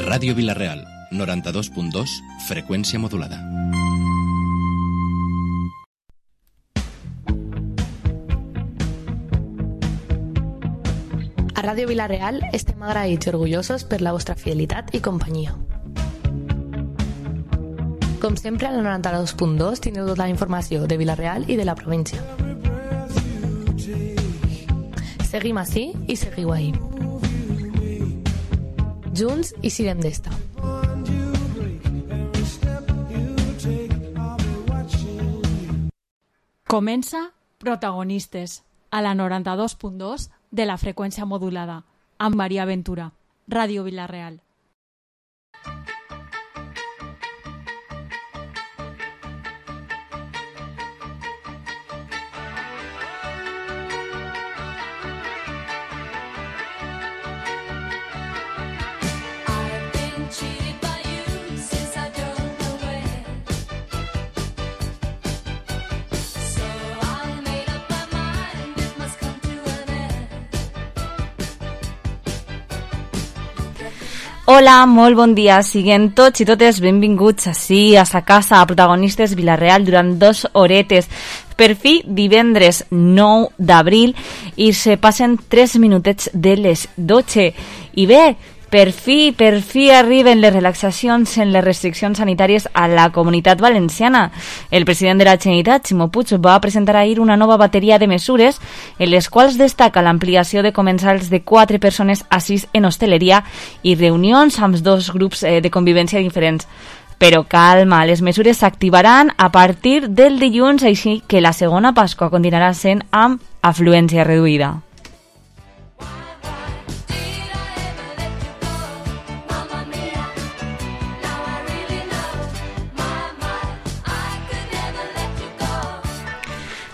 Ràdio Vila-real, 92.2, freqüència modulada. A Ràdio Vila-real estem agraïts i orgullosos per la vostra fidelitat i companyia. Com sempre, al 92.2 teniu tota la informació de Vila-real i de la província. Seguim ací i seguiu ahí. Junts i siguem d'esta. Comença Protagonistes, a la 92.2 de la freqüència modulada, amb Maria Ventura, Ràdio Vila-real. Hola, molt bon dia. Siguem tots i totes benvinguts ací a sa casa, a Protagonistes Vila-real, durant 2 horetes. Per fi, divendres 9 d'abril, i se passen 3 minutets de les 12. I bé, per fi arriben les relaxacions en les restriccions sanitàries a la Comunitat Valenciana. El president de la Generalitat, Ximo Puig, va presentar ahir una nova bateria de mesures en les quals destaca l'ampliació de comensals de 4 persones a 6 en hostaleria i reunions amb 2 grups de convivència diferents. Però calma, les mesures s'activaran a partir del dilluns, així que la segona Pasqua continuarà sent amb afluència reduïda.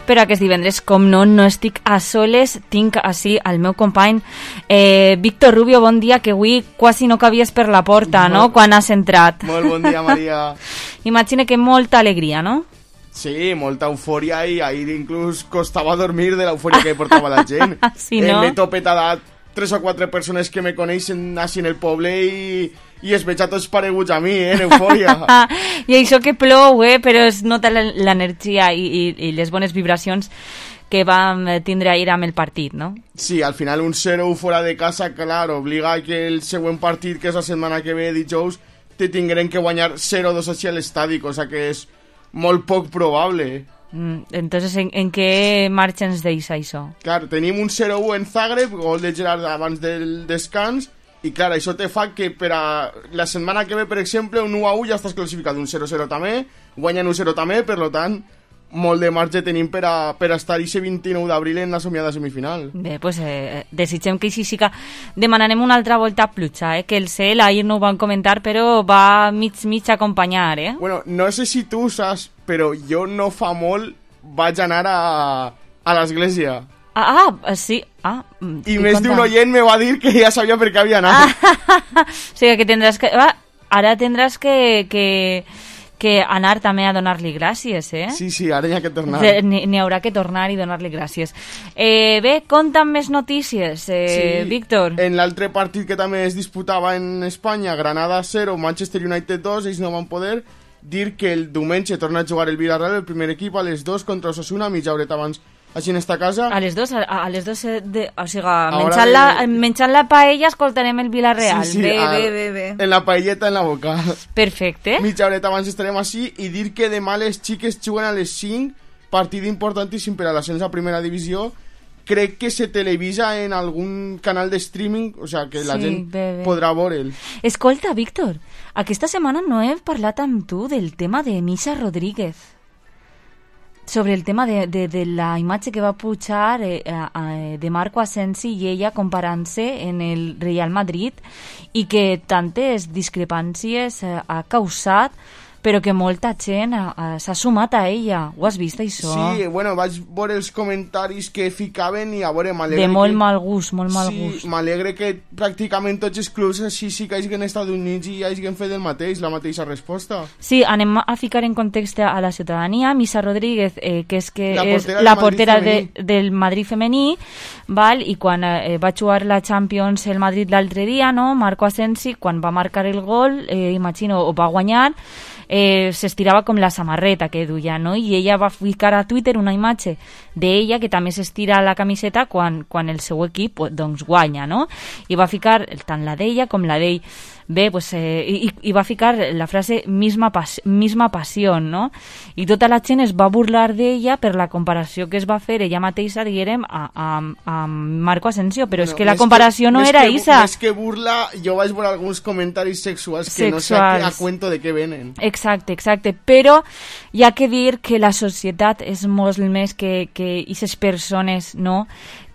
Però aquest divendres, com no estic a soles, tinc així el meu company Víctor Rubio. Bon dia, que avui quasi no cabies per la porta, no?, quan has entrat. Molt bon dia, Maria. Imagina que molta alegria, no? Sí, molta eufòria, i ahir inclús costava dormir de l'eufòria que portava la gent. Sí, no? M'he topet a 3 o 4 persones que me coneixen així en el poble i es veig a tots pareguts a mi, en eufòria. I això que plou, però es nota l'energia i les bones vibracions que vam tindre ahir amb el partit, no? Sí, al final un 0 fora de casa, clar, obliga que el següent partit, que és la setmana que ve, dijous, te tingueren que guanyar 0-2 així a l'estadi, cosa que és molt poc probable. Entonces, ¿en qué marxa ens deixa això? Clar, tenim un 0-1 en Zagreb, gol de Gerard abans del descans, i clar, això te fa que per a la setmana que ve, per exemple, un 1-1 ja estàs classificat, un 0-0 també, guanyen un 0 també, per tant, molt de marge tenim per a estar aquest 29 d'abril en la somiada semifinal. Bé, doncs desitgem que així sí que demanarem una altra volta a pluja, que el cel ahir no ho van comentar, però va mig acompanyar, Bueno, no sé si tu saps, però jo no fa molt vaig anar a l'església. Sí. I més d'un oient me va dir que ja sabia per què havia anat. O sigui que tindràs que... Ara tindràs que anar també a donar-li gràcies, Sí, ara hi ha que tornar. N'hi haurà que tornar i donar-li gràcies. Bé, conta'm més notícies, Víctor. En l'altre partit que també es disputava en Espanya, Granada 0, Manchester United 2, ells no van poder dir que el diumenge torna a jugar el Villarreal, el primer equip, a les 2 contra Osasuna, mitja horeta abans així en esta casa. A les 2, o sigui, menjant la paella escoltarem el Villarreal. Sí, bé. En la paelleta en la boca. Perfecte. Mitja horeta abans estarem així, i dir que demà les xiques juguen a les 5, partit importantíssim per a l'ascens a primera divisió. Crec que se televisa en algun canal de streaming, o sigui que la gent podrà veure'l. Escolta, Víctor, aquesta setmana no he parlat amb tu del tema de Misha Rodríguez. Sobre el tema de la imatge que va pujar de Marco Asensi i ella comparant-se en el Real Madrid, i que tantes discrepàncies ha causat però que molta gent s'ha sumat a ella. Ho has vist, això? Sí, bueno, vaig veure els comentaris que ficaven i a veure, m'alegre... De molt mal gust, molt mal gust. Sí, m'alegre que pràcticament tots els clubs així sí que hagin Estats Units i hagin fet el mateix, la mateixa resposta. Sí, anem a ficar en context a la ciutadania. Misa Rodríguez, que és la portera del Madrid femení, val? I quan va jugar la Champions el Madrid l'altre dia, no? Marco Asensi, quan va marcar el gol, imagino, o va guanyar, s'estirava com la samarreta que duia, no? I ella va ficar a Twitter una imatge d'ella que també s'estira la camiseta quan el seu equip doncs guanya, no? I va ficar tant la d'ella com la d'ell. Bé, pues, i va ficar la frase misma pasión, no? I tota la gent es va burlar d'ella per la comparació que es va fer ella mateixa, diguem, a Marco Asensio, però és que la comparació no era esa. Més que burla, jo vaig veure alguns comentaris sexuals que no sé a cuento de què venen. Exacte, però hi ha que dir que la societat és molt més que aquestes persones, no?,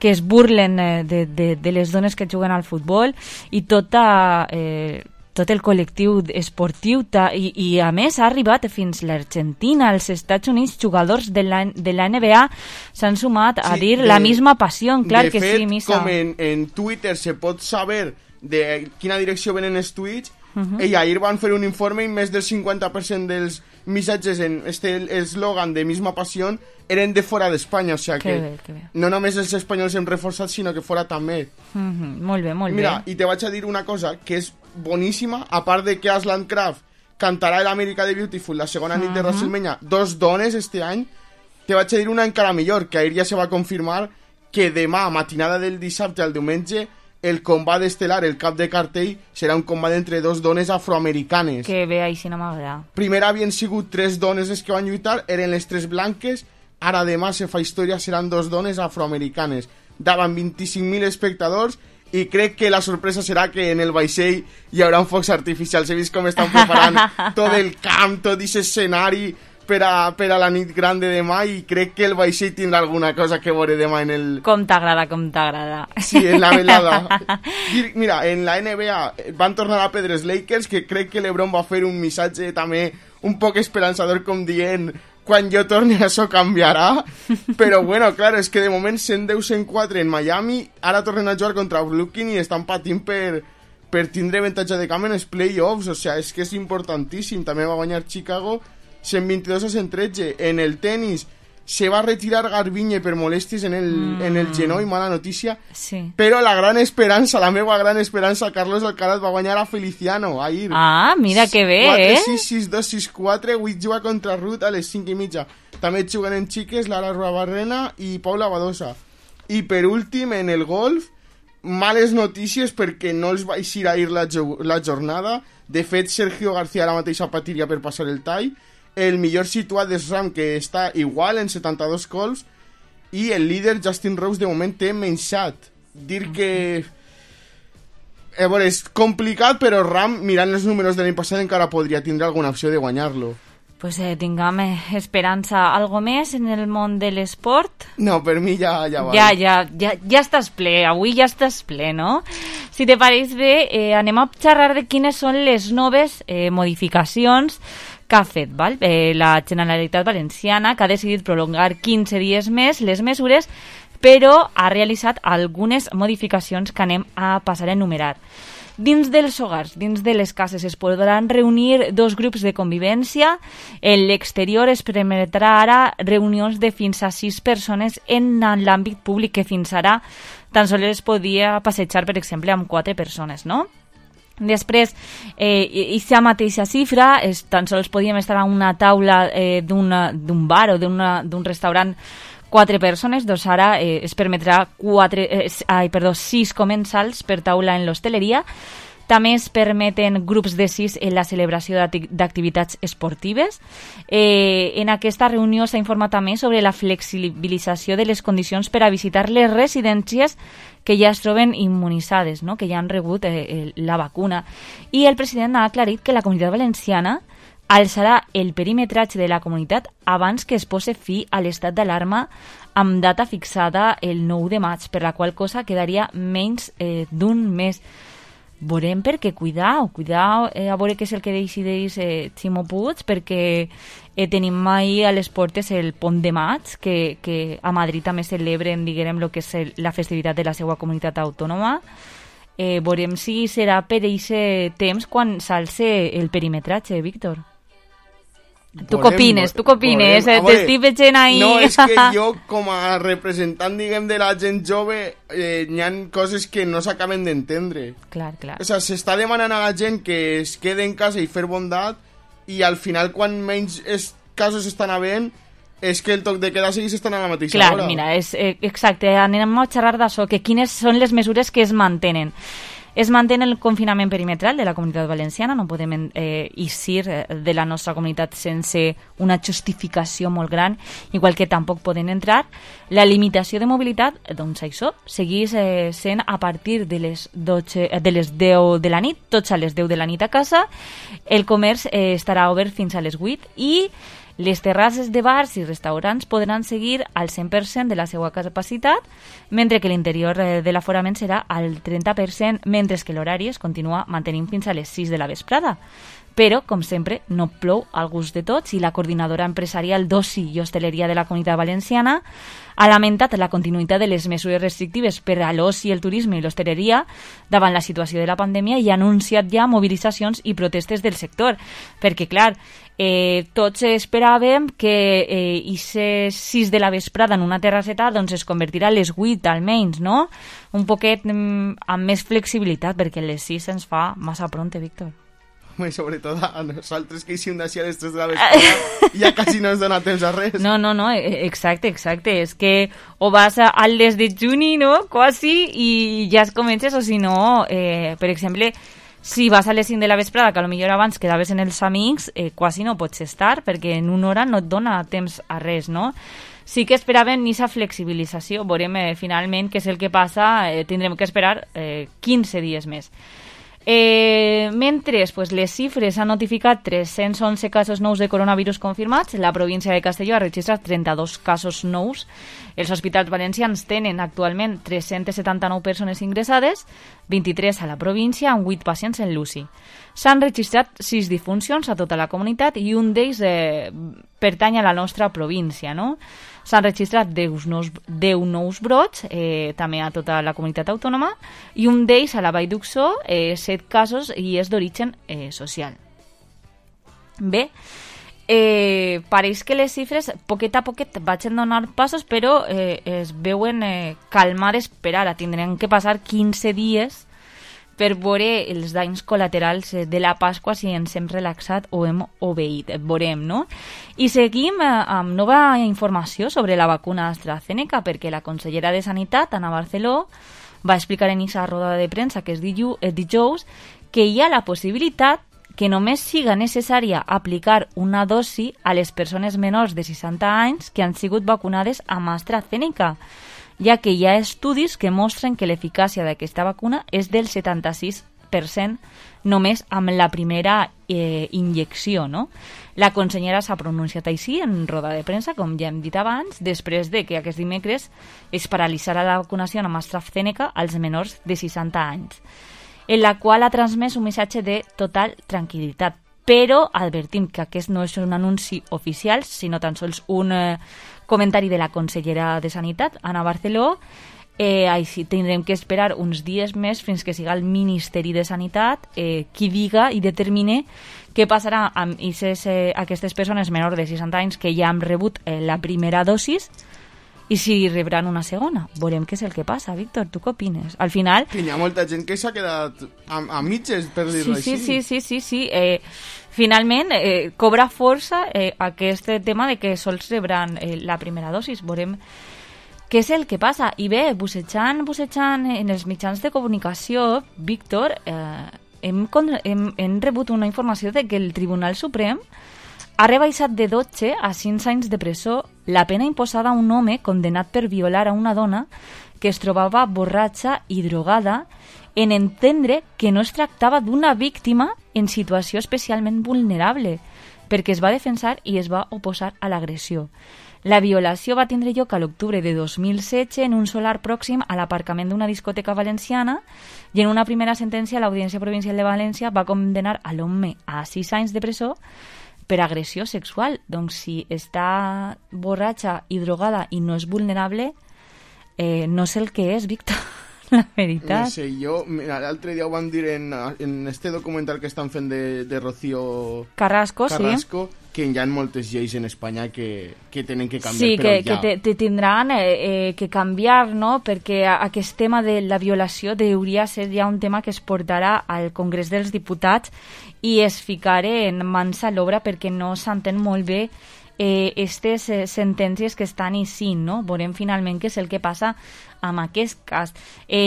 que es burlen de les dones que juguen al futbol i tot el col·lectiu esportiu i a més ha arribat fins l'Argentina, als Estats Units, jugadors de la NBA s'han sumat a dir la misma passió, clar que sí, Misa. Com en Twitter se pot saber de quina direcció venen els tuits, i ahir van fer un informe i més del 50% dels missatges en eslògan de misma passió eren de fora d'Espanya, o sigui que no només els espanyols hem reforçat, sinó que fora també. Molt bé, molt bé. Mira, i te vaig a dir una cosa que és boníssima, a part de que Aslan Kraft cantarà l'America de Beautiful la segona nit de WrestleMania, 2 dones este any, te vaig a dir una encara millor, que ahir ja se va confirmar que demà, matinada del dissabte al diumenge, el combat estel·lar, el cap de cartell, serà un combat entre 2 dones afroamericanes. Que bé, així no m'agrada. Primer havien sigut 3 dones les que van lluitar, eren les 3 blanques, ara demà se fa història, seran 2 dones afroamericanes. Davant 25.000 espectadors, i crec que la sorpresa serà que en el vaixell hi haurà focs artificials. He vist com estan preparant tot el camp, tot aquest escenari per a la nit gran de demà, i crec que el vaixell tindrà alguna cosa que veure demà en el... Com t'agrada. Sí, en la velada. Mira, en la NBA van tornar a perdre els Lakers, que crec que LeBron va fer un missatge també un poc esperançador, com dient, quan jo torni això canviarà, però bueno, clar, és que de moment 110-104 en Miami, ara tornen a jugar contra Brooklyn i estan patint per tindre avantatge de camp en els playoffs, o sigui, és que és importantíssim. També va guanyar Chicago 122-113. En el tenis se va retirar Garbiñe per molèsties en el genoll, mala notícia, sí. Però la gran esperança, la meva gran esperança, Carlos Alcaraz va guanyar a Feliciano ahir. Ah, mira que bé, 4-6, 6-2, 6-4, avui juga contra Ruth a les 5:30. També juguen en xiques Lara Ruabarrena i Paula Badosa. I per últim, en el golf, males notícies perquè no els va eixir ahir la jornada. De fet, Sergio García ara mateix patiria per passar el tall. El millor situat de SRAM, que està igual en 72 cols, i el líder Justin Rose de moment té menys 7. Dir que bueno, és complicat, però Ram, mirant els números de l'any passat, encara podria tindre alguna opció de guanyar-lo. Pues tinguem esperança. Algo més en el món de l'esport? No, per mi ja va. Ja estàs ple, avui ja estàs ple, no? Si te pareix bé, anem a xerrar de quines són les noves modificacions que ha fet la Generalitat Valenciana, que ha decidit prolongar 15 dies més les mesures, però ha realitzat algunes modificacions que anem a passar a enumerar. Dins dels hogars, dins de les cases, es podran reunir 2 grups de convivència. En l'exterior es permetrà ara reunions de fins a 6 persones en l'àmbit públic, que fins ara tan sols es podia passejar, per exemple, amb 4 persones, no? Després, aquesta mateixa xifra, tan sols podíem estar a una taula d'un bar o d'un restaurant 4 persones, doncs ara es permetrà 6 comensals per taula en l'hostaleria. També es permeten grups de 6 en la celebració d'activitats esportives. En aquesta reunió s'ha informat també sobre la flexibilització de les condicions per a visitar les residències que ja es troben immunitzades, no? Que ja han rebut la vacuna. I el president ha aclarit que la Comunitat Valenciana alçarà el perimetratge de la comunitat abans que es posi fi a l'estat d'alarma amb data fixada el 9 de maig, per la qual cosa quedaria menys d'un mes. veurem perquè cuidao, a veure què és el que decideix Ximo Puig, perquè tenim mai a les portes el pont de maig, que a Madrid també celebren, diguem, lo que és la festivitat de la seva comunitat autònoma. Veurem si serà per aquest temps quan s'alce el perimetratge, Víctor. Tu què opines? T'estic veient ahí... No, és que jo, com a representant, diguem, de la gent jove, n'hi ha coses que no s'acaben d'entendre. Clar. O sigui, s'està demanant a la gent que es quede en casa i fer bondat, i al final, quan menys casos estan havent, és que el toc de queda segueix estant a la mateixa hora. Clar, mira, exacte, anem a xerrar d'això, que quines són les mesures que es mantenen. Es mantén el confinament perimetral de la comunitat valenciana, no podem eixir de la nostra comunitat sense una justificació molt gran, igual que tampoc poden entrar. La limitació de mobilitat, doncs això, segueix sent a partir de les 10 de la nit, tots a les 10 de la nit a casa. El comerç estarà obert fins a les 8 i les terrasses de bars i restaurants podran seguir al 100% de la seva capacitat, mentre que l'interior de l'aforament serà al 30%, mentre que l'horari es continua mantenint fins a les 6 de la vesprada. Però, com sempre, no plou al gust de tots i la coordinadora empresarial d'Oci i Hostaleria de la Comunitat Valenciana ha lamentat la continuïtat de les mesures restrictives per a l'oci, el turisme i l'hostaleria davant la situació de la pandèmia i ha anunciat ja mobilitzacions i protestes del sector. Perquè, clar, tots esperàvem que aquestes 6 de la vesprada en una terrasseta doncs es convertirà a les 8 almenys, no? Un poquet amb més flexibilitat, perquè a les 6 ens fa massa pronte, Víctor. Sobretot a nosaltres que hicim d'ací a les 3 de la vesprada ja quasi no ens dona temps a res. No, exacte. És que o vas al les de juni, no? Quasi, i ja es comences, o si no, per exemple, si vas a les 5 de la vesprada, que potser abans quedaves en els amics, quasi no pots estar, perquè en una hora no et dona temps a res, no? Sí que esperàvem aquesta flexibilització, veurem finalment què és el que passa, tindrem que esperar 15 dies més. Mentre les xifres han notificat 311 casos nous de coronavirus confirmats, la província de Castelló ha registrat 32 casos nous. Els hospitals valencians tenen actualment 379 persones ingressades, 23 a la província, amb 8 pacients en l'UCI. S'han registrat 6 difuncions a tota la comunitat i un d'ells pertany a la nostra província, no? S'han registrat 10 nous brots, també a tota la comunitat autònoma, i un d'ells a la Vall d'Uxó, 7 casos, i és d'origen social. Bé, pareix que les xifres poquet a poquet vagin donar passos, però es veuen calmades per ara. Tindran que passar 15 dies per veure els danys col·laterals de la Pasqua, si ens hem relaxat o hem obeït. Veurem, no? I seguim amb nova informació sobre la vacuna AstraZeneca, perquè la consellera de Sanitat, Ana Barceló, va explicar en aquesta roda de premsa que és dijous que hi ha la possibilitat que només siga necessària aplicar una dosi a les persones menors de 60 anys que han sigut vacunades amb AstraZeneca, ja que hi ha estudis que mostren que l'eficàcia d'aquesta vacuna és del 76% només amb la primera injecció, no? La consellera s'ha pronunciat així en roda de premsa, com ja hem dit abans, després de que aquest dimecres es paralitzarà la vacunació amb AstraZeneca als menors de 60 anys, en la qual ha transmès un missatge de total tranquil·litat. Però advertim que aquest no és un anunci oficial, sinó tan sols un comentari de la consellera de Sanitat, Ana Barceló. Així tindrem que esperar uns dies més fins que siga el Ministeri de Sanitat qui diga i determine què passarà amb aquestes persones menors de 60 anys que ja han rebut la primera dosis i si rebran una segona. Veurem què és el que passa, Víctor. Tu què opines? Al final... Que hi ha molta gent que s'ha quedat a mitges, per dir-ho així. Sí. Finalment, cobra força aquest tema de que sols rebran la primera dosis. Veurem què és el que passa. I bé, bussejant en els mitjans de comunicació, Víctor, hem rebut una informació de que el Tribunal Suprem ha rebaixat de 12 a 5 anys de presó la pena imposada a un home condenat per violar a una dona que es trobava borratxa i drogada en entendre que no es tractava d'una víctima en situació especialment vulnerable, perquè es va defensar i es va oposar a l'agressió. La violació va tindre lloc a l'octubre de 2016 en un solar pròxim a l'aparcament d'una discoteca valenciana i en una primera sentència l'Audiència Provincial de València va condenar a l'home a 6 anys de presó per agressió sexual. Doncs si està borratxa i drogada i no és vulnerable, no sé el que és, Víctor, la veritat. No sé, mira, l'altre dia ho van dir en este documental que estan fent de Rocío Carrasco, sí, que hi ha moltes lleis en Espanya que tenen que canviar, sí, però ja. que tindran que canviar, no? Perquè aquest tema de la violació hauria de ser ja un tema que es portarà al Congrés dels Diputats i es ficarà en mans a l'obra perquè no s'entén molt bé aquestes sentències que estan així, no? Veurem finalment què és el que passa amb aquest cas.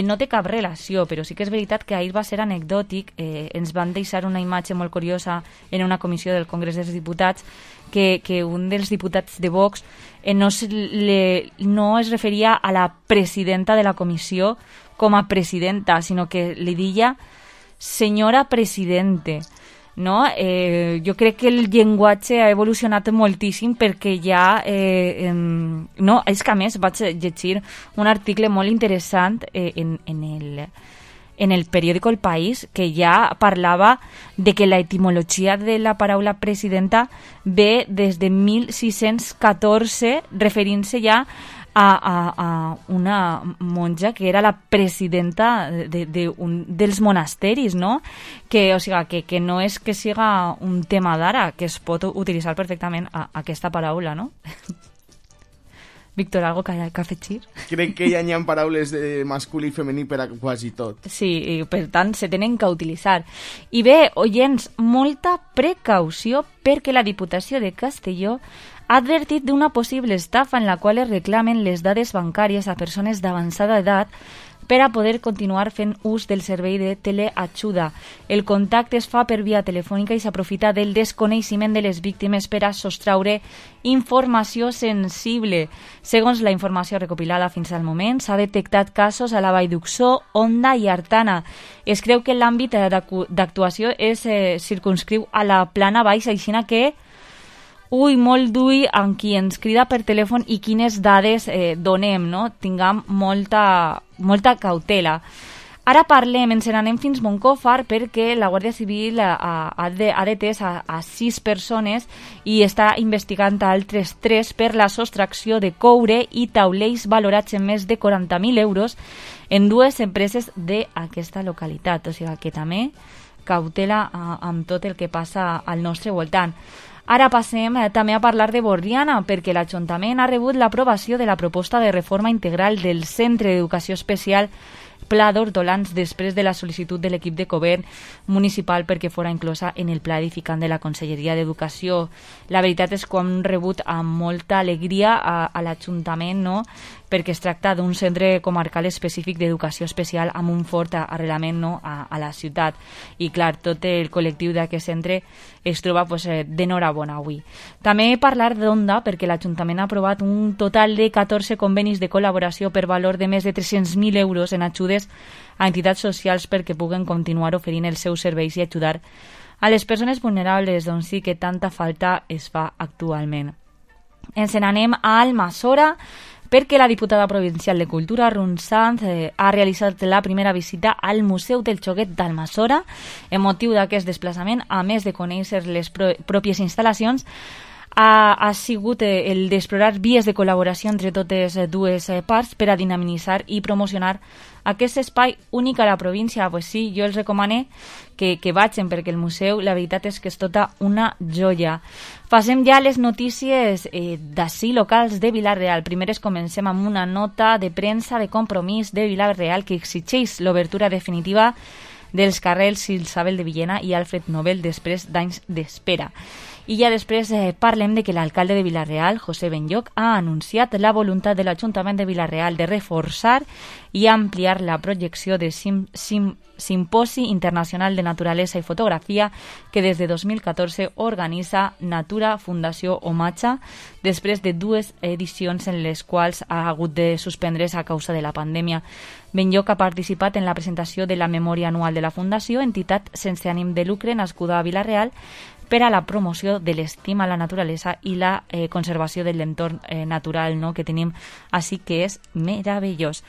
No té cap relació, però sí que és veritat que ahir va ser anecdòtic. Ens van deixar una imatge molt curiosa en una comissió del Congrés dels Diputats que un dels diputats de Vox no es referia a la presidenta de la comissió com a presidenta, sinó que li deia senyora presidente. No? Jo crec que el llenguatge ha evolucionat moltíssim perquè ja no, és que a més vaig llegir un article molt interessant en el periòdico El País que ja parlava de que la etimologia de la paraula presidenta ve des de 1614 referint-se ja a una monja que era la presidenta dels monasteris, no? O sigui, que no és que siga un tema d'ara, que es pot utilitzar perfectament aquesta paraula, no? Víctor, algo que afegir? Crec que ja hi ha paraules de masculí i femení per a quasi tot. Sí, i per tant se tenen que utilitzar. I bé, oients, molta precaució perquè la Diputació de Castelló ha advertit d'una possible estafa en la qual es reclamen les dades bancàries a persones d'avançada edat per a poder continuar fent ús del servei de teleajuda. El contacte es fa per via telefònica i s'aprofita del desconeixement de les víctimes per a sostraure informació sensible. Segons la informació recopilada fins al moment, s'ha detectat casos a la Vall d'Uxó, Onda i Artana. Es creu que l'àmbit d'actuació es circunscriu a la plana baixa, així que molt d'ull amb qui ens crida per telèfon i quines dades donem, no? Tinguem molta cautela. Ara ens n'anem fins Moncòfar perquè la Guàrdia Civil ha detès a 6 persones i està investigant a altres 3 per la sostracció de coure i taulells valorats en més de 40.000 euros en 2 empreses d'aquesta localitat. O sigui que també cautela amb tot el que passa al nostre voltant. Ara passem també a parlar de Borriana, perquè l'Ajuntament ha rebut l'aprovació de la proposta de reforma integral del Centre d'Educació Especial Pla d'Hortolans després de la sol·licitud de l'equip de govern municipal perquè fora inclosa en el pla edificant de la Conselleria d'Educació. La veritat és que hem rebut amb molta alegria a l'Ajuntament, no? Perquè es tracta d'un centre comarcal específic d'educació especial amb un fort arrelament, no? a la ciutat. I clar, tot el col·lectiu d'aquest centre es troba d'enhorabona avui. També parlar d'Onda, perquè l'Ajuntament ha aprovat un total de 14 convenis de col·laboració per valor de més de 300.000 euros en ajudes a entitats socials perquè puguen continuar oferint els seus serveis i ajudar a les persones vulnerables, doncs sí que tanta falta es fa actualment. Ens n'anem a Almassora, perquè la diputada provincial de Cultura, Run Sanz, ha realitzat la primera visita al Museu del Xoguet d'Almassora. En motiu d'aquest desplaçament, a més de conèixer les pròpies instal·lacions, ha sigut el d'explorar vies de col·laboració entre totes dues parts per a dinamitzar i promocionar aquest espai únic a la província. Pues sí, jo els recomano que vagin, perquè el museu, la veritat és que és tota una joia. Passem ja a les notícies d'ací locals de Vila-real. Primer comencem amb una nota de premsa de Compromís de Vila-real que exigeix l'obertura definitiva dels carrers Isabel de Villena i Alfred Nobel després d'anys d'espera. I ja després parlem de que l'alcalde de Vila-real, José Benlloch, ha anunciat la voluntat de l'Ajuntament de Vila-real de reforçar i ampliar la projecció de Simposi Internacional de Naturalesa i Fotografia que des de 2014 organitza Natura Fundació Omatxa després de 2 edicions en les quals ha hagut de suspendre's a causa de la pandèmia. Benlloch ha participat en la presentació de la memòria anual de la Fundació, entitat sense ànim de lucre nascuda a Vila-real, per a la promoció de l'estima a la naturalesa i la conservació de l'entorn natural, no?, que tenim així, que és meravellós.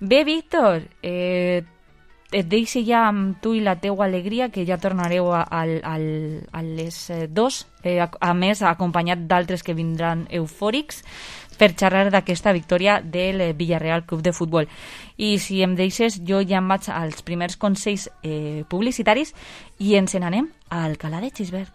Bé, Víctor, et deixo ja amb tu i la teua alegria, que ja tornareu a les 2, a més acompanyat d'altres que vindran eufòrics, per xerrar d'aquesta victòria del Villarreal Club de Futbol. I si em deixes, jo ja em vaig als primers consells publicitaris i ens n'anem a Alcalá de Xivert.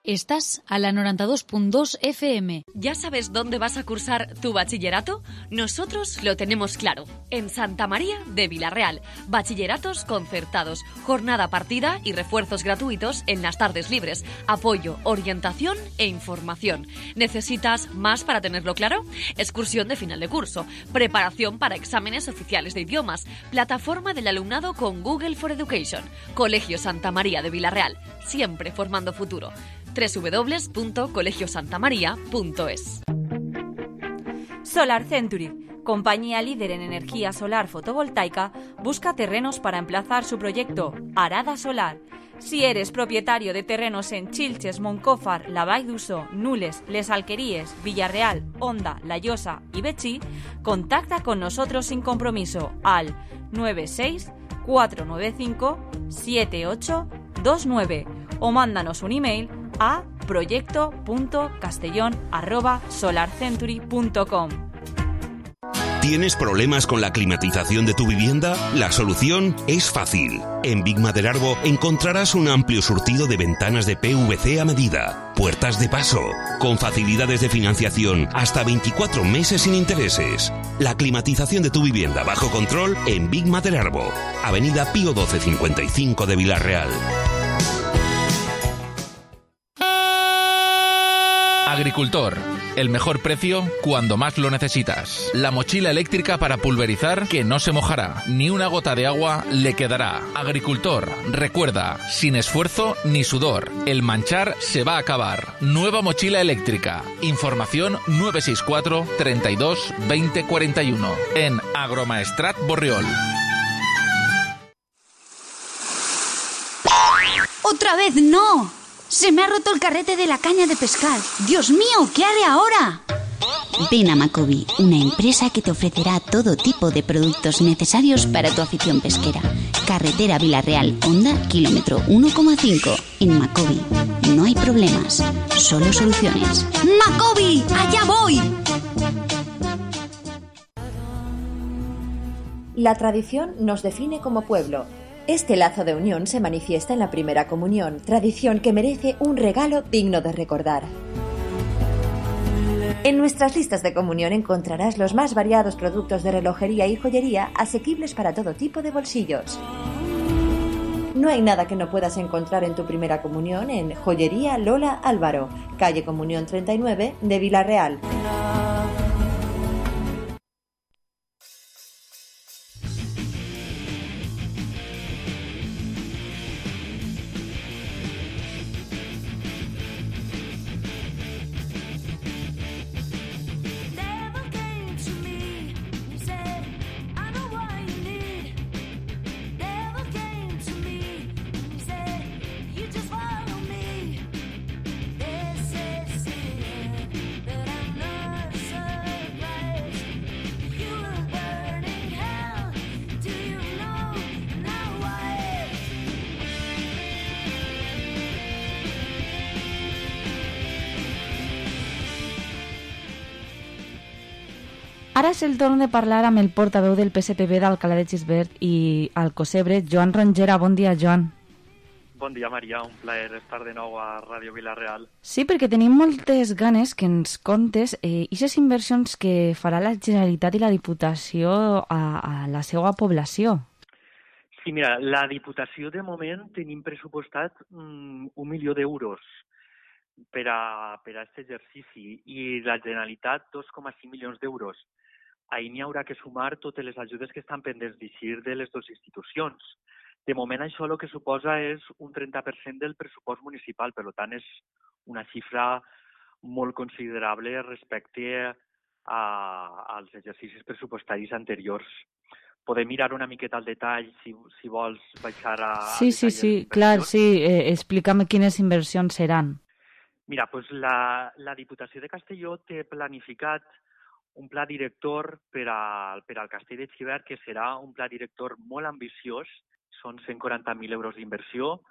Estás a la 92.2 FM. ¿Ya sabes dónde vas a cursar tu bachillerato? Nosotros lo tenemos claro. En Santa María de Vila-real. Bachilleratos concertados, jornada partida y refuerzos gratuitos en las tardes libres. Apoyo, orientación e información. ¿Necesitas más para tenerlo claro? Excursión de final de curso. Preparación para exámenes oficiales de idiomas. Plataforma del alumnado con Google for Education. Colegio Santa María de Vila-real. Siempre formando futuro. www.colegiosantamaria.es. Solar Century, compañía líder en energía solar fotovoltaica, busca terrenos para emplazar su proyecto Arada Solar. Si eres propietario de terrenos en Xilxes, Moncófar, la Vall d'Uso, Nules, Les Alqueríes, Villarreal, Onda, La Llosa y Betxí, contacta con nosotros sin compromiso al 96 495 7829 o mándanos un email a proyecto.castellón@solarcentury.com. ¿Tienes problemas con la climatización de tu vivienda? La solución es fácil. En Big Maderarbo encontrarás un amplio surtido de ventanas de PVC a medida, puertas de paso, con facilidades de financiación hasta 24 meses sin intereses. La climatización de tu vivienda bajo control en Big Maderarbo, Avenida Pío 1255 de Vila-real. Agricultor, el mejor precio cuando más lo necesitas. La mochila eléctrica para pulverizar que no se mojará, ni una gota de agua le quedará. Agricultor, recuerda, sin esfuerzo ni sudor, el manchar se va a acabar. Nueva mochila eléctrica. Información 964 32 20 41 en Agromaestrat Borriol. ¡Otra vez no! ¡Se me ha roto el carrete de la caña de pescar! ¡Dios mío! ¿Qué haré ahora? Ven a Macobi, una empresa que te ofrecerá todo tipo de productos necesarios para tu afición pesquera. Carretera Vila-real, Honda, kilómetro 1,5. En Macobi no hay problemas, solo soluciones. ¡Macobi! ¡Allá voy! La tradición nos define como pueblo. Este lazo de unión se manifiesta en la primera comunión, tradición que merece un regalo digno de recordar. En nuestras listas de comunión encontrarás los más variados productos de relojería y joyería asequibles para todo tipo de bolsillos. No hay nada que no puedas encontrar en tu primera comunión en Joyería Lola Álvaro, calle Comunión 39 de Vila-real. Ara és el torn de parlar amb el portaveu del PSPB d'Alcalá de Xivert i Alcocebre, Joan Rongera. Bon dia, Joan. Bon dia, Maria. Un plaer estar de nou a Ràdio Vila-real. Sí, perquè tenim moltes ganes que ens contes aquestes inversions que farà la Generalitat i la Diputació a la seva població. Sí, mira, la Diputació de moment tenim pressupostat 1 milió d'euros per a aquest exercici i la Generalitat 2,5 milions d'euros. Ahir n'hi haurà que sumar totes les ajudes que estan pendents d'eixir de les dues institucions. De moment això el que suposa és un 30% del pressupost municipal, per tant és una xifra molt considerable respecte als exercicis pressupostaris anteriors. Podem mirar una miqueta al detall, si vols baixar a... Sí, clar, sí. Explica'm quines inversions seran. Mira, doncs la Diputació de Castelló té planificat un pla director per al Castell de Xivert, que serà un pla director molt ambiciós. Són 140.000 euros d'inversió,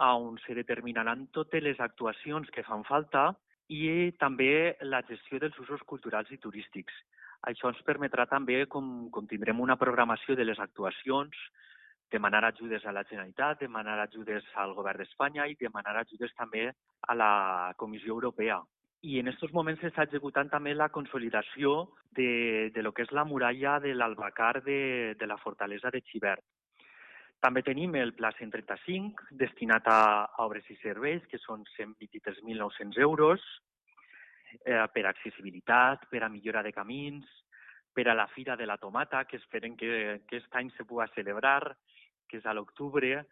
on se determinaran totes les actuacions que fan falta i també la gestió dels usos culturals i turístics. Això ens permetrà també, com tindrem una programació de les actuacions, demanar ajudes a la Generalitat, demanar ajudes al Govern d'Espanya i demanar ajudes també a la Comissió Europea. I en aquests moments s'està executant també la consolidació de lo que és la muralla de l'Albacar de la fortalesa de Xivert. També tenim el Pla 135, destinat a obres i serveis, que són 123.900 euros, per a accessibilitat, per a millora de camins, per a la Fira de la Tomata, que esperem que aquest any se pugui celebrar, que és a l'octubre,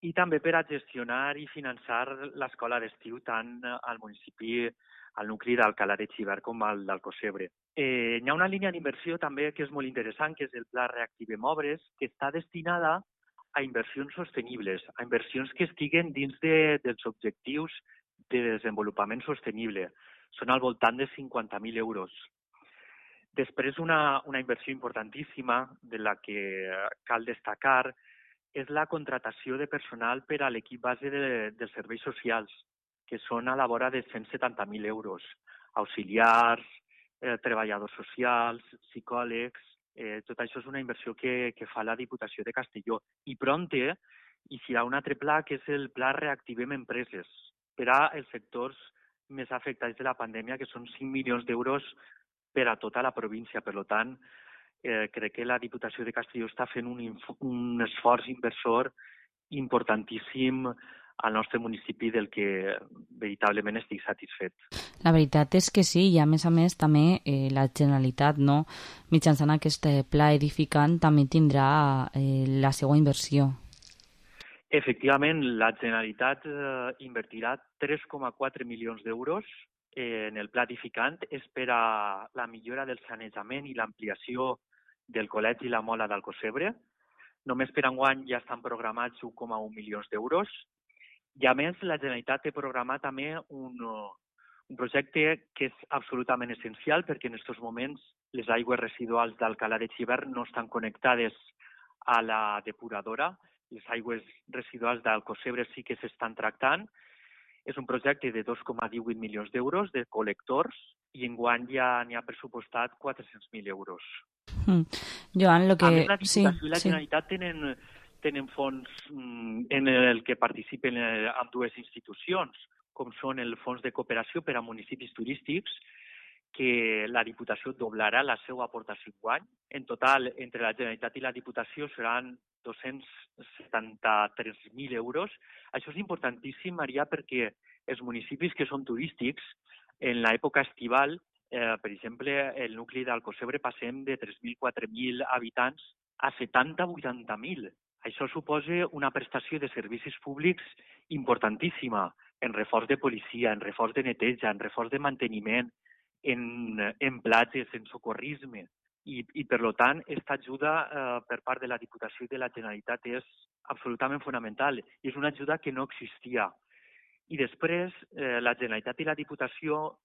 i també per a gestionar i finançar l'escola d'estiu tant al municipi, al nucli d'Alcalá de Xivert com al d'Alcocebre. Hi ha una línia d'inversió també que és molt interessant, que és el Pla Reactivem Obres, que està destinada a inversions sostenibles, a inversions que estiguen dins dels objectius de desenvolupament sostenible. Són al voltant de 50.000 euros. Després, una inversió importantíssima de la que cal destacar és la contratació de personal per a l'equip base dels serveis socials, que són a la vora de 170.000 euros. Auxiliars, treballadors socials, psicòlegs, tot això és una inversió que fa la Diputació de Castelló. I prompte hi serà un altre pla, que és el Pla Reactivem Empreses, per als sectors més afectats de la pandèmia, que són 5 milions d'euros per a tota la província. Per tant, crec que la Diputació de Castelló està fent un esforç inversor importantíssim al nostre municipi, del que veritablement estic satisfet. La veritat és que sí, i a més també la Generalitat, mitjançant aquest pla edificant, també tindrà la seva inversió. Efectivament, la Generalitat invertirà 3,4 milions d'euros en el pla edificant. És per a la millora del sanejament i l'ampliació del Col·legi La Mola d'Alcocebre. Només per enguany ja estan programats 1,1 milions d'euros. I a més, la Generalitat té programat també un projecte que és absolutament essencial, perquè en aquests moments les aigües residuals d'Alcalá de Xivert no estan connectades a la depuradora. Les aigües residuals d'Alcocebre sí que s'estan tractant. És un projecte de 2,18 milions d'euros de col·lectors i enguany ja n'hi ha pressupostat 400.000 euros. Joan, a més, la Diputació i la Generalitat tenen fons en el que participen amb dues institucions, com són el Fons de Cooperació per a Municipis Turístics, que la Diputació doblarà la seva aportació enguany. En total, entre la Generalitat i la Diputació seran 273.000 euros. Això és importantíssim, Maria, perquè els municipis que són turístics, en l'època estival, per exemple, el nucli d'Alcocebre passem de 3.000-4.000 habitants a 70-80.000. Això suposa una prestació de servicis públics importantíssima, en reforç de policia, en reforç de neteja, en reforç de manteniment, en platges, en socorrisme. I per tant, aquesta ajuda per part de la Diputació i de la Generalitat és absolutament fonamental. I és una ajuda que no existia. I després, la Generalitat i la Diputació,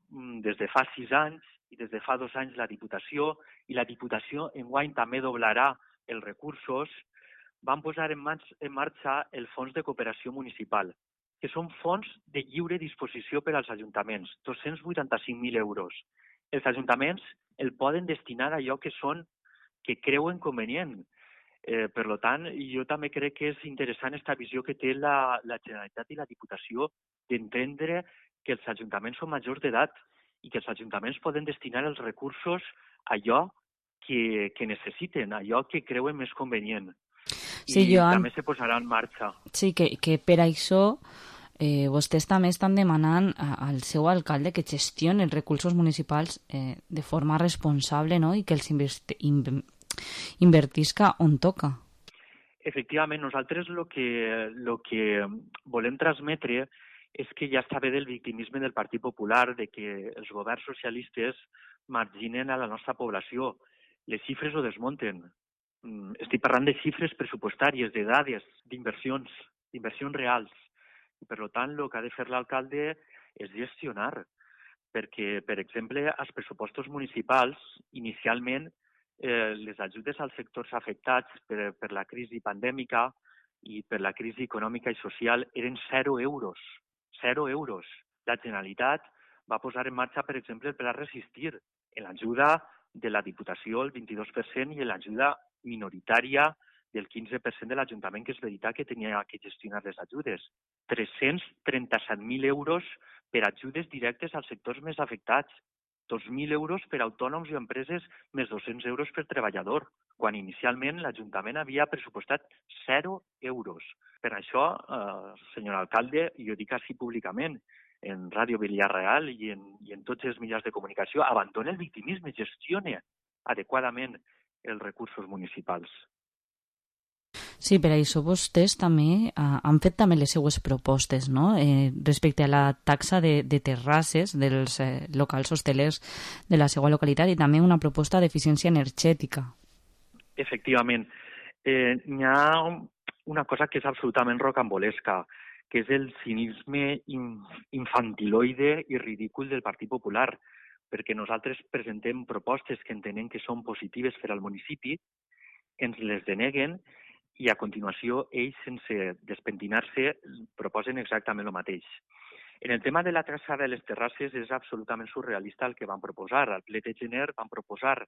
des de fa 6 anys i des de fa 2 anys la Diputació, i la Diputació enguany també doblarà els recursos, van posar en marxa el Fons de Cooperació Municipal, que són fons de lliure disposició per als ajuntaments, 285.000 euros. Els ajuntaments el poden destinar a allò que creuen convenient. Per tant, jo també crec que és interessant aquesta visió que té la Generalitat i la Diputació d'entendre que els ajuntaments són majors d'edat i que els ajuntaments poden destinar els recursos a allò que necessiten, a allò que creuen més convenient. Sí, I Joan, també se posarà en marxa. sí, que per això vostès també estan demanant al seu alcalde que gestioni els recursos municipals de forma responsable, no? I que els invertisca on toca. Efectivament, nosaltres el que volem transmetre és que ja està bé del victimisme del Partit Popular, de que els governs socialistes marginen a la nostra població. Les xifres ho desmunten. Estic parlant de xifres pressupostàries, de dades, d'inversions reals. I, per tant, el que ha de fer l'alcalde és gestionar, perquè, per exemple, als pressupostos municipals, inicialment, les ajudes als sectors afectats per la crisi pandèmica i per la crisi econòmica i social eren 0 euros. 0 euros. La Generalitat va posar en marxa, per exemple, el Pla Resistir, en l'ajuda de la Diputació el 22% i en l'ajuda minoritària del 15% de l'Ajuntament, que és veritat que tenia que gestionar les ajudes. 337.000 euros per ajudes directes als sectors més afectats. 2.000 euros per autònoms i empreses, més 200 euros per treballador, quan inicialment l'Ajuntament havia pressupostat 0 euros. Per això, senyor alcalde, jo dic així públicament, en Ràdio Villarreal i en tots els mitjans de comunicació, abandona el victimisme, gestione adequadament els recursos municipals. Sí, per això vostès també han fet també les seues propostes, no? Respecte a la taxa de terrasses dels locals hostelers de la seva localitat i també una proposta d'eficiència energètica. Efectivament. Hi ha una cosa que és absolutament rocambolesca, que és el cinisme infantiloide i ridícul del Partit Popular, perquè nosaltres presentem propostes que entenem que són positives per al municipi, ens les deneguen i a continuació ells, sense despentinar-se, proposen exactament el mateix. En el tema de la taxa de les terrasses és absolutament surrealista el que van proposar. Al ple de gener van proposar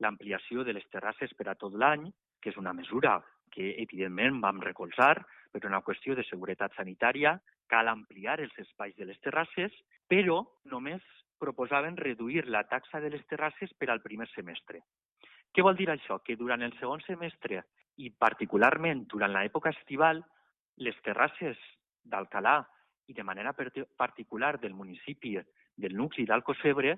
l'ampliació de les terrasses per a tot l'any, que és una mesura que evidentment vam recolzar per una qüestió de seguretat sanitària, cal ampliar els espais de les terrasses, però només proposaven reduir la taxa de les terrasses per al primer semestre. Què vol dir això? Que durant el segon semestre i particularment durant l'època estival, les terrasses d'Alcalà i de manera particular del municipi del nucli d'Alcossebre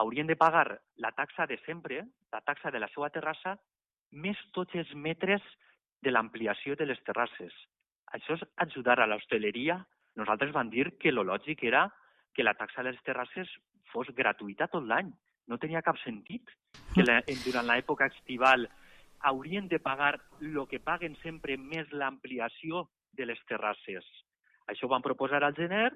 haurien de pagar la taxa de sempre, la taxa de la seva terrassa, més tots els metres de l'ampliació de les terrasses. Això és ajudar a l'hostaleria. Nosaltres vam dir que el lògic era que la taxa de les terrasses fos gratuïta tot l'any. No tenia cap sentit que durant l'època estival haurien de pagar el que paguen sempre més l'ampliació de les terrasses. Això ho van proposar al gener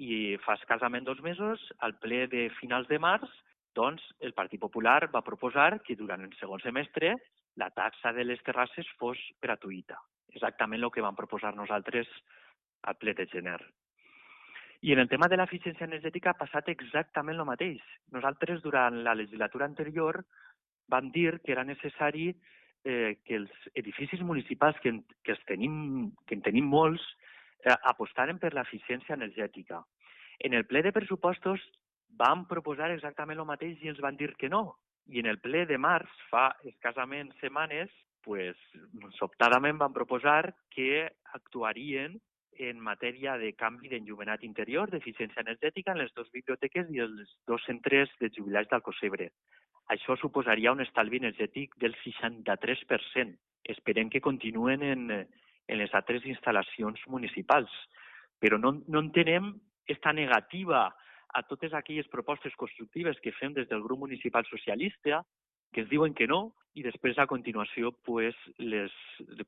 i fa escassament 2 mesos, al ple de finals de març, doncs el Partit Popular va proposar que durant el segon semestre la taxa de les terrasses fos gratuïta. Exactament el que vam proposar nosaltres al ple de gener. I en el tema de l'eficiència energètica ha passat exactament el mateix. Nosaltres, durant la legislatura anterior, vam dir que era necessari que els edificis municipals, que en tenim molts, apostaren per l'eficiència energètica. En el ple de pressupostos vam proposar exactament el mateix i ens van dir que no. I en el ple de març, fa escassament setmanes, sobtadament van proposar que actuarien en matèria de canvi d'enllumenat interior, d'eficiència energètica, en les 2 biblioteques i els 2 centres de jubilats d'Alcossebre. Això suposaria un estalvi energètic del 63%. Esperem que continuen en les altres instal·lacions municipals. Però no entenem aquesta negativa a totes aquelles propostes constructives que fem des del grup municipal socialista, que ens diuen que no, i després a continuació les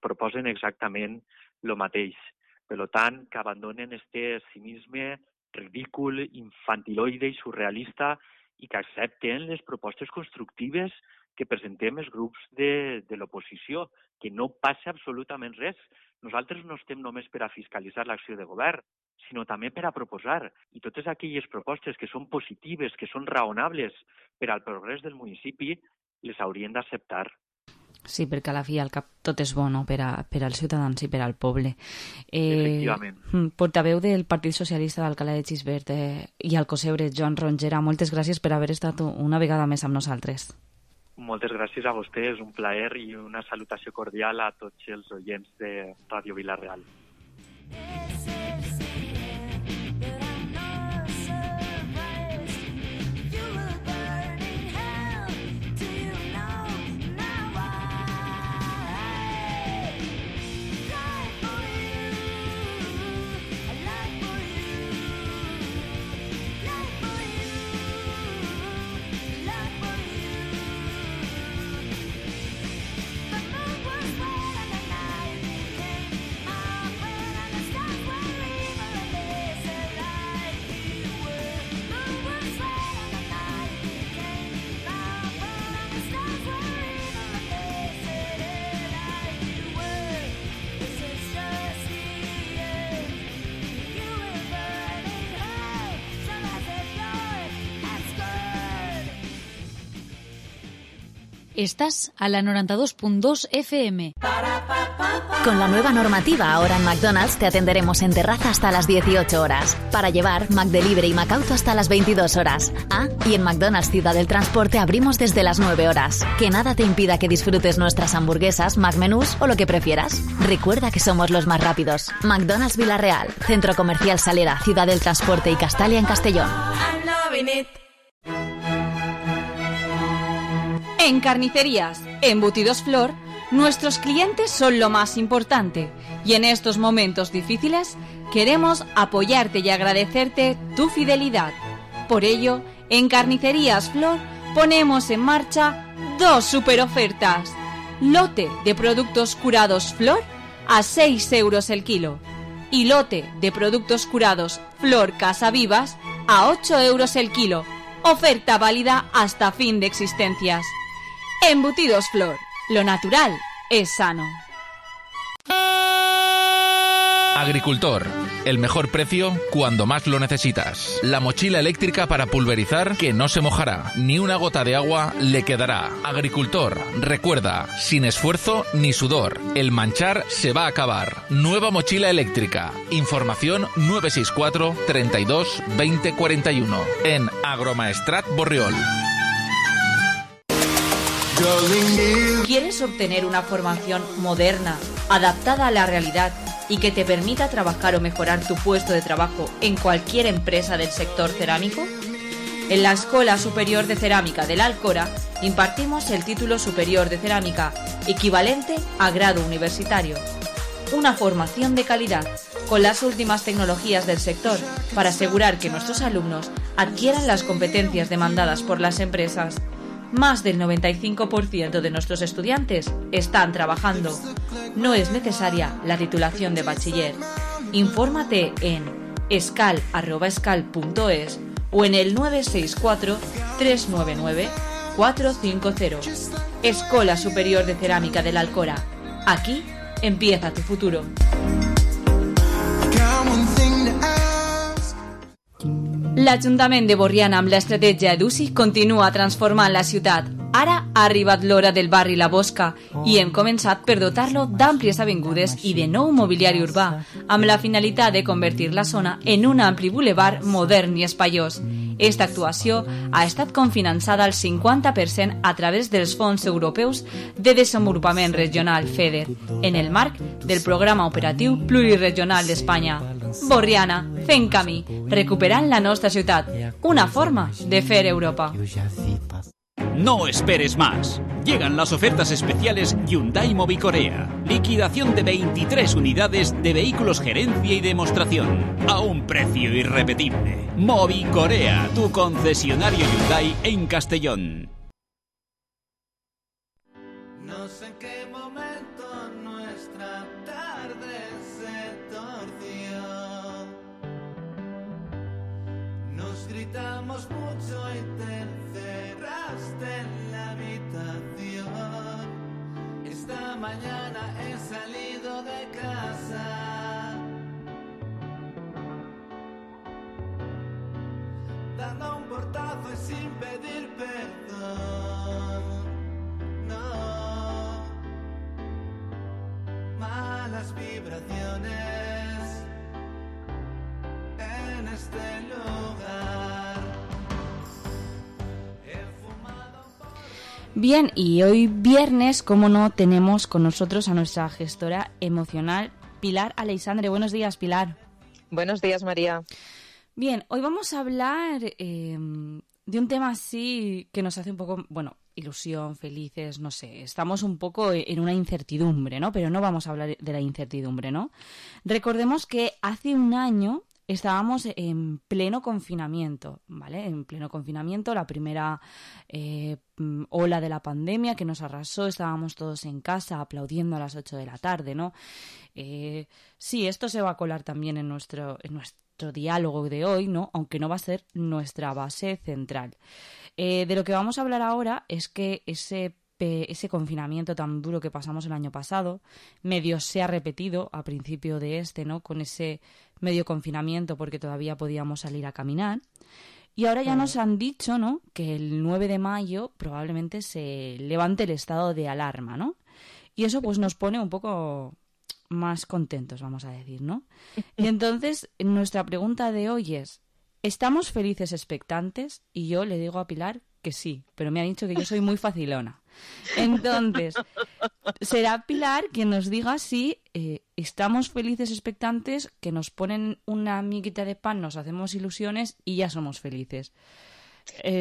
proposen exactament el mateix. Per tant, que abandonen este cinisme ridícul, infantiloide i surrealista i que accepten les propostes constructives que presentem els grups de l'oposició, que no passa absolutament res. Nosaltres no estem només per a fiscalitzar l'acció de govern, sinó també per a proposar. I totes aquelles propostes que són positives, que són raonables per al progrés del municipi, les haurien d'acceptar. Sí, perquè a la fi al cap tot és bo, no?, per als ciutadans i per al poble. Efectivament. Portaveu del Partit Socialista d'Alcalá de Xivert i Alcossebre, Joan Rongera, moltes gràcies per haver estat una vegada més amb nosaltres. Moltes gràcies a vostè, és un plaer i una salutació cordial a tots els oients de Ràdio Vila-real. Estás a la 92.2 FM. Con la nueva normativa, ahora en McDonald's te atenderemos en terraza hasta las 18 horas. Para llevar, McDelivery y McAuto hasta las 22 horas. Y en McDonald's Ciudad del Transporte abrimos desde las 9 horas. Que nada te impida que disfrutes nuestras hamburguesas, McMenús o lo que prefieras. Recuerda que somos los más rápidos. McDonald's Vila-real, Centro Comercial Salera, Ciudad del Transporte y Castalia en Castellón. En Carnicerías Embutidos Flor, nuestros clientes son lo más importante y en estos momentos difíciles queremos apoyarte y agradecerte tu fidelidad. Por ello, en Carnicerías Flor ponemos en marcha 2 super ofertas. Lote de productos curados Flor a 6 euros el kilo y lote de productos curados Flor Casa Vivas a 8 euros el kilo. Oferta válida hasta fin de existencias. Embutidos Flor, lo natural es sano. Agricultor, el mejor precio cuando más lo necesitas. La mochila eléctrica para pulverizar que no se mojará, ni una gota de agua le quedará. Agricultor, recuerda, sin esfuerzo ni sudor, el manchar se va a acabar. Nueva mochila eléctrica. Información 964 32 20 41 en Agromaestrat Borriol. ¿Quieres obtener una formación moderna, adaptada a la realidad y que te permita trabajar o mejorar tu puesto de trabajo en cualquier empresa del sector cerámico? En la Escuela Superior de Cerámica de la Alcora impartimos el título superior de cerámica, equivalente a grado universitario. Una formación de calidad, con las últimas tecnologías del sector, para asegurar que nuestros alumnos adquieran las competencias demandadas por las empresas. Más del 95% de nuestros estudiantes están trabajando. No es necesaria la titulación de bachiller. Infórmate en escal@escal.es o en el 964 399 450. Escuela Superior de Cerámica de la Alcora. Aquí empieza tu futuro. L'Ajuntament de Borriana amb l'estratègia EDUSI continua transformant la ciutat. Ara ha arribat l'hora del barri La Bosca i hem començat per dotar-lo d'àmplies avingudes i de nou mobiliari urbà, amb la finalitat de convertir la zona en un ampli bulevard modern i espaiós. Esta actuació ha estat cofinançada al 50% a través dels fons europeus de desenvolupament regional FEDER, en el marc del Programa Operatiu Pluriregional d'Espanya. Borriana, fent camí, recuperant la nostra ciutat, una forma de fer Europa. No esperes más. Llegan las ofertas especiales Hyundai Mobicorea. Liquidación de 23 unidades de vehículos gerencia y demostración. A un precio irrepetible. Mobicorea, tu concesionario Hyundai en Castellón. No sé en qué momento nuestra tarde se torció. Nos gritamos mucho y te encerraste en la habitación. Esta mañana he salido de casa las vibraciones en este lugar. Bien, y hoy viernes, como no, tenemos con nosotros a nuestra gestora emocional, Pilar Aleixandre. Buenos días, Pilar. Buenos días, María. Bien, hoy vamos a hablar de un tema así que nos hace un poco, bueno, ilusión, felices, no sé. Estamos un poco en una incertidumbre, ¿no? Pero no vamos a hablar de la incertidumbre, ¿no? Recordemos que hace un año estábamos en pleno confinamiento, ¿vale? En pleno confinamiento, la primera ola de la pandemia que nos arrasó, estábamos todos en casa aplaudiendo a las 8 de la tarde, ¿no? Sí, esto se va a colar también en nuestro diálogo de hoy, ¿no? Aunque no va a ser nuestra base central. De lo que vamos a hablar ahora es que ese confinamiento tan duro que pasamos el año pasado, medio se ha repetido a principio de ¿no? Con ese medio confinamiento porque todavía podíamos salir a caminar. Y ahora ya nos han dicho, ¿no? Que el 9 de mayo probablemente se levante el estado de alarma, ¿no? Y eso pues nos pone un poco más contentos, vamos a decir, ¿no? Y entonces nuestra pregunta de hoy es, ¿estamos felices expectantes? Y yo le digo a Pilar que sí, pero me ha dicho que yo soy muy facilona. Entonces, será Pilar quien nos diga si estamos felices expectantes, que nos ponen una miguita de pan, nos hacemos ilusiones y ya somos felices.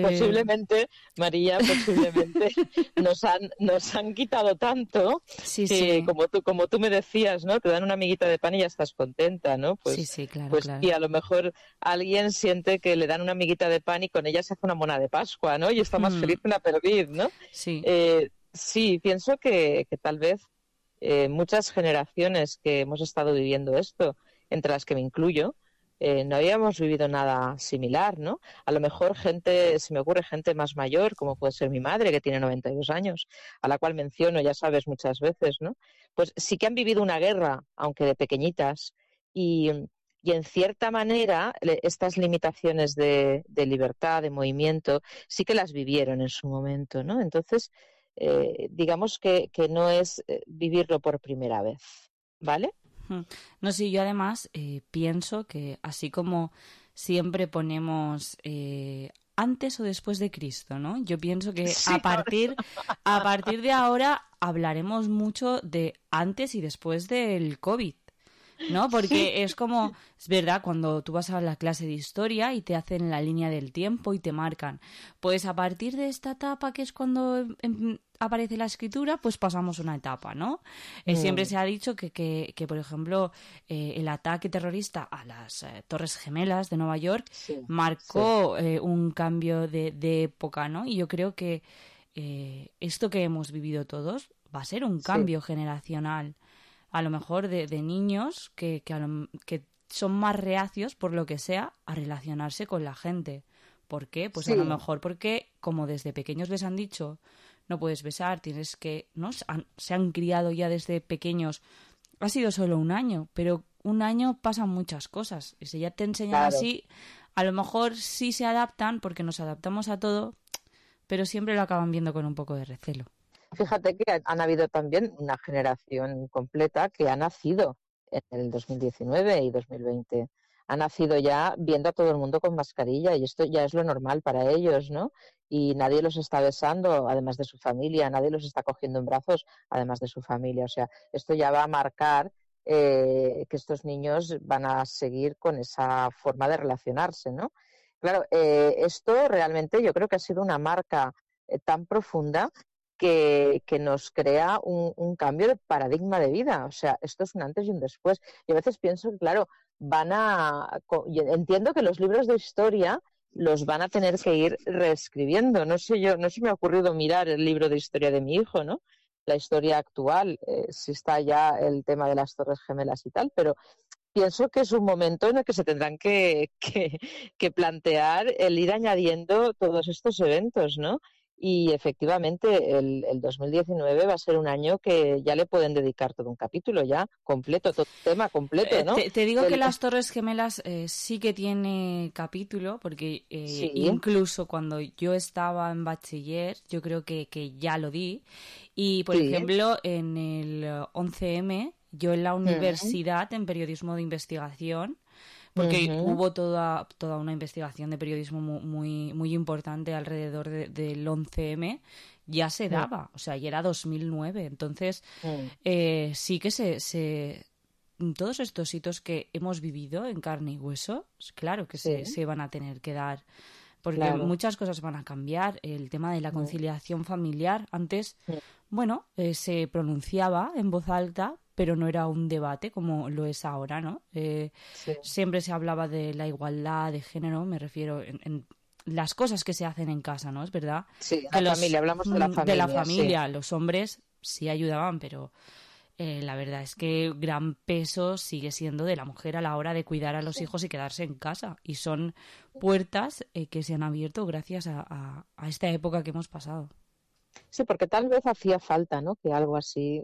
Posiblemente, María, posiblemente nos han quitado tanto sí, que sí. Como tú me decías, ¿no? Te dan una amiguita de pan y ya estás contenta, ¿no? Pues, sí, sí, claro, pues claro. Y a lo mejor alguien siente que le dan una amiguita de pan y con ella se hace una mona de Pascua, ¿no? Y está más feliz que una perdiz, ¿no? Sí. Sí, pienso que tal vez muchas generaciones que hemos estado viviendo esto, entre las que me incluyo, no habíamos vivido nada similar, ¿no? A lo mejor se me ocurre gente más mayor, como puede ser mi madre, que tiene 92 años, a la cual menciono, ya sabes, muchas veces, ¿no? Pues sí que han vivido una guerra, aunque de pequeñitas, y en cierta manera estas limitaciones de libertad, de movimiento, sí que las vivieron en su momento, ¿no? Entonces, digamos que no es vivirlo por primera vez, ¿vale? No, sí, yo además pienso que así como siempre ponemos antes o después de Cristo, ¿no? Yo pienso que Sí, a partir de ahora hablaremos mucho de antes y después del COVID, ¿no? Porque Sí. es como, es verdad, cuando tú vas a la clase de historia y te hacen la línea del tiempo y te marcan, pues a partir de esta etapa que es cuando aparece la escritura, pues pasamos una etapa, ¿no? Siempre se ha dicho que por ejemplo, el ataque terrorista a las Torres Gemelas de Nueva York marcó un cambio de época, ¿no? Y yo creo que esto que hemos vivido todos va a ser un cambio generacional, a lo mejor de niños que son más reacios, por lo que sea, a relacionarse con la gente. ¿Por qué? Pues a lo mejor porque, como desde pequeños les han dicho, no puedes besar, tienes que, ¿no? Se han criado ya desde pequeños. Ha sido solo un año, pero un año pasan muchas cosas. Y si ya te enseñan así, a lo mejor sí se adaptan, porque nos adaptamos a todo, pero siempre lo acaban viendo con un poco de recelo. Fíjate que han habido también una generación completa que ha nacido en el 2019 y 2020. Ha nacido ya viendo a todo el mundo con mascarilla y esto ya es lo normal para ellos, ¿no? Y nadie los está besando, además de su familia, nadie los está cogiendo en brazos, además de su familia. O sea, esto ya va a marcar que estos niños van a seguir con esa forma de relacionarse, ¿no? Claro, esto realmente yo creo que ha sido una marca tan profunda que nos crea un cambio de paradigma de vida. O sea, esto es un antes y un después. Y a veces pienso que, claro, entiendo que los libros de historia los van a tener que ir reescribiendo. No se me ha ocurrido mirar el libro de historia de mi hijo, ¿no? La historia actual, si está ya el tema de las Torres Gemelas y tal, pero pienso que es un momento en el que se tendrán que plantear el ir añadiendo todos estos eventos, ¿no? Y efectivamente el 2019 va a ser un año que ya le pueden dedicar todo un capítulo ya completo, todo tema completo, ¿no? Te digo que las Torres Gemelas sí que tiene capítulo, porque incluso cuando yo estaba en bachiller, yo creo que ya lo di. Y, por ejemplo, en el 11M Yo en la universidad, en periodismo de investigación, porque hubo toda una investigación de periodismo muy importante alrededor del 11M, ya se daba, o sea, ya era 2009. Entonces, sí que todos estos hitos que hemos vivido en carne y hueso, claro que se van a tener que dar, porque muchas cosas van a cambiar. El tema de la conciliación familiar, antes, bueno, se pronunciaba en voz alta, pero no era un debate como lo es ahora, ¿no? Siempre se hablaba de la igualdad de género, me refiero en las cosas que se hacen en casa, ¿no? Es verdad. Sí, la familia, hablamos de la familia. De la familia, los hombres sí ayudaban, pero la verdad es que gran peso sigue siendo de la mujer a la hora de cuidar a los hijos y quedarse en casa. Y son puertas que se han abierto gracias a esta época que hemos pasado. Sí, porque tal vez hacía falta, ¿no? Que algo así,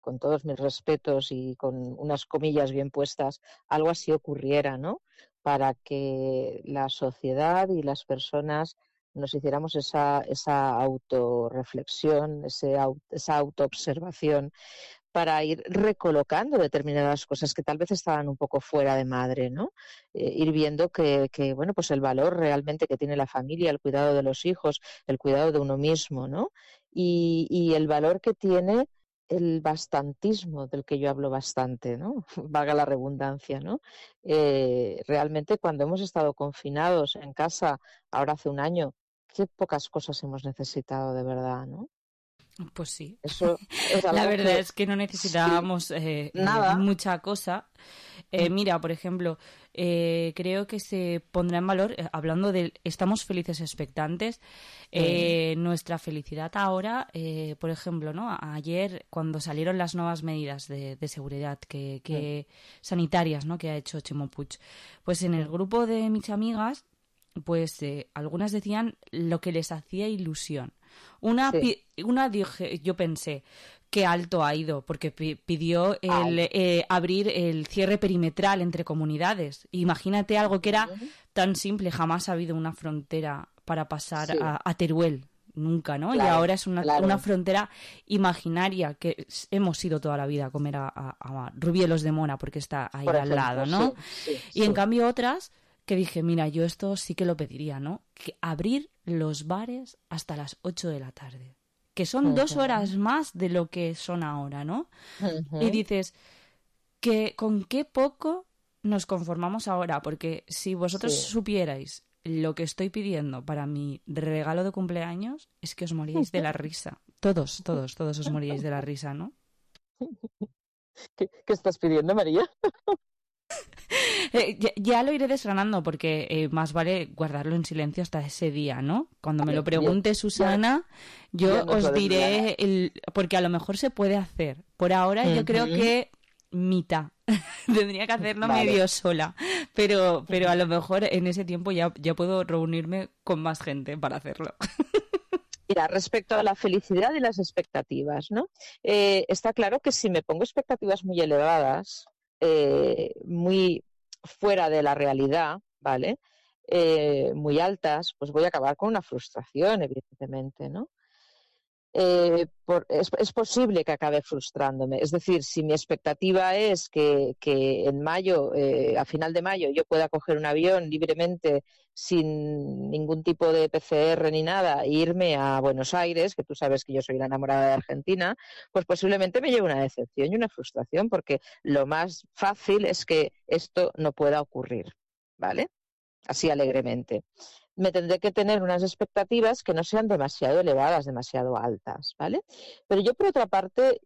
con todos mis respetos y con unas comillas bien puestas, algo así ocurriera, ¿no? Para que la sociedad y las personas nos hiciéramos esa autorreflexión, esa autoobservación, para ir recolocando determinadas cosas que tal vez estaban un poco fuera de madre, ¿no? Ir viendo que, bueno, pues el valor realmente que tiene la familia, el cuidado de los hijos, el cuidado de uno mismo, ¿no? Y el valor que tiene el bastantismo, del que yo hablo bastante, ¿no? Valga la redundancia, ¿no? Realmente cuando hemos estado confinados en casa, ahora hace un año, qué pocas cosas hemos necesitado de verdad, ¿no? Pues sí. Eso es la verdad es que no necesitábamos nada. Mucha cosa. Mira, por ejemplo, creo que se pondrá en valor, hablando de estamos felices expectantes, nuestra felicidad ahora, por ejemplo, ¿no? Ayer, cuando salieron las nuevas medidas de seguridad que sanitarias, ¿no? Que ha hecho Chimo Puig, pues en el grupo de mis amigas, pues algunas decían lo que les hacía ilusión. Una dije, yo pensé, qué alto ha ido, porque pidió abrir el cierre perimetral entre comunidades. Imagínate algo que era tan simple, jamás ha habido una frontera para pasar a Teruel, nunca, ¿no? Claro, y ahora es una frontera imaginaria que hemos ido toda la vida a comer a Rubielos de Mora, porque está ahí al lado, ¿no? Y en cambio otras que dije, mira, yo esto sí que lo pediría, ¿no? Que abrir los bares hasta las 8 de la tarde, que son 2 horas más de lo que son ahora, ¿no? Y dices, que con qué poco nos conformamos ahora, porque si vosotros supierais lo que estoy pidiendo para mi regalo de cumpleaños, es que os moríais de la risa. Todos os moríais de la risa, ¿no? ¿Qué estás pidiendo, María? Ya lo iré desgranando, porque más vale guardarlo en silencio hasta ese día, ¿no? Cuando me lo pregunte Susana, yo os diré, porque a lo mejor se puede hacer. Por ahora yo creo que mitad. Tendría que hacerlo medio sola, pero a lo mejor en ese tiempo ya puedo reunirme con más gente para hacerlo. Mira, respecto a la felicidad y las expectativas, ¿no? Está claro que si me pongo expectativas muy elevadas, muy fuera de la realidad, ¿vale? Muy altas, pues voy a acabar con una frustración, evidentemente, ¿no? Es posible que acabe frustrándome. Es decir, si mi expectativa es que en mayo, a final de mayo, yo pueda coger un avión libremente sin ningún tipo de PCR ni nada e irme a Buenos Aires, que tú sabes que yo soy la enamorada de Argentina, pues posiblemente me lleve una decepción y una frustración, porque lo más fácil es que esto no pueda ocurrir, ¿vale? Así alegremente. Me tendré que tener unas expectativas que no sean demasiado elevadas, demasiado altas, ¿vale? Pero yo, por otra parte,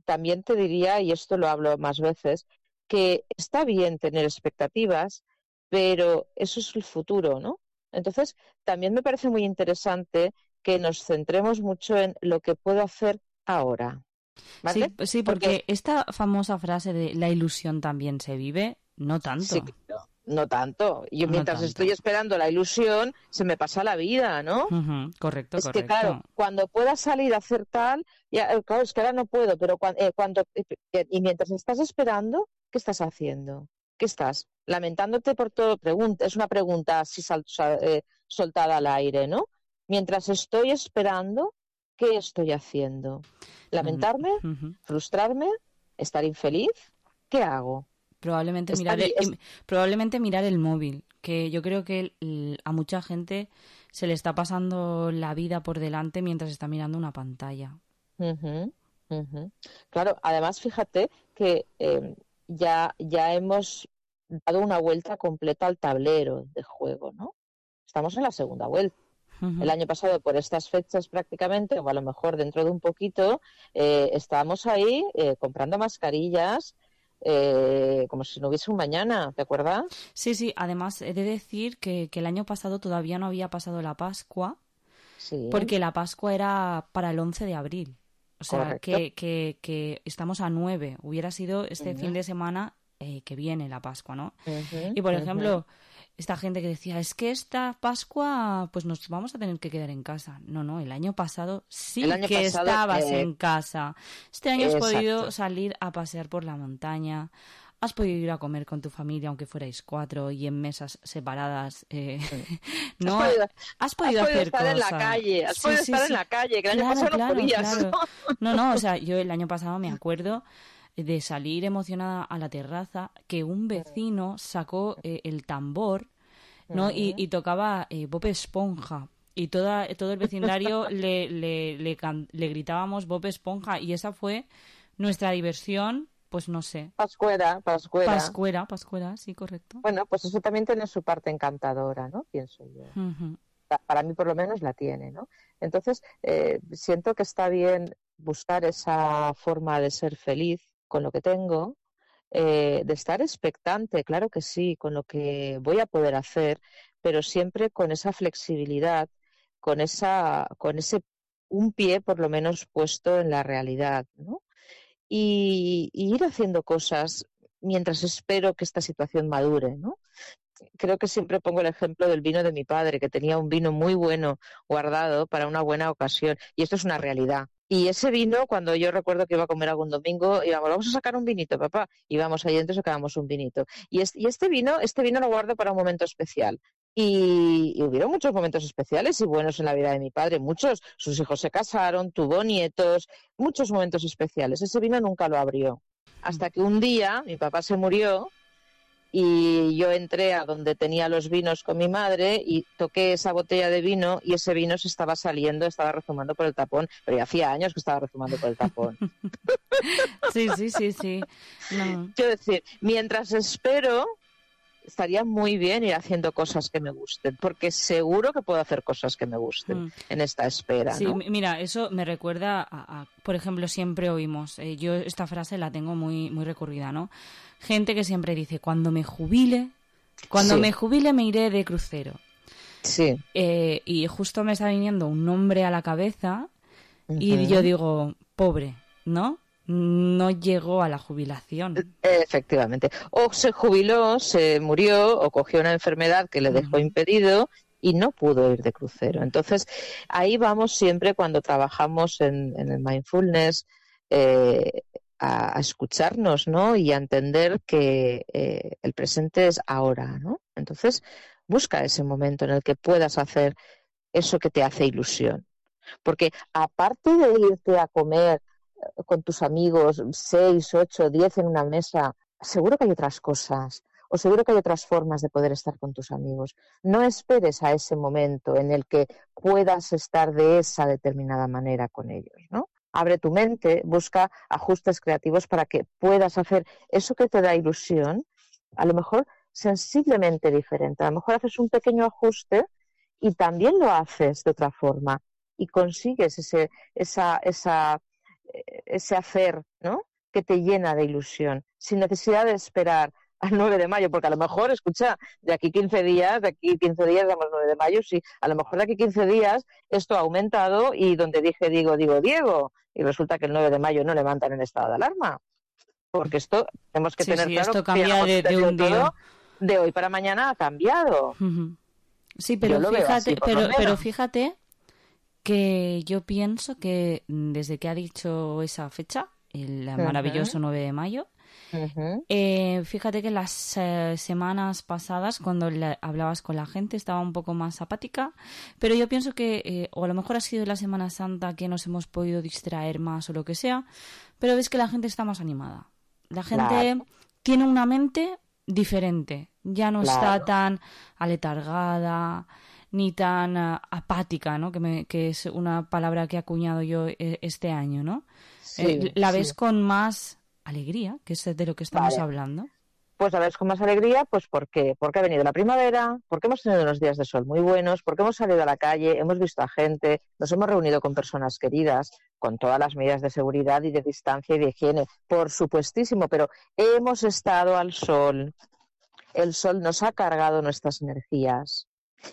también te diría, y esto lo hablo más veces, que está bien tener expectativas, pero eso es el futuro, ¿no? Entonces, también me parece muy interesante que nos centremos mucho en lo que puedo hacer ahora, ¿vale? Sí, porque esta famosa frase de la ilusión también se vive, no tanto. Sí, no tanto. Yo mientras estoy esperando la ilusión, se me pasa la vida, ¿no? Correcto. Que claro, cuando pueda salir a hacer tal, ya, claro, es que ahora no puedo, pero y mientras estás esperando, ¿qué estás haciendo? ¿Qué estás? Lamentándote por todo. Es una pregunta así soltada al aire, ¿no? Mientras estoy esperando, ¿qué estoy haciendo? ¿Lamentarme? ¿Frustrarme? ¿Estar infeliz? ¿Qué hago? Probablemente mirar el móvil, que yo creo que a mucha gente se le está pasando la vida por delante mientras está mirando una pantalla. Ujú, ujú. Claro, además fíjate que ya hemos dado una vuelta completa al tablero de juego, ¿no? Estamos en la segunda vuelta. El año pasado, por estas fechas prácticamente, o a lo mejor dentro de un poquito, estábamos ahí comprando mascarillas, como si no hubiese un mañana, ¿te acuerdas? Sí, además he de decir que el año pasado todavía no había pasado la Pascua, porque la Pascua era para el 11 de abril. O sea, que estamos a 9. Hubiera sido este fin de semana que viene la Pascua, ¿no? Y por ejemplo, esta gente que decía, es que esta Pascua pues nos vamos a tener que quedar en casa. No, el año pasado estabas en casa. Este año has podido salir a pasear por la montaña, has podido ir a comer con tu familia, aunque fuerais 4 y en mesas separadas. No, has podido hacer estar cosas. En la calle, has podido estar en la calle, que el año pasado no podías. Claro. No, o sea, yo el año pasado me acuerdo de salir emocionada a la terraza, que un vecino sacó el tambor, ¿no? Y tocaba Bob Esponja. Y todo el vecindario le gritábamos Bob Esponja. Y esa fue nuestra diversión, pues no sé. Pascuera, sí, correcto. Bueno, pues eso también tiene su parte encantadora, ¿no? Pienso yo. Uh-huh. Para mí por lo menos la tiene, ¿no? Entonces, siento que está bien buscar esa forma de ser feliz con lo que tengo, de estar expectante, claro que sí, con lo que voy a poder hacer, pero siempre con esa flexibilidad, con ese un pie por lo menos puesto en la realidad, ¿no? Y ir haciendo cosas mientras espero que esta situación madure, ¿no? Creo que siempre pongo el ejemplo del vino de mi padre, que tenía un vino muy bueno guardado para una buena ocasión, y esto es una realidad. Y ese vino, cuando yo recuerdo que iba a comer algún domingo, íbamos, vamos a sacar un vinito, papá, íbamos ahí dentro y sacábamos un vinito. Y este vino lo guardo para un momento especial. Y hubieron muchos momentos especiales y buenos en la vida de mi padre, muchos. Sus hijos se casaron, tuvo nietos, muchos momentos especiales. Ese vino nunca lo abrió. Hasta que un día mi papá se murió y yo entré a donde tenía los vinos con mi madre y toqué esa botella de vino y ese vino se estaba saliendo, estaba rezumando por el tapón, pero ya hacía años que estaba rezumando por el tapón. Sí. No. Quiero decir, mientras espero, estaría muy bien ir haciendo cosas que me gusten, porque seguro que puedo hacer cosas que me gusten en esta espera, Sí, ¿no? Mira, eso me recuerda a, por ejemplo, siempre oímos, yo esta frase la tengo muy, muy recurrida, ¿no? Gente que siempre dice, cuando me jubile me iré de crucero. Sí. Y justo me está viniendo un nombre a la cabeza y yo digo, pobre, ¿no? No llegó a la jubilación. Efectivamente. O se jubiló, se murió, o cogió una enfermedad que le dejó impedido y no pudo ir de crucero. Entonces, ahí vamos siempre cuando trabajamos en el mindfulness, a escucharnos, ¿no? Y a entender que el presente es ahora, ¿no? Entonces, busca ese momento en el que puedas hacer eso que te hace ilusión. Porque aparte de irte a comer con tus amigos, 6, 8, 10 en una mesa, seguro que hay otras cosas, o seguro que hay otras formas de poder estar con tus amigos. No esperes a ese momento en el que puedas estar de esa determinada manera con ellos, ¿no? Abre tu mente, busca ajustes creativos para que puedas hacer eso que te da ilusión, a lo mejor sensiblemente diferente. A lo mejor haces un pequeño ajuste y también lo haces de otra forma y consigues ese hacer, ¿no? Que te llena de ilusión, sin necesidad de esperar al 9 de mayo, porque a lo mejor, escucha, de aquí 15 días, damos 9 de mayo, sí, a lo mejor de aquí 15 días esto ha aumentado y donde dije Diego, y resulta que el 9 de mayo no levantan en estado de alarma, porque esto tenemos que tener claro esto cambia de un día. De hoy para mañana ha cambiado. Sí, pero fíjate que yo pienso que desde que ha dicho esa fecha, el maravilloso 9 de mayo, fíjate que las semanas pasadas, cuando hablabas con la gente, estaba un poco más apática, pero yo pienso que, o a lo mejor ha sido la Semana Santa que nos hemos podido distraer más o lo que sea, pero ves que la gente está más animada. La gente Claro. tiene una mente diferente, ya no está Claro. tan aletargada ni tan apática, ¿no? Que es una palabra que he acuñado yo este año, ¿no? Sí, la ves sí. con más alegría, que es de lo que estamos Vale. hablando. Pues a ver, con más alegría, pues ¿por qué? Porque ha venido la primavera, porque hemos tenido unos días de sol muy buenos, porque hemos salido a la calle, hemos visto a gente, nos hemos reunido con personas queridas, con todas las medidas de seguridad y de distancia y de higiene, por supuestísimo, pero hemos estado al sol. El sol nos ha cargado nuestras energías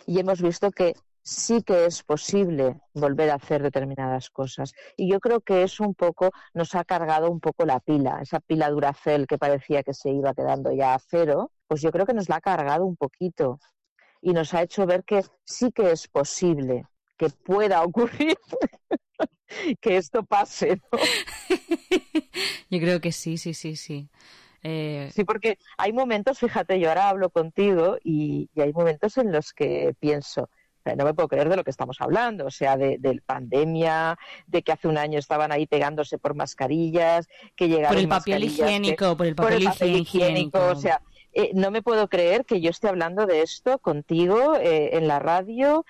y hemos visto que sí que es posible volver a hacer determinadas cosas. Y yo creo que eso un poco nos ha cargado un poco la pila, esa pila Duracell que parecía que se iba quedando ya a cero, pues yo creo que nos la ha cargado un poquito y nos ha hecho ver que sí que es posible que pueda ocurrir que esto pase, ¿no? Yo creo que sí. Sí, porque hay momentos, fíjate, yo ahora hablo contigo y hay momentos en los que pienso, o sea, no me puedo creer de lo que estamos hablando, o sea, de pandemia, de que hace un año estaban ahí pegándose por mascarillas, que llegaron Por el papel mascarillas higiénico, por el papel higiénico. o sea, no me puedo creer que yo esté hablando de esto contigo en la radio.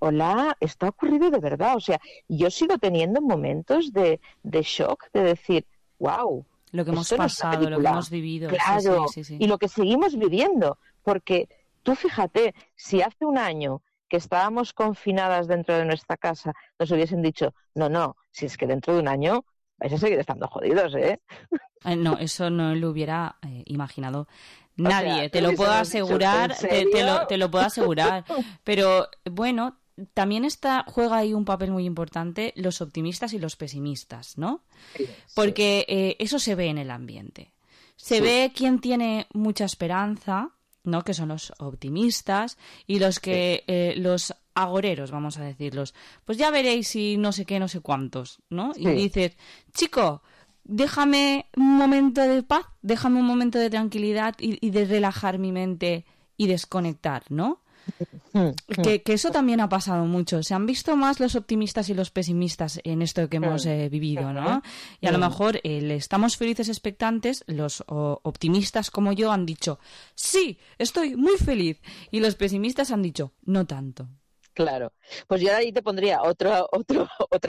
Hola, esto ha ocurrido de verdad, o sea, yo sigo teniendo momentos de shock, de decir, wow, Lo que hemos esto no es una pasado, lo que película. hemos vivido. Claro, Sí. y lo que seguimos viviendo, porque tú fíjate, si hace un año que estábamos confinadas dentro de nuestra casa, nos hubiesen dicho, no, si es que dentro de un año vais a seguir estando jodidos, ¿eh? No, eso no lo hubiera imaginado O nadie, sea, te lo puedo hubiésemos dicho, asegurar, ¿en serio? te lo puedo asegurar. Pero bueno, también juega ahí un papel muy importante los optimistas y los pesimistas, ¿no? Porque eso se ve en el ambiente. Se ve quién tiene mucha esperanza, ¿no? Que son los optimistas y los que los agoreros, vamos a decirlos. Pues ya veréis si no sé qué, no sé cuántos, ¿no? Y dices, chico, déjame un momento de paz, déjame un momento de tranquilidad y de relajar mi mente y desconectar, ¿no? Que eso también ha pasado mucho. Se han visto más los optimistas y los pesimistas en esto que hemos vivido, ¿no? Y a lo mejor estamos felices expectantes, los optimistas como yo han dicho, sí, estoy muy feliz. Y los pesimistas han dicho, no tanto. Claro, pues yo ahí te pondría otra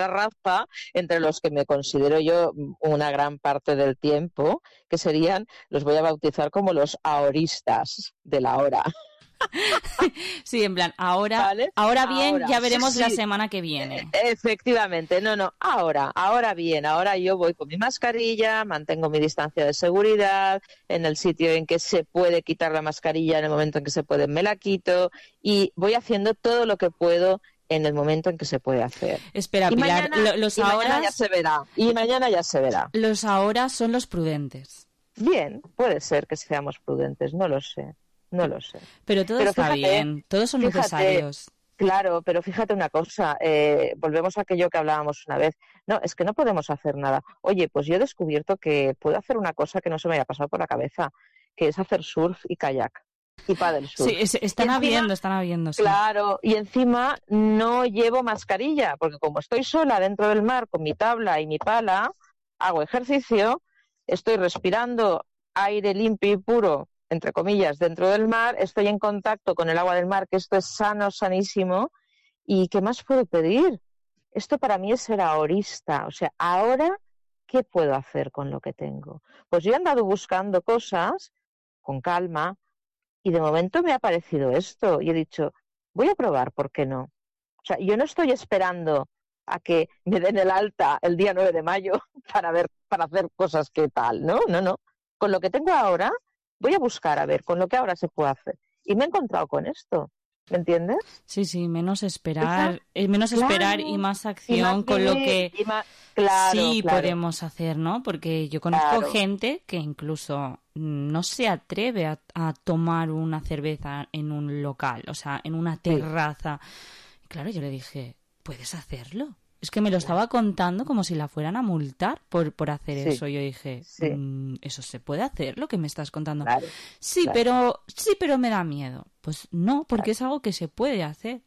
raza entre los que me considero yo una gran parte del tiempo, que serían, los voy a bautizar como los ahoristas de la hora. Sí, en plan, ahora bien, Ahora, ya veremos sí. la semana que viene. Efectivamente, ahora bien, ahora yo voy con mi mascarilla, mantengo mi distancia de seguridad, en el sitio en que se puede quitar la mascarilla, en el momento en que se puede me la quito, y voy haciendo todo lo que puedo en el momento en que se puede hacer. Espera, y Pilar, mañana ya se verá. Y mañana ya se verá. Los ahora son los prudentes. Bien, puede ser que seamos prudentes, no lo sé. Pero todo está bien, todos son necesarios. Claro, pero fíjate una cosa, volvemos a aquello que hablábamos una vez. No, es que no podemos hacer nada. Oye, pues yo he descubierto que puedo hacer una cosa que no se me había pasado por la cabeza, que es hacer surf y kayak. Y paddle surf. Sí, están habiendo. Sí. Claro, y encima no llevo mascarilla, porque como estoy sola dentro del mar con mi tabla y mi pala, hago ejercicio, estoy respirando aire limpio y puro, entre comillas, dentro del mar, estoy en contacto con el agua del mar, que esto es sano, sanísimo, ¿y qué más puedo pedir? Esto para mí es ser ahorista, o sea, ahora, ¿qué puedo hacer con lo que tengo? Pues yo he andado buscando cosas con calma y de momento me ha aparecido esto y he dicho, voy a probar, ¿por qué no? O sea, yo no estoy esperando a que me den el alta el día 9 de mayo para hacer cosas que tal, ¿no? No. Con lo que tengo ahora, voy a buscar a ver con lo que ahora se puede hacer. Y me he encontrado con esto, ¿me entiendes? Sí, menos esperar y más acción con lo que podemos hacer, ¿no? Porque yo conozco gente que incluso no se atreve a tomar una cerveza en un local, o sea, en una terraza. Claro, yo le dije, ¿puedes hacerlo? Es que me lo estaba contando como si la fueran a multar por hacer eso. Yo dije, ¿eso se puede hacer, lo que me estás contando? Pero me da miedo. Pues no, porque es algo que se puede hacer.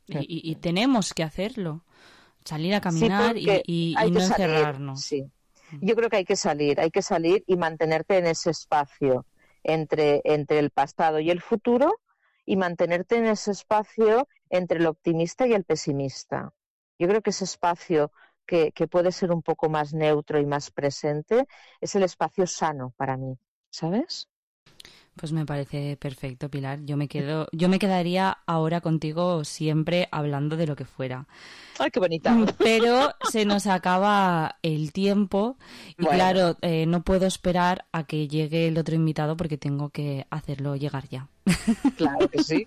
Y tenemos que hacerlo. Salir a caminar y no encerrarnos. Yo creo que hay que salir y mantenerte en ese espacio entre el pasado y el futuro, y mantenerte en ese espacio entre el optimista y el pesimista. Yo creo que ese espacio que puede ser un poco más neutro y más presente es el espacio sano para mí, ¿sabes? Pues me parece perfecto, Pilar. Yo me quedaría ahora contigo siempre hablando de lo que fuera. ¡Ay, qué bonita! Pero se nos acaba el tiempo y Bueno. claro, no puedo esperar a que llegue el otro invitado porque tengo que hacerlo llegar ya. Claro que sí.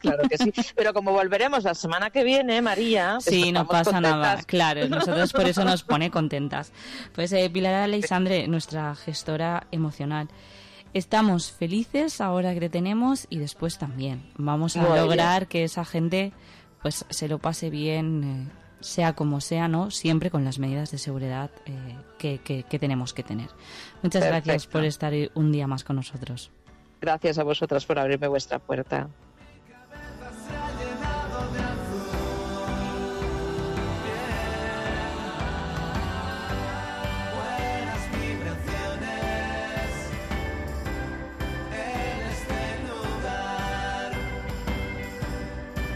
Pero como volveremos la semana que viene, María... Sí, no estamos pasa contentas. nada. Claro, nosotros por eso nos pone contentas. Pues Pilar Aleixandre, nuestra gestora emocional. Estamos felices ahora que te tenemos y después también. Vamos a Muy lograr que esa gente pues se lo pase bien, sea como sea, ¿no? Siempre con las medidas de seguridad que tenemos que tener. Muchas gracias por estar un día más con nosotros. Gracias a vosotras por abrirme vuestra puerta.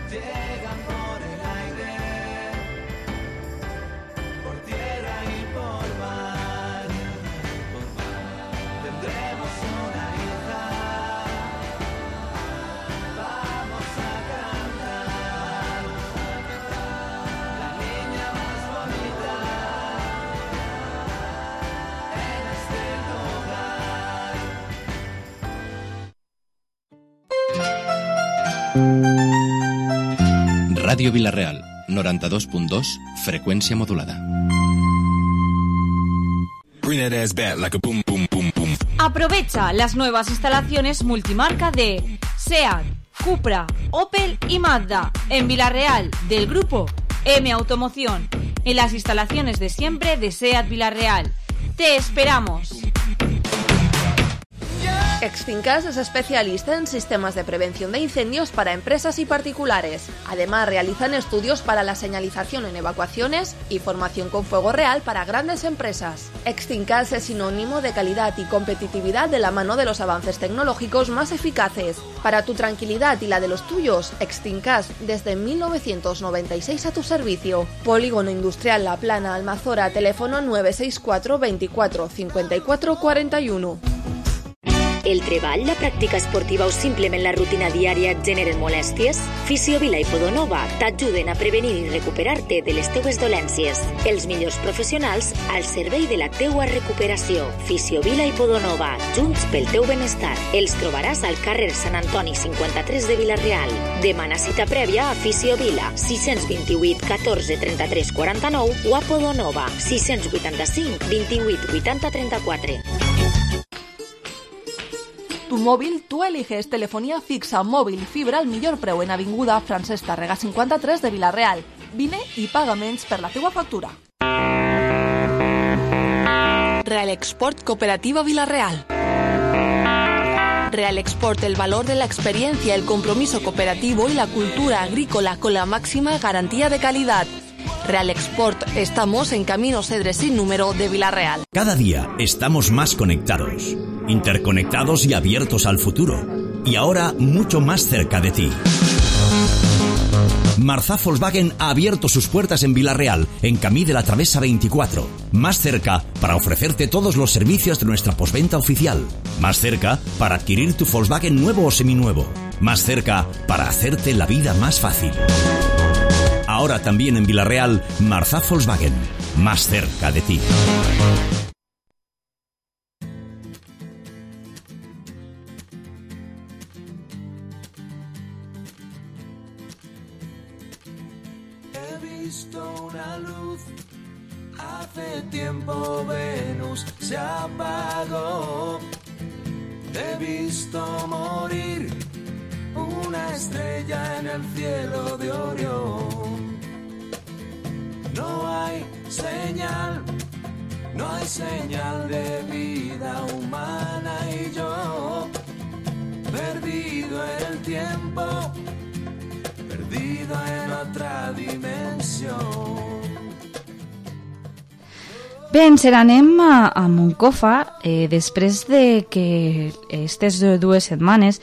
Llegan por el aire, por tierra y por mar. Tendremos una hija, vamos a cantar. La niña más bonita en este Ràdio Vila-real, 92.2, freqüència modulada. Aprovecha las nuevas instalaciones multimarca de SEAT, Cupra, Opel y Mazda en Vila-real del grupo M Automoción, en las instalaciones de siempre de SEAT Vila-real. ¡Te esperamos! Extincas es especialista en sistemas de prevención de incendios para empresas y particulares. Además, realizan estudios para la señalización en evacuaciones y formación con fuego real para grandes empresas. Extincas es sinónimo de calidad y competitividad de la mano de los avances tecnológicos más eficaces. Para tu tranquilidad y la de los tuyos, Extincas desde 1996 a tu servicio. Polígono Industrial La Plana, Almazora, teléfono 964 24 54 41. El treball, la pràctica esportiva o simplement la rutina diària et generen molèsties? Fisiovila i Podonova t'ajuden a prevenir i recuperar-te de les teues dolències. Els millors professionals al servei de la teua recuperació. Fisiovila i Podonova, junts pel teu benestar. Els trobaràs al carrer Sant Antoni 53 de Vila-real. Demana cita prèvia a Fisiovila 628 14 33 49 o a Podonova 685 28 80 34. Tu móvil, tú eliges telefonía fixa, móvil y fibra al millor preu en Avinguda Francesc Tàrrega 53 de Vila-real. Vine i paga menys per la teua factura. Real Export Cooperativa Vila-real. Real Export, el valor de la experiencia, el compromiso cooperativo y la cultura agrícola con la máxima garantía de calidad. Real Export, estamos en Camino Cedres sin número de Vila-real. Cada día estamos más conectados, interconectados y abiertos al futuro. Y ahora mucho más cerca de ti. Marzà Volkswagen ha abierto sus puertas en Vila-real, en Camí de la Travessa 24. Más cerca para ofrecerte todos los servicios de nuestra postventa oficial. Más cerca para adquirir tu Volkswagen nuevo o seminuevo. Más cerca para hacerte la vida más fácil. Ahora también en Vila-real, Marzà Volkswagen, más cerca de ti. He visto una luz, hace tiempo Venus se apagó. He visto morir una estrella en el cielo de Orión. No hay señal de vida humana y yo, perdido en el tiempo, perdido en otra dimensión. Bé, ens anem a Moncofa després de que aquestes 2 setmanes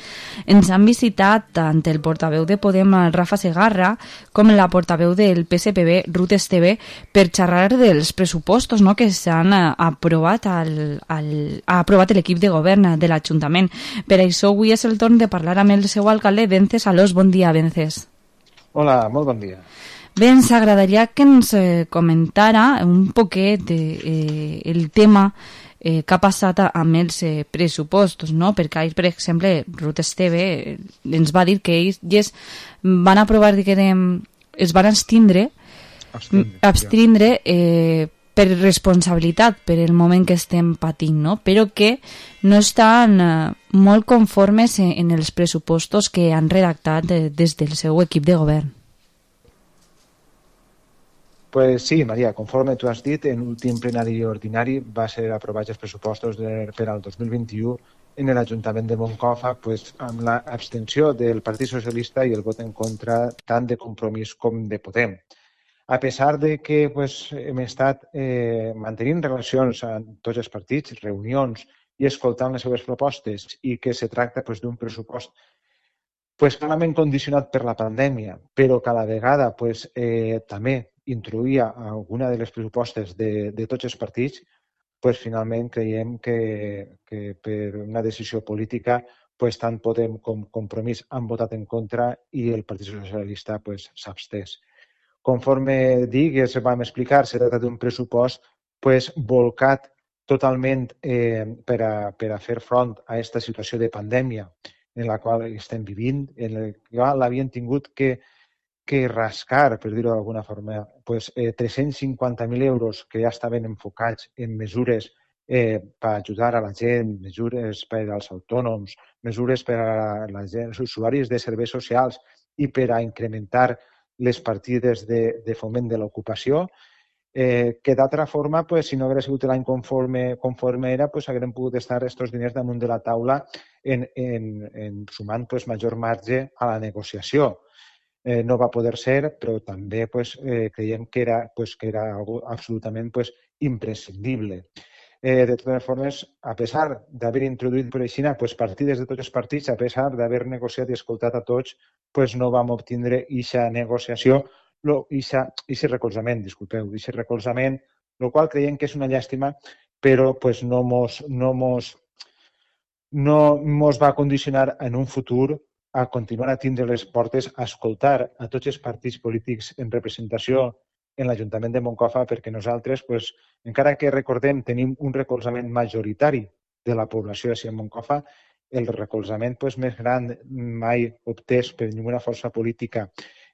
ens han visitat tant el portaveu de Podem, Rafa Segarra, com la portaveu del PSPB, Ruth Esteve, per xerrar dels pressupostos, no?, que s'han aprovat ha aprovat l'equip de govern de l'Ajuntament. Per això avui és el torn de parlar amb el seu alcalde, Vences Alós. Bon dia, Vences. Hola, molt bon dia. Bé, ens agradaria que ens comentara un poquet el tema que ha passat amb els pressupostos, no? Perquè ahir, per exemple, Ruth Esteve ens va dir que ells van aprovar, es van abstindre per responsabilitat, per el moment que estem patint, no? Però que no estan molt conformes en els pressupostos que han redactat des del seu equip de govern. Pues sí, Maria, conforme tu has dit, en l'últim plenari ordinari va ser aprovats els pressupostos per al 2021 en l'Ajuntament de Moncofa, pues, amb l'abstenció del Partit Socialista i el vot en contra tant de Compromís com de Podem. A pesar de que pues, hem estat mantenint relacions amb tots els partits, reunions i escoltant les seves propostes i que se tracta pues, d'un pressupost pues, clarament condicionat per la pandèmia, però que a la vegada pues, també introduïa alguna de les propostes de tots els partits, pues, finalment creiem que per una decisió política pues, tant Podem com Compromís han votat en contra i el Partit Socialista pues, s'abstès. Conforme dic, ja vam explicar, se tracta d'un pressupost pues, volcat totalment per a fer front a aquesta situació de pandèmia en la qual estem vivint, en la qual l'havien tingut que rascar, per dir-ho d'alguna forma, pues, 350.000 euros que ja estaven enfocats en mesures per ajudar a la gent, mesures per als autònoms, mesures per a la gent, els usuaris de serveis socials i per a incrementar les partides de foment de l'ocupació, que d'altra forma, pues, si no hagués sigut l'any conforme era, pues, haguem pogut estar aquests diners damunt de la taula en sumant pues, major marge a la negociació. No va poder ser, però també pues, creiem que era algo absolutament pues, imprescindible. De totes formes, a pesar d'haver introduït per així pues, partides de tots els partits, a pesar d'haver negociat i escoltat a tots, pues, no vam obtindre aquesta negociació, aquest recolzament, el qual creiem que és una llàstima, però pues, no mos va condicionar en un futur a continuar a tindre les portes, a escoltar a tots els partits polítics en representació en l'Ajuntament de Moncofa, perquè nosaltres, pues, encara que recordem, tenim un recolzament majoritari de la població de Moncofa, el recolzament pues, més gran mai obtès per ninguna força política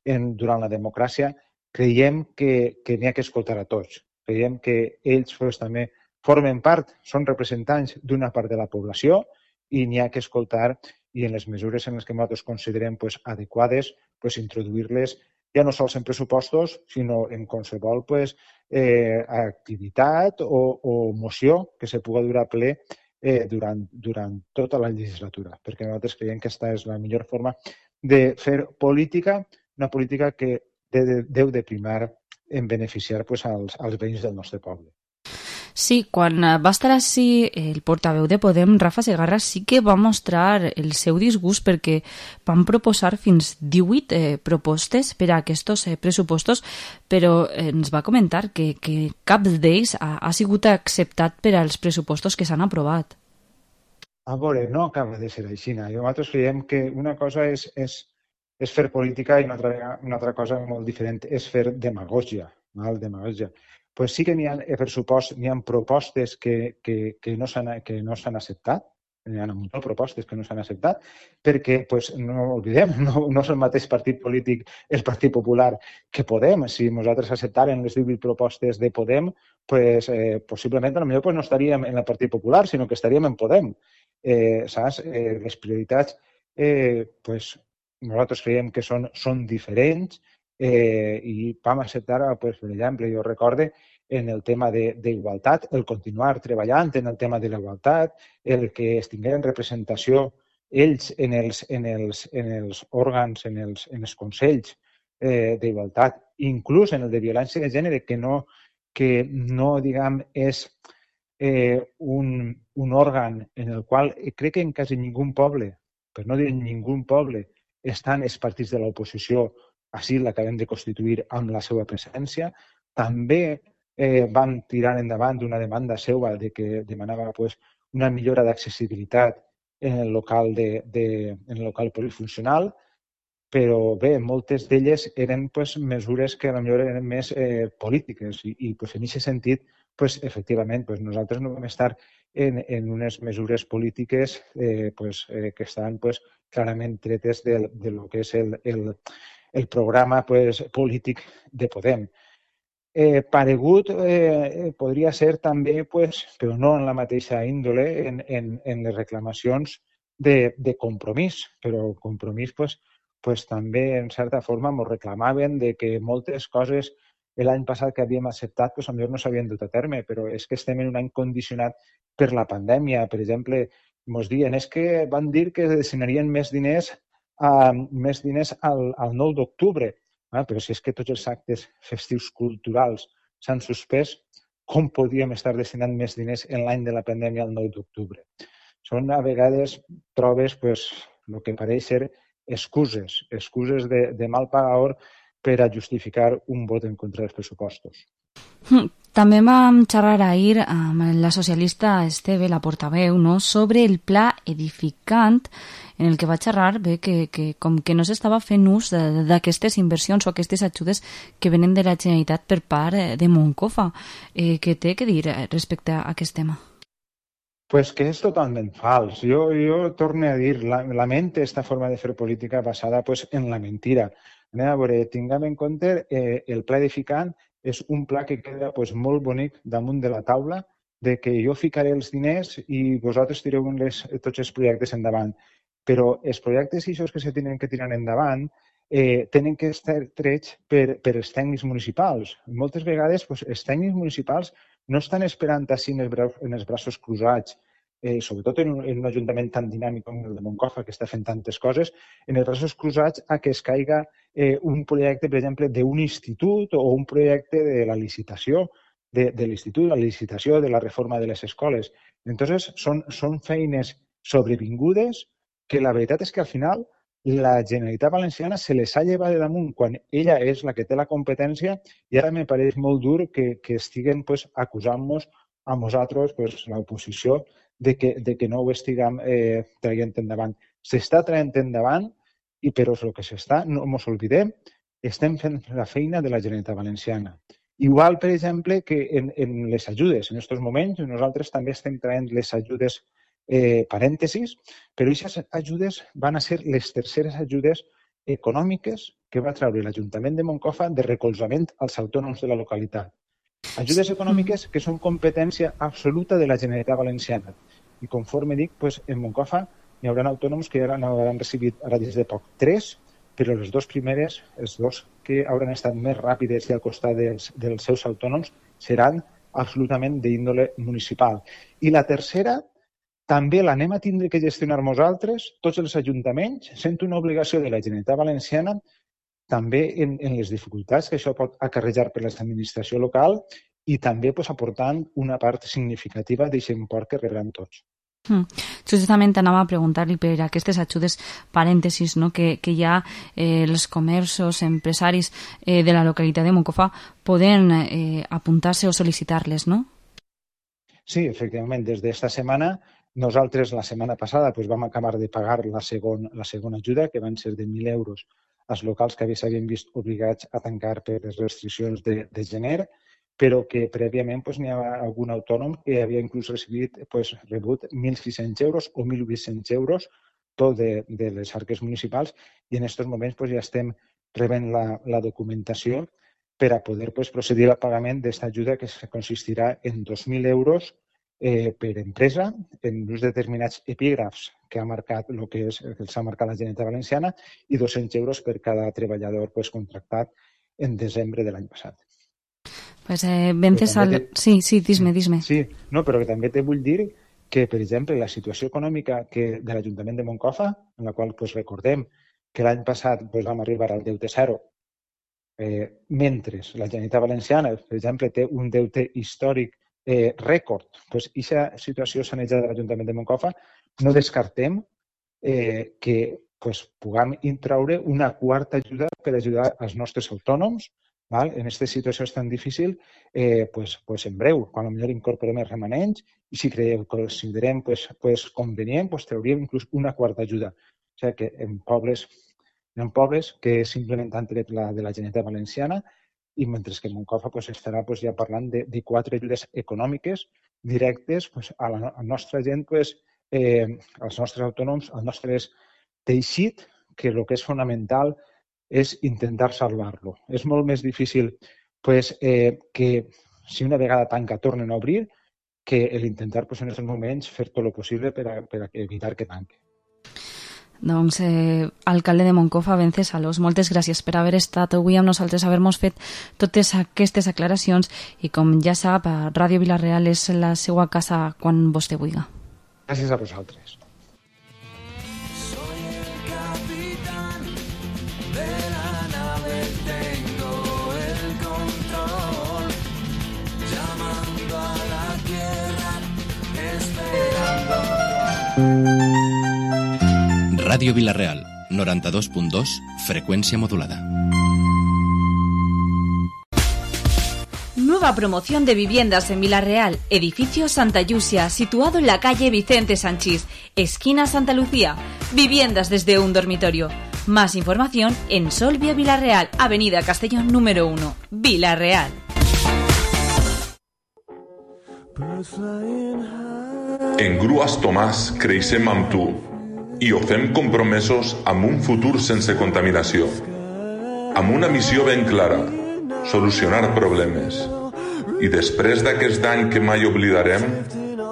durant la democràcia, creiem que n'hi ha que escoltar a tots. Creiem que ells pues, també formen part, són representants d'una part de la població i n'hi ha que escoltar i en les mesures en les que nosaltres considerem pues, adequades, pues, introduir-les ja no sols en pressupostos, sinó en qualsevol pues, activitat o moció que se pugui dur a ple durant tota la legislatura, perquè nosaltres creiem que aquesta és la millor forma de fer política, una política que deu de primar en beneficiar pues, als veïns del nostre poble. Sí, quan va estar així el portaveu de Podem, Rafa Segarra, sí que va mostrar el seu disgust perquè van proposar fins 18 propostes per a aquests pressupostos, però ens va comentar que cap d'ells ha sigut acceptat per als pressupostos que s'han aprovat. A veure, no acaba de ser així. Nosaltres creiem que una cosa és fer política i una altra cosa molt diferent és fer demagògia. Pues sí que n'hi ha propostes que no s'han acceptat, hi ha moltes propostes que no s'han acceptat, perquè pues, no oblidem, no és el mateix partit polític el Partit Popular que Podem. Si nosaltres acceptàrem les 18 propostes de Podem, pues, possiblement potser pues, no estaríem en el Partit Popular, sinó que estaríem en Podem. Saps? Les prioritats pues, nosaltres creiem que són diferents i vam acceptar, pues, per exemple, jo recorde en el tema d'igualtat, el continuar treballant en el tema de la igualtat, el que es tingueren representació ells en els òrgans, en els consells d'igualtat, inclús en el de violència de gènere, que no que no, diguem, és un òrgan en el qual crec que en quasi ningú poble, per no dir ningú poble, estan els partits de l'oposició, així l'acabem de constituir amb la seva presència. També van tirar endavant una demanda seva de que demanava una millora d'accessibilitat en el local polifuncional, però bé, moltes d'elles eren mesures que potser eren més polítiques i en aquest sentit, efectivament, nosaltres no vam estar en unes mesures polítiques que estan clarament tretes de lo que és el programa polític de Podem. Paregut podria ser també, però no en la mateixa índole, en les reclamacions de Compromís, però Compromís també, en certa forma, ens reclamaven de que moltes coses l'any passat que havíem acceptat potser no s'havien dut a terme, però és que estem en un any condicionat per la pandèmia. Per exemple, ens diuen que van dir que destinarien més diners al 9 d'octubre, però si és que tots els actes festius culturals s'han suspès, com podíem estar destinant més diners en l'any de la pandèmia al 9 d'octubre? Són, a vegades, trobes el que pareix ser excuses de mal pagador per a justificar un vot en contra dels pressupostos. També vam xerrar ahir amb la socialista Esteve, la portaveu, sobre el pla edificant, en el que va xerrar que com que no s'estava fent ús d'aquestes inversions o aquestes ajudes que venen de la Generalitat per part de Moncofa. Què té que dir respecte a aquest tema? Pues que és totalment fals. Jo torno a dir, lamento aquesta forma de fer política basada en la mentira. A veure, tinguem en compte el pla edificant és un pla que queda molt bonic damunt de la taula, de que jo ficaré els diners i vosaltres tireu tots els projectes endavant. Però els projectes que se tenen que tirar endavant tenen que estar trets per els tècnics municipals. Moltes vegades els tècnics municipals no estan esperant així en els braços cruzats, sobretot en un ajuntament tan dinàmic com el de Moncofa, que està fent tantes coses, en els braços cruzats a que es caiga un projecte, per exemple, d'un institut o un projecte de la licitació de l'institut, la licitació de la reforma de les escoles. Entonces, són feines sobrevingudes que la veritat és que al final la Generalitat Valenciana se les ha llevat de damunt quan ella és la que té la competència i ara me pareix molt dur que estiguen acusant-nos a nosaltres, l'oposició, de que no ho estiguem traient endavant. S'està traient endavant, però el que s'està, no ens oblidem, estem fent la feina de la Generalitat Valenciana. Igual, per exemple, que en les ajudes. En aquests moments nosaltres també estem traient les ajudes parèntesis, però aquestes ajudes van a ser les terceres ajudes econòmiques que va treure l'Ajuntament de Moncofa de recolzament als autònoms de la localitat. Ajudes econòmiques que són competència absoluta de la Generalitat Valenciana. I conforme dic, en Moncofa hi haurà autònoms que ja n'hauran recibit ara des de poc 3, però les dues primeres, els dos que hauran estat més ràpides i al costat dels seus autònoms, seran absolutament d'índole municipal. I la tercera, també l'anem a tindre que gestionar nosaltres, tots els ajuntaments, sent una obligació de la Generalitat Valenciana, també en les dificultats que això pot acarrejar per l'administració local i també aportant una part significativa d'aquest import que rebran tots. Justament anava a preguntar-li per aquestes ajudes parèntesis que hi ha els comerços, empresaris de la localitat de Moncofa poden apuntar-se o sol·licitar-les, no? Sí, efectivament. Des d'esta setmana, nosaltres la setmana passada vam acabar de pagar la segona ajuda, que van ser de 1.000 euros als locals que s'havien vist obligats a tancar per les restriccions de gener, però que prèviament n'hi ha algun autònom que havia inclús rebut 1.600 euros o 1.800 euros tot de les arques municipals i en aquests moments ja estem rebent la documentació per a poder procedir al pagament d'aquesta ajuda que consistirà en 2.000 euros per empresa en uns determinats epígrafs que ha marcat el que s'ha marcat la Generalitat Valenciana i 200 euros per cada treballador contractat en desembre de l'any passat. Sí, dis-me. Sí, no, però també te vull dir que, per exemple, la situació econòmica de l'Ajuntament de Moncofa, en la qual recordem que l'any passat vam arribar al deute zero mentre la Generalitat Valenciana, per exemple, té un deute històric rècord, doncs aquesta situació sanejada de l'Ajuntament de Moncofa, no descartem que puguem intraure una quarta ajuda per ajudar els nostres autònoms en aquesta situació tan difícil, en breu, quan potser incorporem els remanents i si considerem convenient, trauríem inclús una quarta ajuda. O sigui que en pobles que simplement han tret la de la Generalitat Valenciana i mentre que Moncofa estarà ja parlant de 4 ajudes econòmiques directes a la nostra gent, als nostres autònoms, al nostre teixit, que el que és fonamental és intentar salvar-lo. És molt més difícil que si una vegada tanca tornen a obrir que l'intentar en aquests moments fer tot el possible per evitar que tanqui. Doncs, alcalde de Moncofa, Vencesalos, moltes gràcies per haver estat avui amb nosaltres, haver-nos fet totes aquestes aclaracions i, com ja sap, Ràdio Vila-real és la seva casa quan vostè vulgui. Gràcies a vosaltres. Radio Vila-real, 92.2, frecuencia modulada. Nueva promoción de viviendas en Vila-real, edificio Santa Yusia, situado en la calle Vicente Sanchís, esquina Santa Lucía. Viviendas desde un dormitorio. Más información en Solvia Vila-real, avenida Castellón número 1, Vila-real. En Grues Tomàs creixem amb tu i ho fem compromesos amb un futur sense contaminació, amb una missió ben clara, solucionar problemes. I després d'aquest any que mai oblidarem,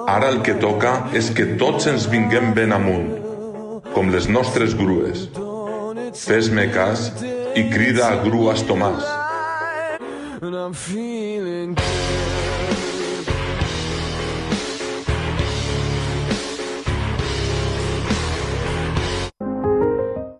ara el que toca és que tots ens vinguem ben amunt, com les nostres grues. Fes-me cas i crida a Grues Tomàs.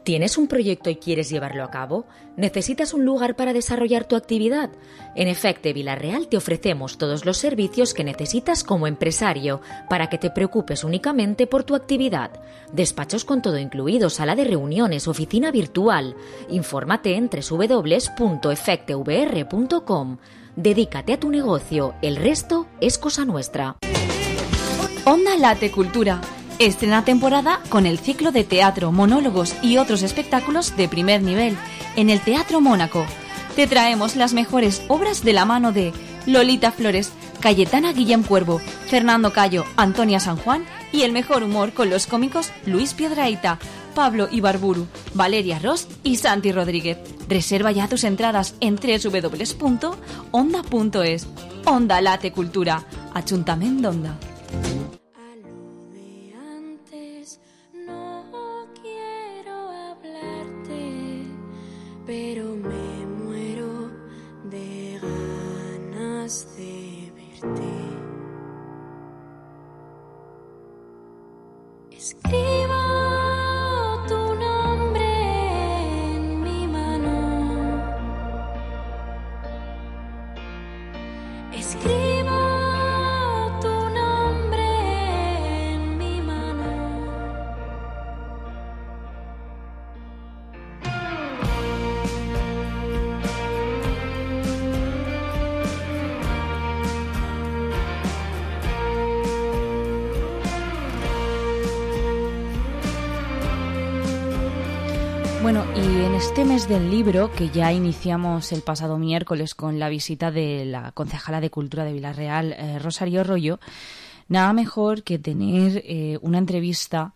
¿Tienes un proyecto y quieres llevarlo a cabo? ¿Necesitas un lugar para desarrollar tu actividad? En Efecte Vila-real te ofrecemos todos los servicios que necesitas como empresario para que te preocupes únicamente por tu actividad. Despachos con todo incluido, sala de reuniones, oficina virtual. Infórmate en www.efectevr.com. Dedícate a tu negocio, el resto es cosa nuestra. Onda Late Cultura. Estrena temporada con el ciclo de teatro, monólogos y otros espectáculos de primer nivel en el Teatro Mónaco. Te traemos las mejores obras de la mano de Lolita Flores, Cayetana Guillem Cuervo, Fernando Cayo, Antonia San Juan y el mejor humor con los cómicos Luis Piedrahita, Pablo Ibarburu, Valeria Ross y Santi Rodríguez. Reserva ya tus entradas en www.onda.es. Onda Late Cultura, Ajuntament d'Onda. Pero me muero de ganas de verte. Escribo tu nombre en mi mano. Escribo tu nombre en mi mano. Bueno, y en este mes del libro, que ya iniciamos el pasado miércoles con la visita de la concejala de Cultura de Vila-real, Rosario Rollo, nada mejor que tener una entrevista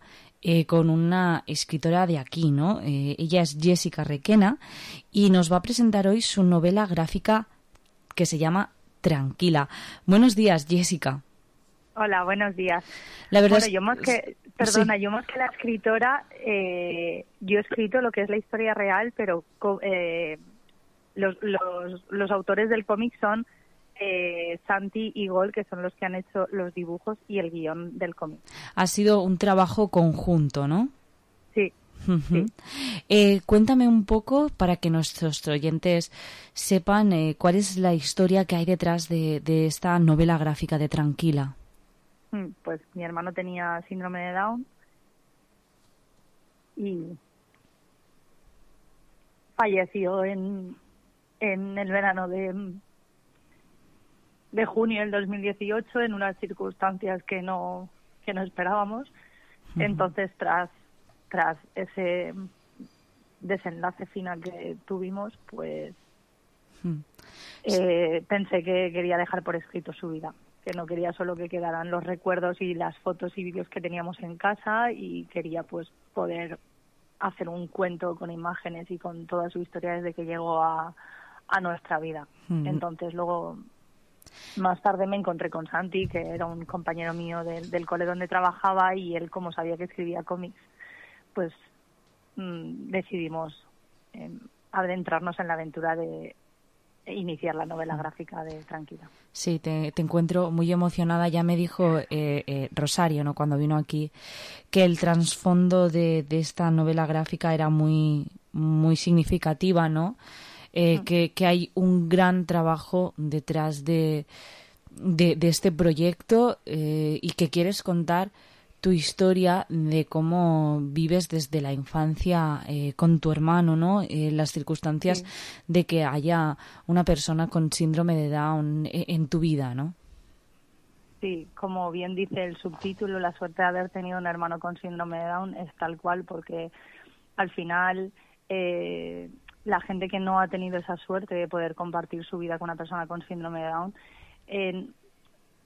con una escritora de aquí, ¿no? Ella es Jessica Requena y nos va a presentar hoy su novela gráfica que se llama Tranquila. Buenos días, Jessica. Hola, buenos días. La verdad yo más que la escritora, yo he escrito lo que es la historia real, pero los autores del cómic son Santi y Gol, que son los que han hecho los dibujos y el guión del cómic. Ha sido un trabajo conjunto, ¿no? Sí. Ujú. Cuéntame un poco para que nuestros oyentes sepan cuál es la historia que hay detrás de esta novela gráfica de Tranquila. Pues mi hermano tenía síndrome de Down y falleció en el verano de junio del 2018 en unas circunstancias que no esperábamos. Entonces, tras ese desenlace final que tuvimos, pues pensé que quería dejar por escrito su vida, que no quería solo que quedaran los recuerdos y las fotos y vídeos que teníamos en casa, y quería pues poder hacer un cuento con imágenes y con toda su historia desde que llegó a nuestra vida. Entonces luego, más tarde, me encontré con Santi, que era un compañero mío del cole donde trabajaba, y él, como sabía que escribía cómics, pues decidimos adentrarnos en la aventura de iniciar la novela gráfica de Tranquila. Sí, te encuentro muy emocionada. Ya me dijo Rosario, ¿no?, cuando vino aquí, que el trasfondo de esta novela gráfica era muy, muy significativa, ¿no? Que hay un gran trabajo detrás de este proyecto, y que quieres contar tu historia de cómo vives desde la infancia con tu hermano, ¿no? Las circunstancias de que haya una persona con síndrome de Down en tu vida, ¿no? Sí, como bien dice el subtítulo, la suerte de haber tenido un hermano con síndrome de Down es tal cual, porque al final la gente que no ha tenido esa suerte de poder compartir su vida con una persona con síndrome de Down,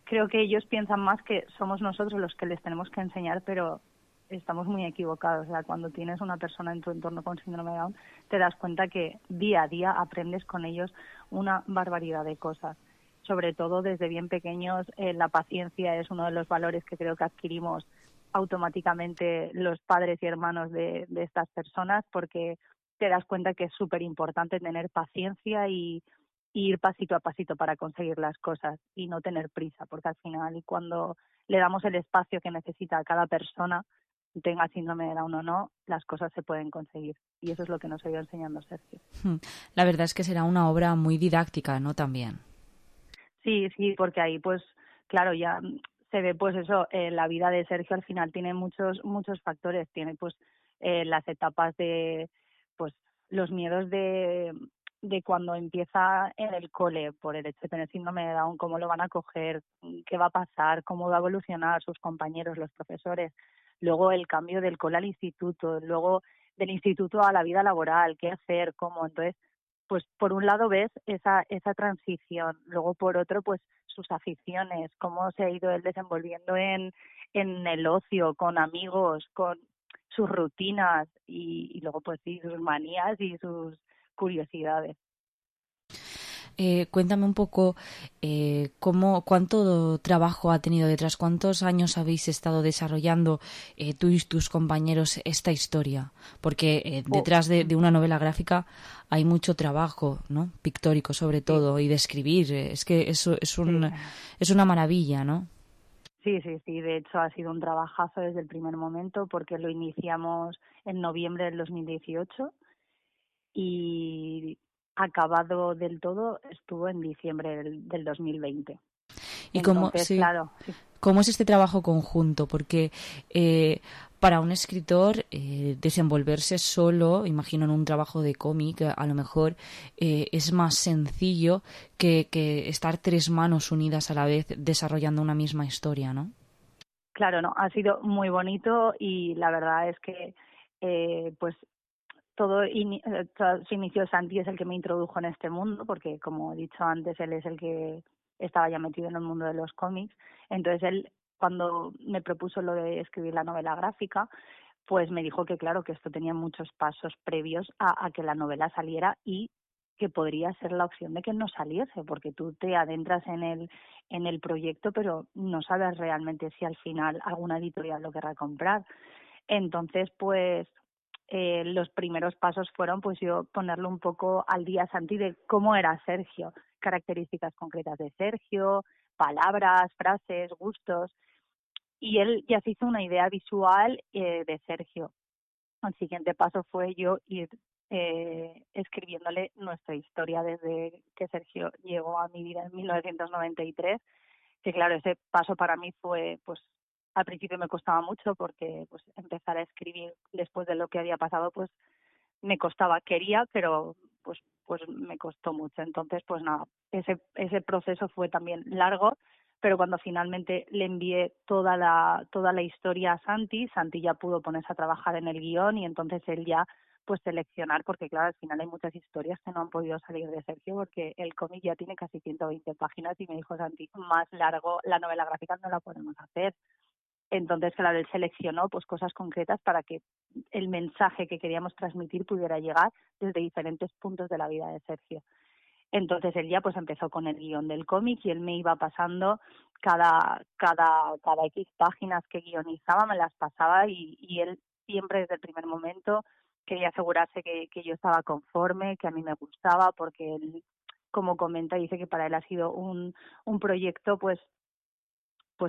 creo que ellos piensan más que somos nosotros los que les tenemos que enseñar, pero estamos muy equivocados. O sea, cuando tienes una persona en tu entorno con síndrome de Down, te das cuenta que día a día aprendes con ellos una barbaridad de cosas. Sobre todo desde bien pequeños, la paciencia es uno de los valores que creo que adquirimos automáticamente los padres y hermanos de estas personas, porque te das cuenta que es súper importante tener paciencia y ir pasito a pasito para conseguir las cosas y no tener prisa, porque al final, cuando le damos el espacio que necesita a cada persona, tenga síndrome de Down o no, las cosas se pueden conseguir, y eso es lo que nos ha ido enseñando Sergio. La verdad es que será una obra muy didáctica, ¿no?, también. Sí, porque ahí pues claro, ya se ve pues eso, la vida de Sergio al final tiene muchos factores, tiene pues las etapas de pues los miedos de cuando empieza en el cole por el hecho de tener síndrome de Down, cómo lo van a coger, qué va a pasar, cómo va a evolucionar sus compañeros, los profesores, luego el cambio del cole al instituto, luego del instituto a la vida laboral, qué hacer, cómo. Entonces, pues por un lado ves esa transición, luego por otro pues sus aficiones, cómo se ha ido él desenvolviendo en el ocio, con amigos, con sus rutinas y luego pues sí, sus manías y sus curiosidades. Cuéntame un poco cuánto trabajo ha tenido detrás, cuántos años habéis estado desarrollando tú y tus compañeros esta historia, porque detrás de una novela gráfica hay mucho trabajo, ¿no?, pictórico sobre todo, y de escribir, es que eso es una maravilla, ¿no? Sí, de hecho ha sido un trabajazo desde el primer momento, porque lo iniciamos en noviembre del 2018 y acabado del todo estuvo en diciembre del 2020. ¿Y entonces, claro, sí. ¿Cómo es este trabajo conjunto? Porque para un escritor desenvolverse solo, imagino en un trabajo de cómic, a lo mejor es más sencillo que estar tres manos unidas a la vez desarrollando una misma historia, ¿no? Claro, no, ha sido muy bonito, y la verdad es que pues todo se inició. Santi es el que me introdujo en este mundo, porque como he dicho antes, él es el que estaba ya metido en el mundo de los cómics. Entonces él, cuando me propuso lo de escribir la novela gráfica, pues me dijo que claro, que esto tenía muchos pasos previos a que la novela saliera, y que podría ser la opción de que no saliese, porque tú te adentras en el proyecto, pero no sabes realmente si al final alguna editorial lo querrá comprar. Entonces, pues los primeros pasos fueron pues yo ponerle un poco al día a Santi de cómo era Sergio, características concretas de Sergio, palabras, frases, gustos, y él ya se hizo una idea visual de Sergio. el siguiente paso fue yo ir escribiéndole nuestra historia desde que Sergio llegó a mi vida en 1993, que claro, ese paso para mí fue, pues al principio me costaba mucho porque pues empezar a escribir después de lo que había pasado, pues me costaba, quería, pero pues me costó mucho. Entonces, pues nada, ese proceso fue también largo, pero cuando finalmente le envié toda la historia a Santi ya pudo ponerse a trabajar en el guión y entonces él ya pues seleccionar, porque claro, al final hay muchas historias que no han podido salir de Sergio porque el cómic ya tiene casi 120 páginas y me dijo Santi, más largo la novela gráfica no la podemos hacer. Entonces, claro, él seleccionó pues cosas concretas para que el mensaje que queríamos transmitir pudiera llegar desde diferentes puntos de la vida de Sergio. Entonces él ya pues empezó con el guión del cómic y él me iba pasando cada X páginas que guionizaba, me las pasaba y él siempre desde el primer momento quería asegurarse que yo estaba conforme, que a mí me gustaba, porque él, como comenta, dice que para él ha sido un proyecto pues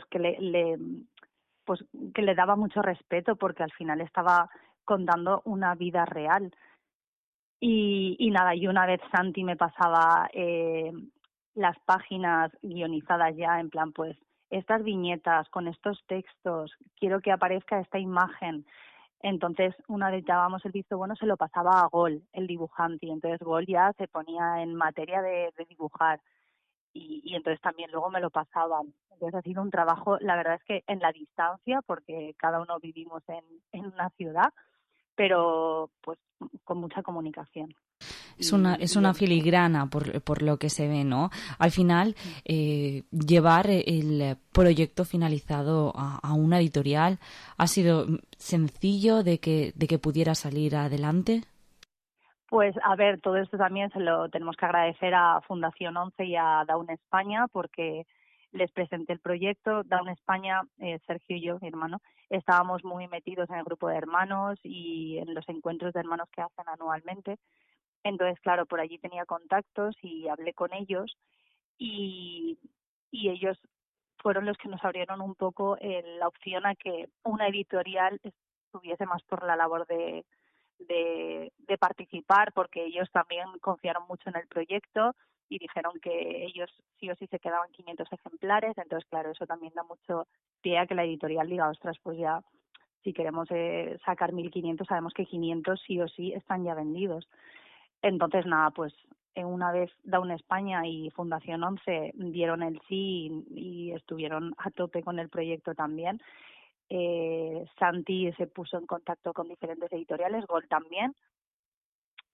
que le daba mucho respeto porque al final estaba contando una vida real. Y nada, y una vez Santi me pasaba las páginas guionizadas ya, en plan, pues, estas viñetas con estos textos, quiero que aparezca esta imagen. Entonces, una vez dábamos el visto bueno, se lo pasaba a Gol, el dibujante, y entonces Gol ya se ponía en materia de dibujar. Y entonces también luego me lo pasaban. Entonces ha sido un trabajo, la verdad es que en la distancia, porque cada uno vivimos en una ciudad, pero pues con mucha comunicación. Es una filigrana por lo que se ve, ¿no? Al final, llevar el proyecto finalizado a una editorial ha sido sencillo de que pudiera salir adelante. Pues a ver, todo esto también se lo tenemos que agradecer a Fundación 11 y a Down España porque les presenté el proyecto. Down España, Sergio y yo, mi hermano, estábamos muy metidos en el grupo de hermanos y en los encuentros de hermanos que hacen anualmente. Entonces, claro, por allí tenía contactos y hablé con ellos y ellos fueron los que nos abrieron un poco la opción a que una editorial estuviese más por la labor de participar, porque ellos también confiaron mucho en el proyecto y dijeron que ellos sí o sí se quedaban 500 ejemplares. Entonces, claro, eso también da mucho pie a que la editorial diga, ostras, pues ya si queremos sacar 1.500, sabemos que 500 sí o sí están ya vendidos. Entonces, nada, pues una vez Down España y Fundación 11 dieron el sí y estuvieron a tope con el proyecto también, Santi se puso en contacto con diferentes editoriales, Gol también,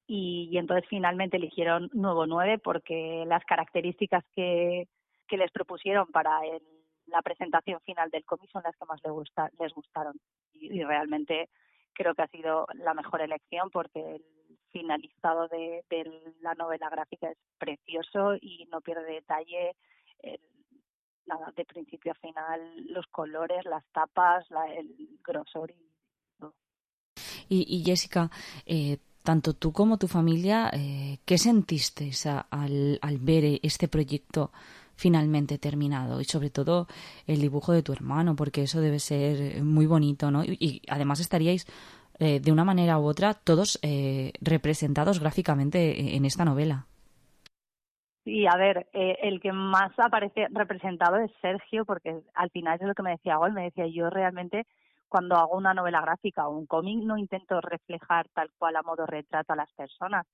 y entonces finalmente eligieron Nuevo 9 porque las características que les propusieron para la presentación final del cómic son las que más les gustaron y realmente creo que ha sido la mejor elección porque el finalizado de la novela gráfica es precioso y no pierde detalle, nada, de principio a final, los colores, las tapas, el grosor y todo. Y Jessica, tanto tú como tu familia, ¿qué sentisteis al ver este proyecto finalmente terminado? Y sobre todo el dibujo de tu hermano, porque eso debe ser muy bonito, ¿no? Y además estaríais de una manera u otra todos representados gráficamente en esta novela. Sí, a ver, el que más aparece representado es Sergio, porque al final es lo que me decía Gol, me decía, yo realmente cuando hago una novela gráfica o un cómic no intento reflejar tal cual a modo retrato a las personas,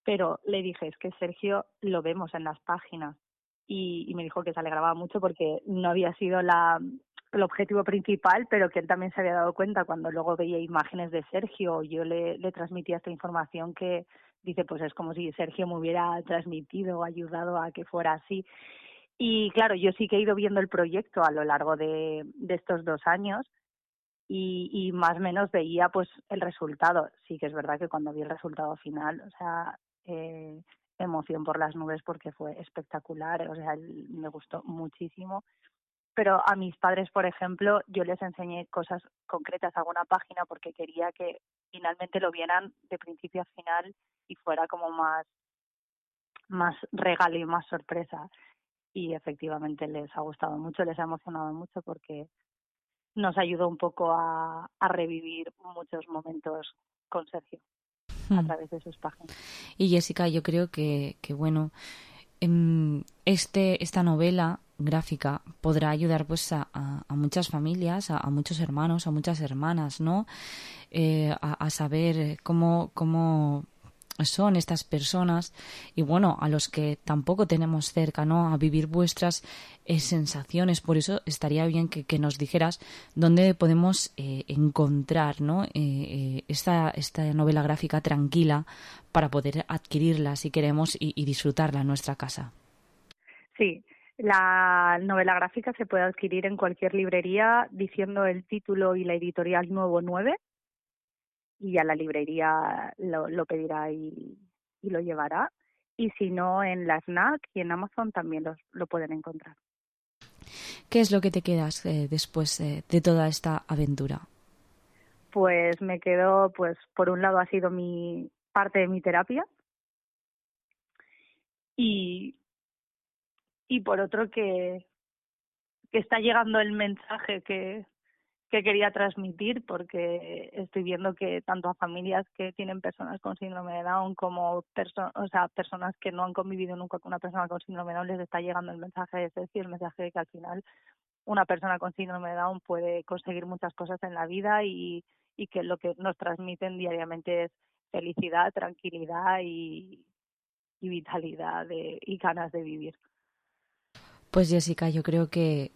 pero le dije, es que Sergio lo vemos en las páginas y me dijo que se alegraba mucho porque no había sido el objetivo principal, pero que él también se había dado cuenta cuando luego veía imágenes de Sergio, yo le transmitía esta información que dice, pues es como si Sergio me hubiera transmitido o ayudado a que fuera así. Y claro, yo sí que he ido viendo el proyecto a lo largo de estos 2 años y más o menos veía pues el resultado. Sí que es verdad que cuando vi el resultado final, o sea, emoción por las nubes porque fue espectacular, o sea, me gustó muchísimo. Pero a mis padres, por ejemplo, yo les enseñé cosas concretas, alguna página, porque quería que finalmente lo vieran de principio a final y fuera como más regalo y más sorpresa. Y efectivamente les ha gustado mucho, les ha emocionado mucho porque nos ayudó un poco a revivir muchos momentos con Sergio a través de sus páginas. Y Jessica, yo creo que bueno, esta novela gráfica podrá ayudar pues a muchas familias, a muchos hermanos, a muchas hermanas, ¿no? A saber cómo son estas personas y bueno, a los que tampoco tenemos cerca, ¿no? A vivir vuestras sensaciones. Por eso estaría bien que nos dijeras dónde podemos encontrar, ¿no? Esta novela gráfica tranquila para poder adquirirla si queremos y disfrutarla en nuestra casa. Sí, la novela gráfica se puede adquirir en cualquier librería diciendo el título y la editorial Nuevo 9 y ya la librería lo pedirá y lo llevará. Y si no, en la FNAC y en Amazon también lo pueden encontrar. ¿Qué es lo que te quedas después de toda esta aventura? Pues me quedo, pues por un lado ha sido parte de mi terapia y por otro que está llegando el mensaje que quería transmitir, porque estoy viendo que tanto a familias que tienen personas con síndrome de Down como personas que no han convivido nunca con una persona con síndrome de Down les está llegando el mensaje, es decir, el mensaje de que al final una persona con síndrome de Down puede conseguir muchas cosas en la vida y que lo que nos transmiten diariamente es felicidad, tranquilidad y vitalidad y ganas de vivir. Pues Jessica, yo creo que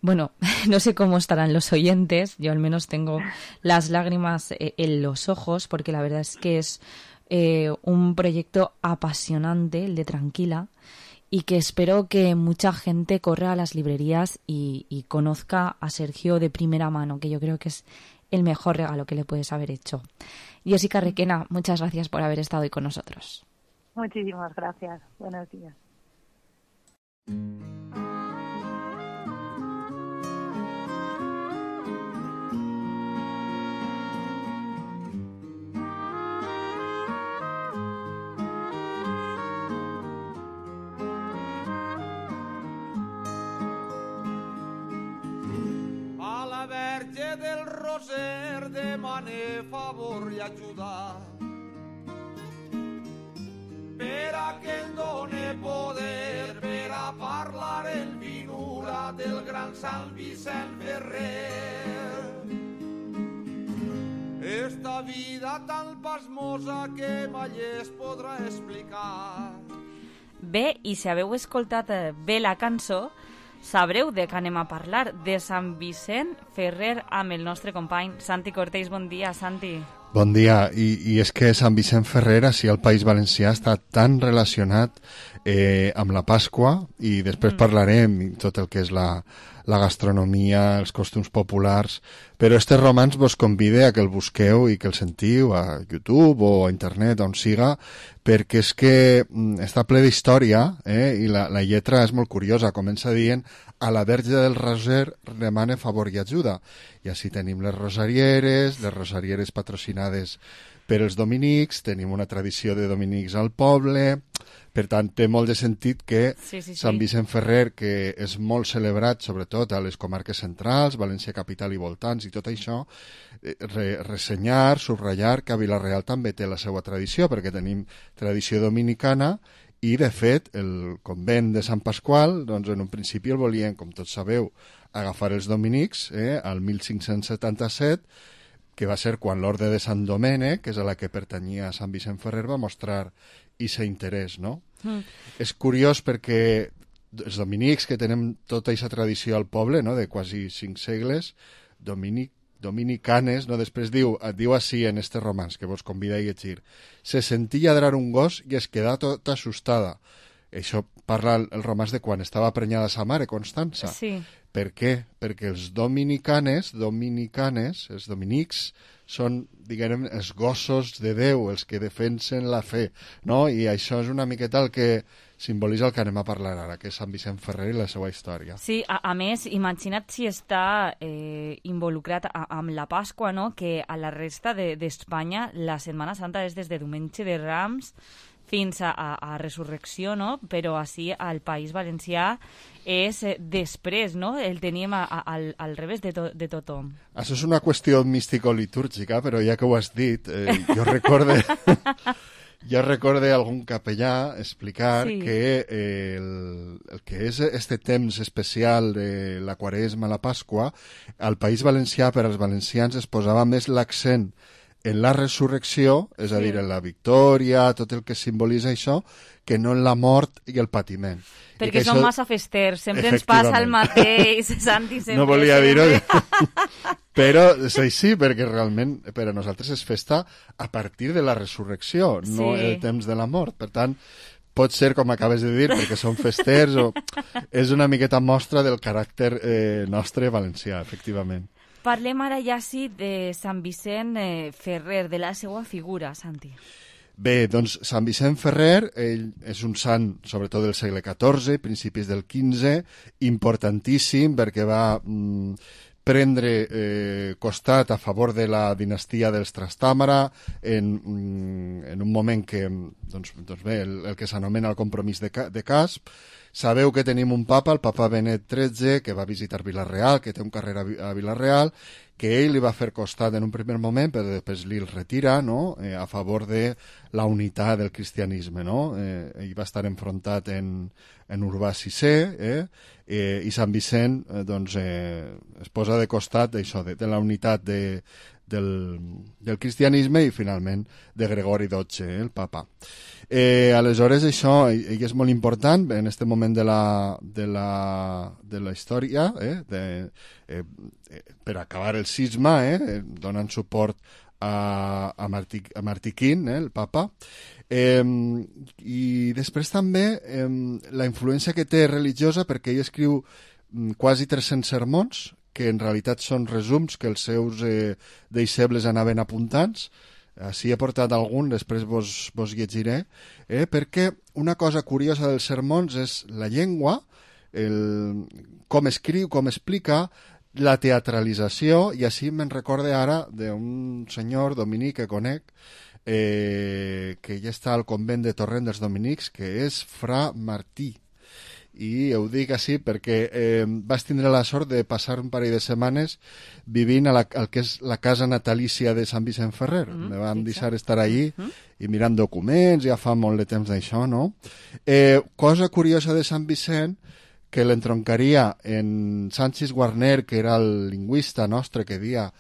bueno, no sé cómo estarán los oyentes, yo al menos tengo las lágrimas en los ojos, porque la verdad es que es un proyecto apasionante, el de Tranquila, y que espero que mucha gente corra a las librerías y conozca a Sergio de primera mano, que yo creo que es el mejor regalo que le puedes haber hecho. Jessica Requena, muchas gracias por haber estado hoy con nosotros. Muchísimas gracias. Buenos días. A la Verge del Roser demane favor i ajuda per a que em done poder per a parlar en vinura del gran Sant Vicent Ferrer. Esta vida tan pasmosa que mai es podrà explicar. Bé, i si haveu escoltat bé la cançó, sabreu de què anem a parlar, de Sant Vicent Ferrer amb el nostre company Santi Cortés. Bon dia, Santi. Bon dia, i és que Sant Vicent Ferrer, així al País Valencià, està tan relacionat amb la Pasqua, i després parlarem tot el que és la gastronomia, els costums populars, però este romanç vos convide a que el busqueu i que el sentiu a YouTube o a internet, on siga, perquè és que està ple d'història, i la lletra és molt curiosa, comença dient a la Verge del Roser demane favor i ajuda, i així tenim les rosarieres patrocinades per els dominics, tenim una tradició de dominics al poble, per tant té molt de sentit que Sant Vicent Ferrer, que és molt celebrat sobretot a les comarques centrals, València Capital i voltants i tot això, ressenyar, subratllar que a Vila-real també té la seva tradició, perquè tenim tradició dominicana. I, de fet, el convent de Sant Pasqual, doncs en un principi el volien, com tots sabeu, agafar els dominics, al 1577, que va ser quan l'Orde de Sant Domènec, que és a la que pertanyia Sant Vicent Ferrer, va mostrar aquest interès, no? És curiós perquè els dominics, que tenen tota aquesta tradició al poble, no?, de quasi 5 segles, dominicanes, no? Després diu així en este romanç, que vos convida a llegir, se sentí lladrar un gos i es quedà tota assustada. Això parla el romanç de quan estava prenyada sa mare, Constança. Sí. Per què? Perquè els dominics, els dominics, són, diguem, els gossos de Déu, els que defensen la fe, no? I això és una miqueta el que simbolitza el que anem a parlar ara, que és Sant Vicent Ferrer i la seva història. Sí, a més, imagina't si està involucrat amb la Pasqua, no? Que a la resta d'Espanya la Setmana Santa és des de Diumenge de Rams fins a Resurrecció, no? Però així al País Valencià és després, no? El tenim al revés de tothom. Això és una qüestió místico-litúrgica, però ja que ho has dit, jo recorde algun capellà explicar que el que és este temps especial de la Quaresma, la Pasqua, al País Valencià, per als valencians, es posava més l'accent en la resurrecció, és a dir, en la victòria, tot el que simbolitza això, que no en la mort i el patiment. Perquè som massa festers, sempre ens passa el mateix, Santi, sempre. No volia dir-ho, però és així, perquè realment per a nosaltres és festa a partir de la resurrecció, no el temps de la mort. Per tant, pot ser, com acabes de dir, perquè som festers, o és una miqueta mostra del caràcter nostre valencià, efectivament. Parlem ara ja sí de Sant Vicent Ferrer, de la seva figura, Santi. Bé, doncs Sant Vicent Ferrer, ell és un sant, sobretot del segle XIV, principis del XV, importantíssim perquè va prendre costat a favor de la dinastia dels Trastàmara en un moment que, doncs bé, el que s'anomena el compromís de Casp. Sabeu que tenim un papa, el papa Benet XIII, que va visitar Vila-real, que té un carrer a Vila-real, que ell li va fer costat en un primer moment, però després li el retira, no?, a favor de la unitat del cristianisme, no? Ell va estar enfrontat en Urbà VI, i Sant Vicent doncs, es posa de costat d'això, de la unitat del cristianisme i finalment de Gregori XII, el papa. Aleshores això ell és molt important en aquest moment de la història, per acabar el cisma, donant suport a Martí V, el papa, i després també la influència que té religiosa, perquè ell escriu quasi 300 sermons que en realitat són resums que els seus deixebles anaven apuntant. Així he portat algun, després vos llegiré, perquè una cosa curiosa dels sermons és la llengua, com escriu, com explica, la teatralització, i així me'n recorde ara d'un senyor dominic que conec, que ja està al convent de Torrent dels Dominics, que és Fra Martí. I ho dic així perquè vaig tindre la sort de passar un parell de setmanes vivint al que és la casa natalícia de Sant Vicent Ferrer. Me van deixar estar allí i mirant documents, ja fa molt de temps d'això, no? Cosa curiosa de Sant Vicent, que l'entroncaria en Sanchis Guarner, que era el lingüista nostre que deia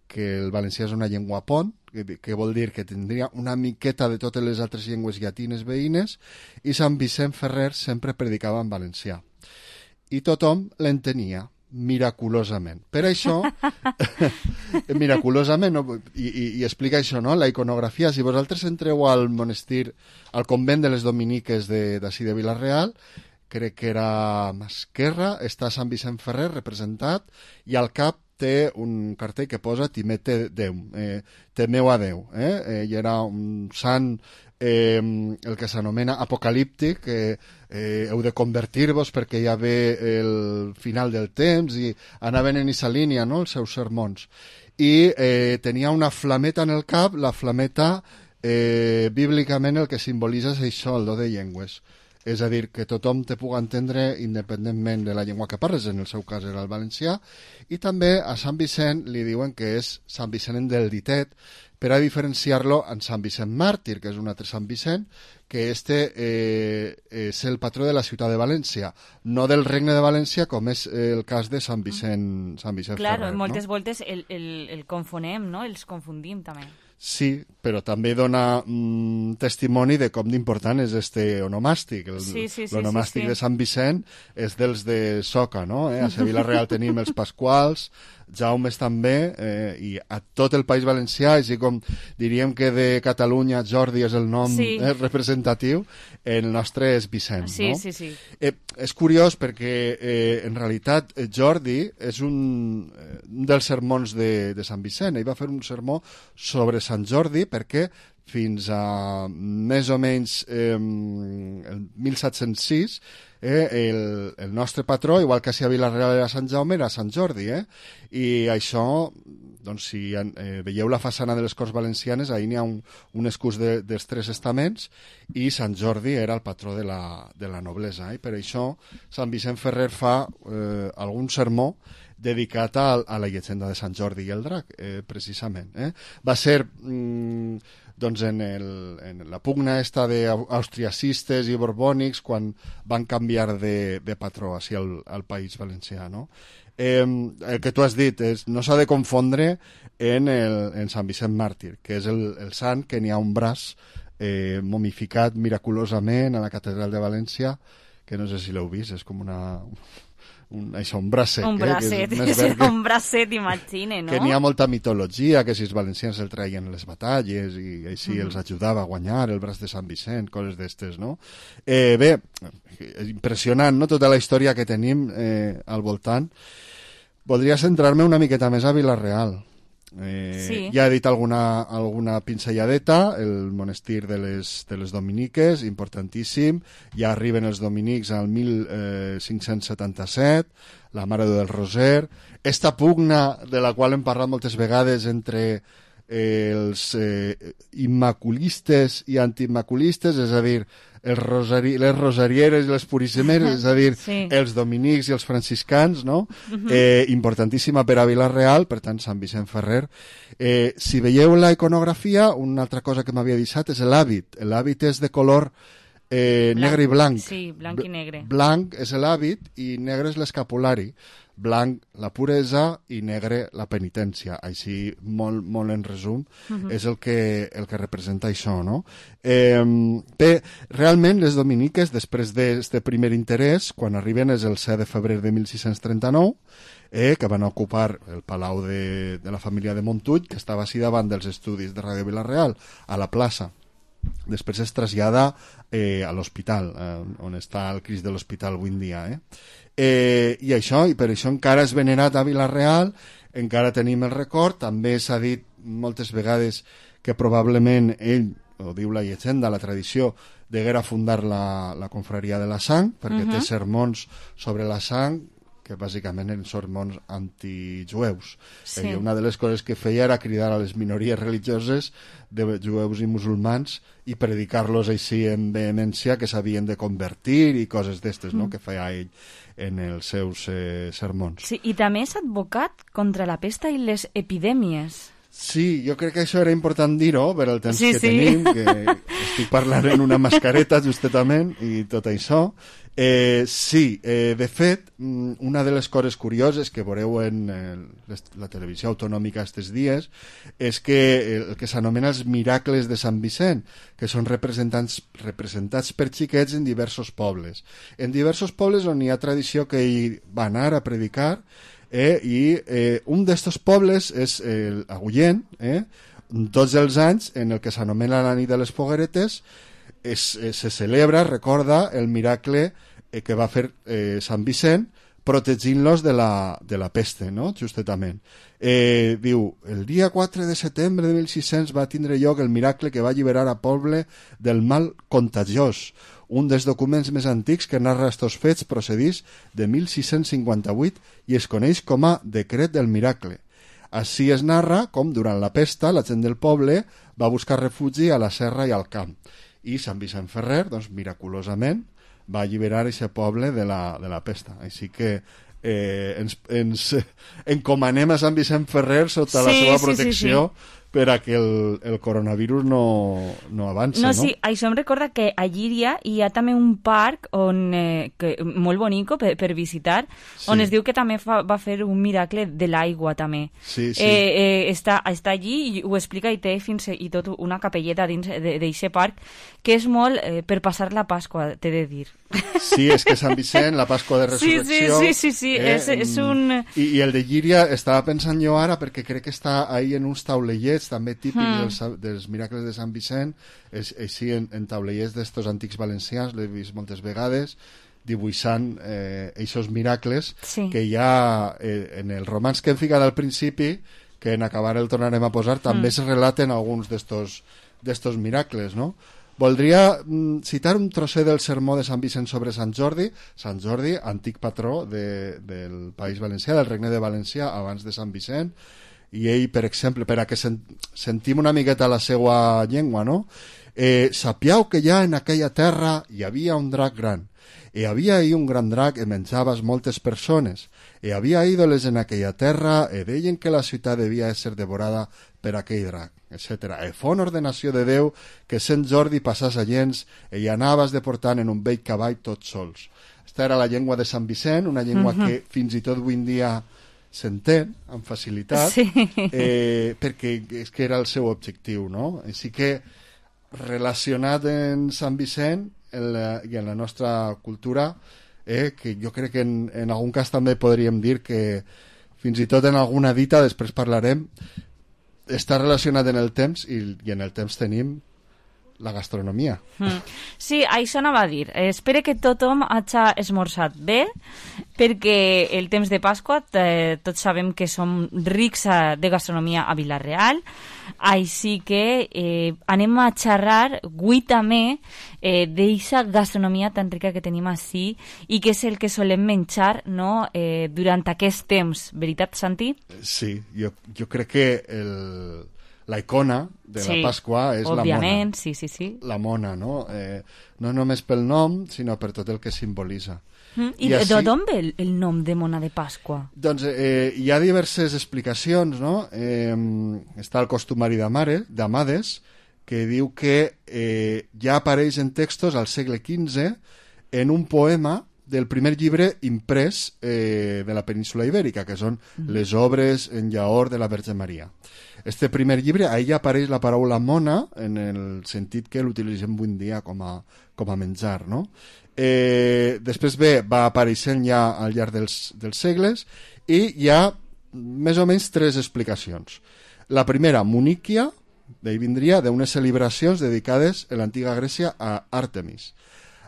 que el valencià és una llengua pont, que vol dir que tindria una miqueta de totes les altres llengües llatines veïnes, i Sant Vicent Ferrer sempre predicava en valencià. I tothom l'entenia, miraculosament. Per això, miraculosament, no? I explica això, no? La iconografia, si vosaltres entreu al monestir, al convent de les Dominiques d'ací de Vila-real, crec que era a esquerra, està Sant Vicent Ferrer representat, i al cap té un cartell que posa Timete Déu, temeu a Déu. Ell era un sant, el que s'anomena apocalíptic, heu de convertir-vos perquè ja ve el final del temps, i anaven en aquesta línia, no?, els seus sermons. I tenia una flameta en el cap, la flameta bíblicament el que simbolitza és això, el do de llengües. És a dir, que tothom te puga entendre independentment de la llengua que parles, en el seu cas era el valencià, i també a Sant Vicent li diuen que és Sant Vicent del Ditet, per a diferenciar-lo en Sant Vicent Màrtir, que és un altre Sant Vicent, que és el patró de la ciutat de València, no del Regne de València, com és el cas de Sant Vicent Ferrer. Claro, moltes voltes el confonem, no? Els confundim també. Sí, però també dona testimoni de com d'important és este onomàstic. L'onomàstic de Sant Vicent és dels de Soca, no? A Vila-real tenim els Pasquals, Jaumes també, i a tot el País Valencià, així com diríem que de Catalunya Jordi és el nom representatiu, el nostre és Vicent, no? Sí. És curiós perquè en realitat Jordi és un dels sermons de Sant Vicent. Ell va fer un sermó sobre Sant Jordi perquè fins a més o menys el 1706 el nostre patró, igual que si a Vila-real era Sant Jaume, era Sant Jordi, i això doncs si veieu la façana de les Corts Valencianes, ahir n'hi ha un escús dels tres estaments i Sant Jordi era el patró de la noblesa. I per això Sant Vicent Ferrer fa algun sermó dedicat a la llegenda de Sant Jordi i el drac, precisament. Va ser doncs en la pugna esta d'austriacistes i borbònics quan van canviar de patró així al País Valencià, no? El que tu has dit no s'ha de confondre en Sant Vicent Màrtir, que és el sant que n'hi ha un braç momificat miraculosament a la catedral de València, que no sé si l'heu vist, és com un bracet. Un bracet, un bracet, imagine, no? Que n'hi ha molta mitologia, que si els valencians el traien a les batalles i així els ajudava a guanyar el braç de Sant Vicent, coses d'estes, no? Bé, impressionant, no?, tota la història que tenim al voltant. Voldria centrar-me una miqueta més a Vila-real. Sí. Ja he dit alguna pinzelladeta, el monestir de les dominiques, importantíssim. Ja arriben els dominics al 1577, la Mare del Roser. Esta pugna de la qual hem parlat moltes vegades entre els immaculistes i antiimmaculistes, és a dir, les rosarieres i les puríssimeres, és a dir, els dominics i els franciscans, no? Importantíssima per a Vila-real, per tant, Sant Vicent Ferrer. Si veieu la iconografia, una altra cosa que m'havia deixat és l'hàbit. L'hàbit és de color negre i blanc. Sí, blanc i negre. Blanc és l'hàbit i negre és l'escapulari. Blanc la puresa i negre la penitència. Així, molt en resum, és el que representa això, no? Bé, realment les dominiques, després d'aquest primer interès, quan arriben és el 7 de febrer de 1639, que van ocupar el palau de la família de Montull, que estava així davant dels estudis de Ràdio Vila-real, a la plaça. Després es trasllada a l'hospital, on està el Crist de l'Hospital avui en dia. I per això encara és venerat a Vila-real, encara tenim el record. També s'ha dit moltes vegades que probablement ell, ho diu la llegenda, la tradició, deguera fundar la confraria de la sang, perquè té sermons sobre la sang, que bàsicament eren sermons antijueus. Sí. I una de les coses que feia era cridar a les minories religioses de jueus i musulmans i predicar-los així en vehemència que s'havien de convertir i coses d'estes, no?, que feia ell en els seus sermons. Sí, i també és advocat contra la pesta i les epidèmies. Sí, jo crec que això era important dir-ho per el temps que tenim, que estic parlant en una mascareta justament i tot això. De fet, una de les coses curioses que veureu en la televisió autonòmica aquests dies és que el que s'anomena els miracles de Sant Vicent, que són representats per xiquets en diversos pobles. En diversos pobles on hi ha tradició que ell va anar a predicar, i un d'estos pobles és Agullent, tots els anys, en el que s'anomena la nit de les fogueretes, se celebra, recorda, el miracle que va fer Sant Vicent protegint-los de la peste, no?, justament. Diu, el dia 4 de setembre de 1600 va tindre lloc el miracle que va alliberar a poble del mal contagiós. Un dels documents més antics que narra estos fets procedís de 1658 i es coneix com a Decret del Miracle. Així es narra com, durant la pesta, la gent del poble va buscar refugi a la serra i al camp. I Sant Vicent Ferrer, doncs, miraculosament, va alliberar aquest poble de la pesta. Així que ens encomanem a Sant Vicent Ferrer sota la seva protecció per a que el coronavirus no avanci, no? Sí, això em recorda que a Llíria hi ha també un parc molt bonic per visitar, on es diu que també va fer un miracle de l'aigua, també. Sí. Està allí i ho explica i té fins i tot una capelleta dins d'aquest parc, que és molt per passar la Pasqua, t'he de dir. Sí, és que Sant Vicent, la Pasqua de Resurrecció... Sí, és un... I el de Llíria estava pensant jo ara, perquè crec que està ahí en uns taulellets també típics dels miracles de Sant Vicent, així en taulellets d'estos antics valencians, l'he vist moltes vegades, dibuixant aquests miracles que hi ha en el romanç que hem ficat al principi, que en acabar el tornarem a posar, també es relaten alguns d'estos miracles, no? Voldria citar un trosset del sermó de Sant Vicent sobre Sant Jordi. Sant Jordi, antic patró del País Valencià, del Regne de València, abans de Sant Vicent, i ell, per exemple, per a que sentim una miqueta la seva llengua, no? Sapiau que ja en aquella terra hi havia un drac gran. Havia ahí un gran drac e menjabas moltes persones. Havia ídoles en aquella terra e deien que la ciutat devia ser devorada per aquell drac, etc. Fon ordenació de Déu que Sant Jordi passàs a gens i anaves deportant en un vell cavall tots sols. Esta era la llengua de Sant Vicent, una llengua que fins i tot avui en dia s'entén amb facilitat, perquè és que era el seu objectiu, no? Així que relacionat en Sant Vicent i en la nostra cultura, que jo crec que en algun cas també podríem dir que fins i tot en alguna dita, després parlarem, està relacionat en el temps i en el temps tenim la gastronomia. Sí, això anava a dir. Espero que tothom hagi esmorzat bé, perquè el temps de Pasqua tots sabem que som rics de gastronomia a Vila-real, així que anem a xerrar avui també d'eixa gastronomia tan rica que tenim ací i que és el que solem menjar, no? Durant aquest temps. Veritat, Santi? Sí, jo crec que la icona de la Pasqua és la mona. Òbviament, sí. La mona, no? No només pel nom, sinó per tot el que simbolitza. I d'on ve el nom de mona de Pasqua? Doncs hi ha diverses explicacions, no? Està el costumari d'Amades, que diu que ja apareix en textos al segle XV en un poema del primer llibre imprès de la península Ibèrica, que són les obres en llaor de la Verge Maria. Este primer llibre, ahí ja apareix la paraula mona en el sentit que l'utilitzem avui en dia com a menjar, no? Després va apareixent ja al llarg dels segles i hi ha més o menys tres explicacions. La primera, Muníquia, d'ahí vindria d'unes celebracions dedicades en l'antiga Grècia a Àrtemis.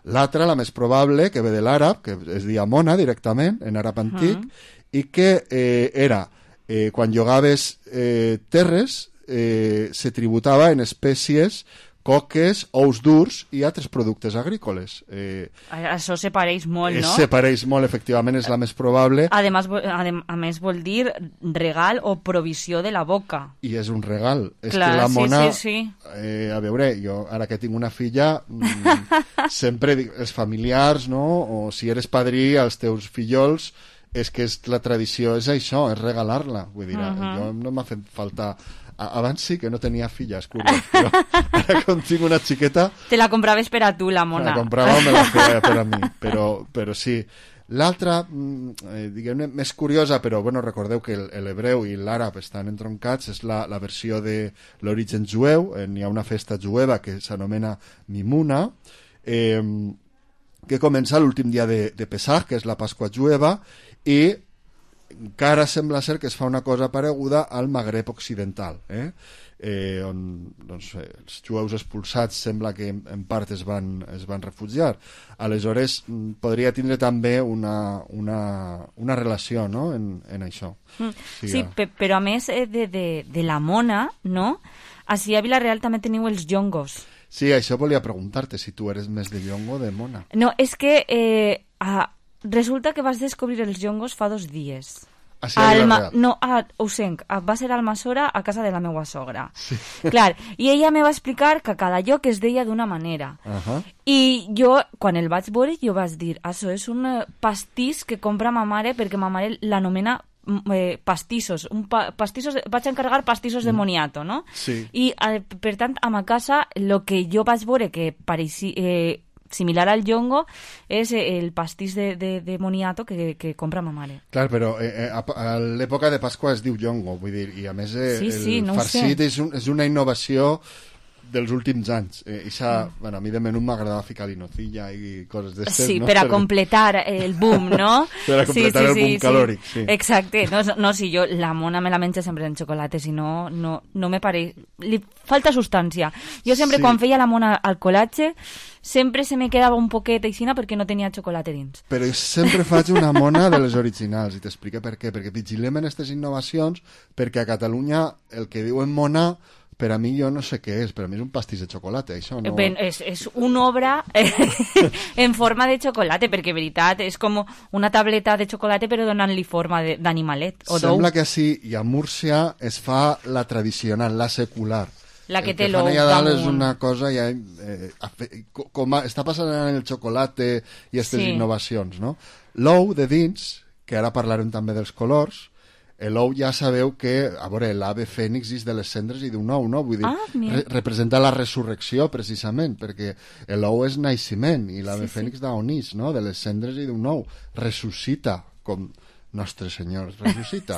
L'altra, la més probable, que ve de l'àrab, que es dia mona directament, en àrab antic, i que era quan llogaves terres se tributava en espècies, coques, ous durs i altres productes agrícoles. Això se pareix molt, no? Se pareix molt, efectivament, és la més probable. A més vol dir regal o provisió de la boca. I és un regal. És clar, que la mona... Sí. A veure, jo ara que tinc una filla, sempre dic, els familiars, no? O si eres padrí, als teus fillols, és que la tradició és això, és regalar-la. Vull dir, jo no m'ha fet falta... Abans sí que no tenia filles, curiós, però ara quan tinc una xiqueta... Te la compraves per a tu, la mona. La comprava o me la feia per a mi, però sí. L'altra, diguem-ne, més curiosa, però bueno, recordeu que l'hebreu i l'àrab estan entroncats, és la versió de l'origen jueu. Hi ha una festa jueva que s'anomena Mimuna, que comença l'últim dia de Pesach, que és la Pasqua jueva, i encara sembla ser que es fa una cosa pareguda al Magreb occidental, on doncs, els jueus expulsats sembla que en part es van refugiar. Aleshores podria tindre també una relació, no? en això. Sí, però a més de la mona, no? Així a Vila-real també teniu els llongos. Sí, això volia preguntar-te, si tu eres més de llongo o de mona. No, és que resulta que vas descobrir els llongos fa 2 dies. A Vila-real? No, a Usenc. Va ser a Almassora, a casa de la meva sogra. Sí. Clar, i ella me va explicar que cada lloc es deia d'una manera. I jo, quan el vaig veure, jo vaig dir, això és un pastís que compra ma mare, perquè ma mare l'anomena pastissos. Vaig encarregar pastissos de moniato, no? Sí. I, per tant, a ma casa, el que jo vaig veure que pareixia... similar al llongo és el pastís de moniato que compra ma mare. Clar, però a l'època de Pasqua es diu llongo, vull dir, i a més el farcit és una innovació dels últims anys. Bueno, a mi de menú m'agradava ficar-li nocilla i coses d'estes, sí, no? Per a completar el boom, no? Per a completar el boom calòric, sí. Exacte. No, si jo la mona me la menjo sempre en xocolata, si no me pareix... Li falta substància. Jo sempre, quan feia la mona al colatge, sempre se me quedava un poquet aixina perquè no tenia xocolata dins. Però sempre faig una mona de les originals, i t'explico per què. Perquè vigilem en aquestes innovacions, perquè a Catalunya el que diuen mona Per a mi jo no sé què és, per a mi és un pastís de xocolata, això no... És una obra en forma de xocolata, perquè, veritat, és com una tableta de xocolata però donant-li forma d'animalet o d'ou. Sembla que sí, i a Múrcia es fa la tradicional, la secular. La que té el que l'ou fan allà dalt és damunt. una cosa ja... està passant en el xocolate i aquestes innovacions, no? L'ou de dins, que ara parlarem també dels colors, l'ou ja sabeu que, a veure, l'ave fènix és de les cendres i d'un ou, no? Vull dir, representa la resurrecció, precisament, perquè l'ou és naixement i l'ave fènix d'on és, no? De les cendres i d'un ou. Ressuscita, com Nostre Senyor ressuscita.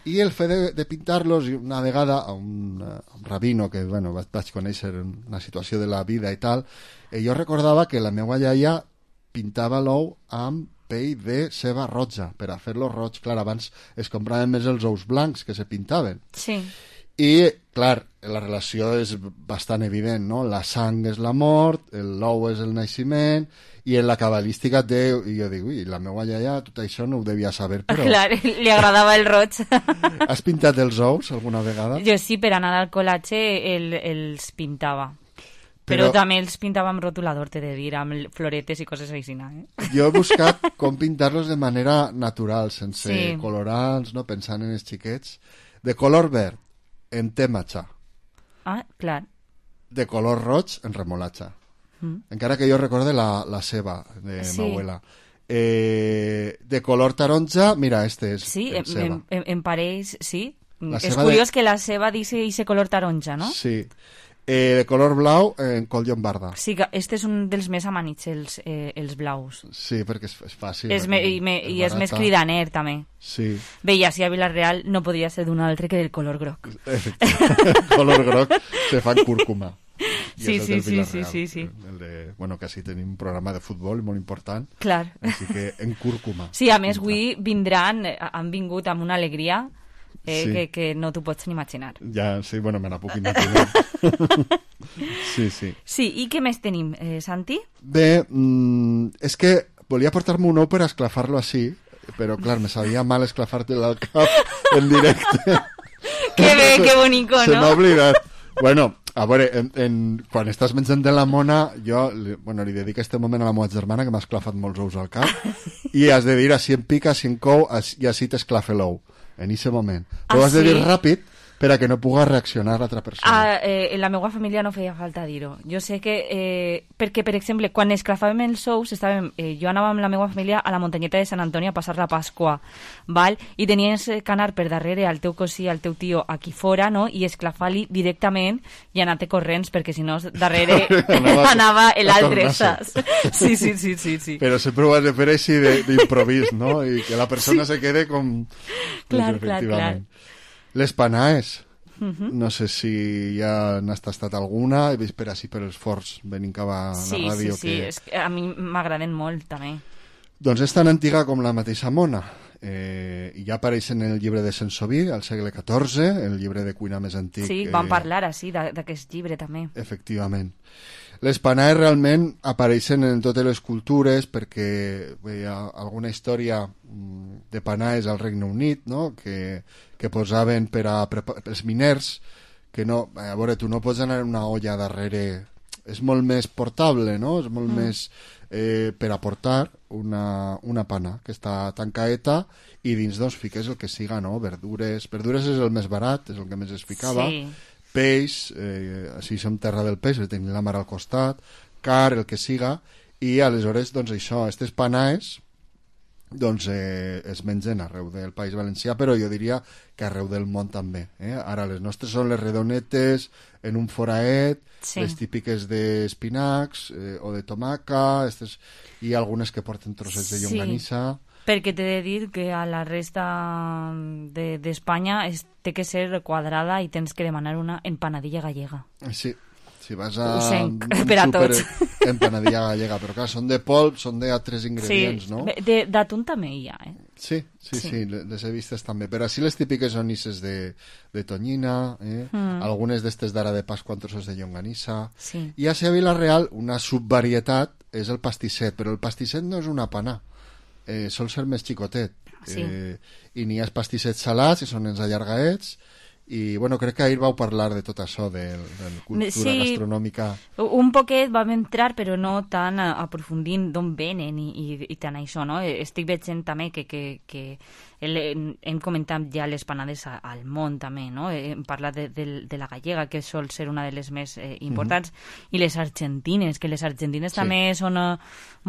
I el fet de pintar-los, una vegada a un rabino que, bueno, vaig conèixer en una situació de la vida i tal, jo recordava que la meva iaia pintava l'ou amb pell de ceba roja, per a fer-lo roig. Clar, abans es compraven més els ous blancs que se pintaven. Sí. I, clar, la relació és bastant evident, no? La sang és la mort, l'ou és el naixement, i en la cabalística té... I jo dic, ui, la meva iaia tot això no ho devia saber, però... Clar, li agradava el roig. Has pintat els ous alguna vegada? Jo sí, per anar al col·latge els pintava. Però també els pintava amb rotulador, t'he de dir, amb floretes i coses així. Jo he buscat com pintar-los de manera natural, sense colorants, no? Pensant en els xiquets. De color verd, en té matxa. Ah, clar. De color roig, en remolatxa. Encara que jo recorde la ceba de m'abuela. De color taronja, mira, este és ceba. En pareix, sí. És curiós que la ceba dice color taronja, no? Sí. De color blau, en col llombarda. Sí, que este és un dels més amanits, els blaus. Sí, perquè és fàcil. I és més cridaner, també. Sí. Bé, i així a Vilareal no podria ser d'un altre que del color groc. Efectivament, color groc se fa en cúrcuma. Sí. El de, bueno, que així tenim un programa de futbol molt important. Clar. Així que en cúrcuma. Sí, a més, avui han vingut amb una alegria que no t'ho pots ni imaginar. Ja, sí, bueno, me la puc imaginar. Sí. Sí, i què més tenim, Santi? Bé, és que volia portar-me un ou per esclafar-lo així, però clar, me sabia mal esclafar-te al cap en directe. Que bé, que bonico, no? Se m'ha oblidat. Bueno, a veure, quan estàs menjant de la mona, jo li dedico este moment a la meva germana, que m'ha esclafat molts ous al cap, i has de dir així en pica, així en cou, i així t'esclafa l'ou, en aquest moment. Però has de dir ràpid, per a que no puga reaccionar l'altra persona. En la meva família no feia falta dir-ho. Jo sé que... perquè, per exemple, quan esclafàvem els ous, jo anava amb la meva família a la muntanyeta de Sant Antoni a passar la Pasqua, val? I tenies que anar per darrere al teu cosí, al teu tio, aquí fora, no? I esclafar-li directament i anar-te corrents, perquè si no, darrere anava l'altre, saps? Sí. Però sempre ho has de fer així d'improvís, no? I que la persona se quede com... Clar. Les panaes, no sé si ja n'has tastat alguna, he vist per així per els forts venint cap a la ràdio. Sí, és que a mi m'agraden molt també. Doncs és tan antiga com la mateixa mona, i ja apareix en el llibre de Sensoví al segle XIV, el llibre de cuina més antic. Sí, vam parlar així d'aquest llibre també. Efectivament. Les panaes realment apareixen en totes les cultures perquè hi ha alguna història de panaes al Regne Unit, no? que posaven per a els miners, que no, a veure, tu no pots anar en una olla darrere, és molt més portable, no? És molt més per aportar una pana que està tancaeta i dins doncs fiques el que siga, no? Verdures és el més barat, és el que més es ficava. Sí. Peix, així som terra del peix, tenim la mar al costat, car, el que siga, i aleshores, doncs això, aquestes panaes doncs es mengen arreu del País Valencià, però jo diria que arreu del món també. Ara les nostres són les redonetes en un foraet, les típiques d'espinacs o de tomaca, i algunes que porten trossets de llonganissa. Perquè t'he de dir que a la resta d'Espanya té que ser quadrada i tens que demanar una empanadilla gallega. Sí, si vas a per a tots. Empanadilla gallega, però clar, són de polp, són d'altres ingredients, no? D'atún també hi ha, Sí, les he vistes també. Però així les típiques són isses de tonyina, algunes d'estes d'ara de Pasqua amb trossos de llonganissa. I a Vilareal una subvarietat és el pastisset, però el pastisset no és una panà. Sol ser més xicotet, i n'hi ha pastissets salats, que són els allargaets, I, bueno, crec que ahir vau parlar de tot això, de cultura gastronòmica. Un poquet vam entrar, però no tan aprofundint d'on venen i tant això, no? Estic veient també que hem comentat ja les panades al món, també, no? Hem parlat de la gallega, que sol ser una de les més importants, i les argentines, que les argentines també són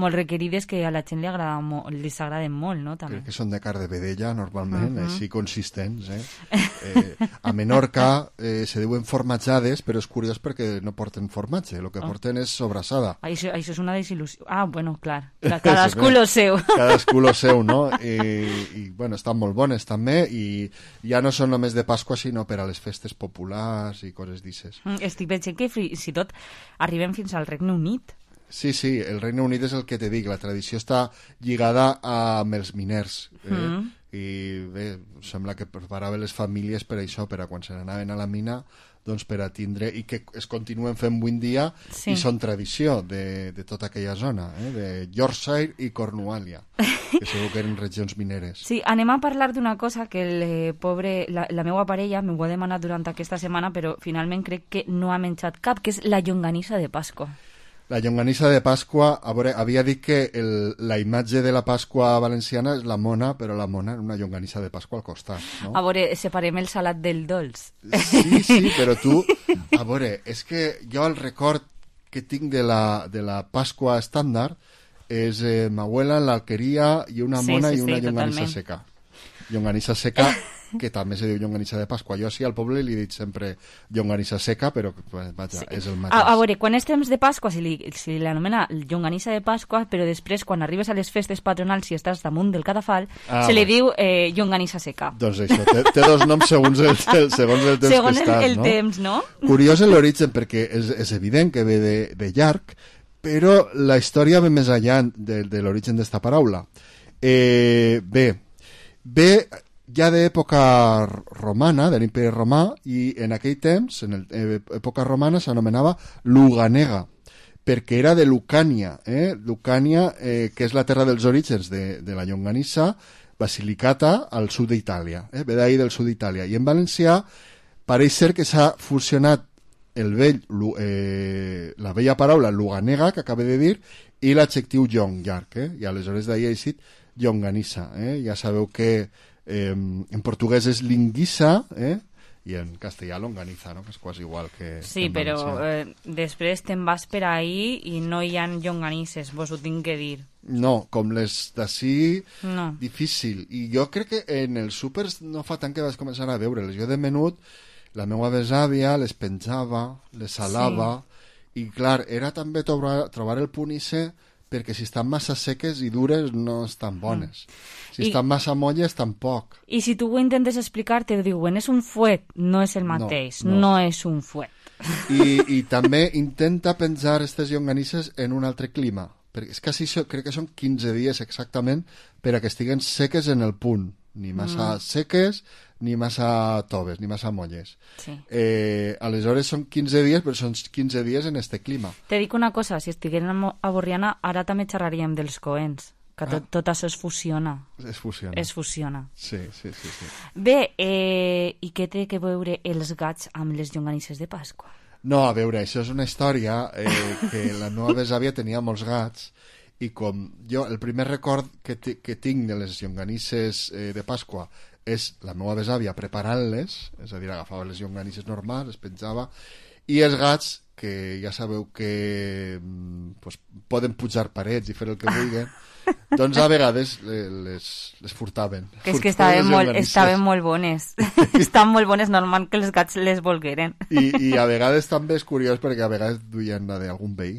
molt requerides, que a la gent les agraden molt, no? També. Crec que són de carn de vedella, normalment, així consistents, A Menorca se diuen formatjades, però és curiós perquè no porten formatge, el que porten és sobrassada. Això és una desil·lusió. Ah, bueno, clar, cadascú lo seu. Cadascú lo seu, no? I bueno, estan molt bones també, i ja no són només de Pasqua, sinó per a les festes populars i coses d'ixes. Estic veient que fins i tot arribem fins al Regne Unit. Sí, el Regne Unit és el que te dic, la tradició està lligada amb els miners, i bé, sembla que preparaven les famílies per això, per a quan se n'anaven a la mina, doncs per a tindre, i que es continuen fent avui en dia, i són tradició de tota aquella zona, de Yorkshire i Cornuàlia, que segur que eren regions mineres. Sí, anem a parlar d'una cosa que la meva parella m'ho ha demanat durant aquesta setmana, però finalment crec que no ha menjat cap, que és la llonganissa de Pasqua. La llonganissa de Pasqua, a veure, havia dit que la imatge de la Pasqua valenciana és la mona, però la mona era una llonganissa de Pasqua al costat, no? A veure, separem el salat del dolç. Sí, però tu... A veure, és que jo el record que tinc de la Pasqua estàndard és ma abuela en l'alqueria i una mona i una llonganissa seca. Llonganissa seca, que també se diu llonganissa de Pasqua. Jo sí al poble li dic sempre llonganissa seca, però vaja, és el mateix. A veure, quan és temps de Pasqua se l'anomena llonganissa de Pasqua, però després, quan arribes a les festes patronals i estàs damunt del cadafal, se li diu llonganissa seca. Doncs això, té dos noms segons el temps que estàs, segons el temps, no? Curiós l'origen, perquè és evident que ve de llarg, però la història ve més enllà de l'origen d'esta paraula. Ve ja d'època romana, de l'imperi romà, i en aquell temps, en època romana, s'anomenava Luganega, perquè era de Lucània, Lucània, que és la terra dels orígens de la llonganissa, Basilicata, al sud d'Itàlia, ve d'ahir del sud d'Itàlia. I en valencià pareix ser que s'ha fusionat la vella paraula Luganega, que acabé de dir, i l'adjectiu llong, llarg, i aleshores d'ahir ha eixit llonganissa. Ja sabeu que en portuguès és linguissa, i en castellà longaniza, no? Que és quasi igual que sí, però després te'n vas per ahí i no hi ha llonganisses, vos ho tinc que dir. No, com les d'ací, no. Difícil. I jo crec que en els súpers no fa tant que vas començar a veure-les. Jo de menut, la meva besàvia les penjava, les salava, i clar, era també trobar el punt ise, perquè si estan massa seques i dures no estan bones. Si estan massa molles, tampoc. I si tu ho intentes explicar, te diuen, és un fuet, no és el mateix, no és un fuet. I també intenta penjar aquestes llonganisses en un altre clima, perquè és quasi, crec que són 15 dies exactament per a que estiguen seques en el punt, ni massa seques, ni massa toves, ni massa molles. Sí. Aleshores són 15 dies, però són 15 dies en este clima. Te dic una cosa, si estiguérem a Borriana, ara també xerraríem dels coents, que tot això es fusiona. Es fusiona. Sí. Bé, i què té que veure els gats amb les llonganisses de Pasqua? No, a veure, això és una història que la meva besàvia tenia molts gats, i com jo, el primer record que tinc de les llonganisses de Pasqua és la meva besàvia preparant-les, és a dir, agafava les llonganisses normals, les penjava, i els gats, que ja sabeu que poden pujar parets i fer el que vulguin, doncs a vegades les furtaven. Que és que estaven molt bones. Estan molt bones, normal que els gats les volgueren. I a vegades també és curiós perquè a vegades duien la d'algun veí.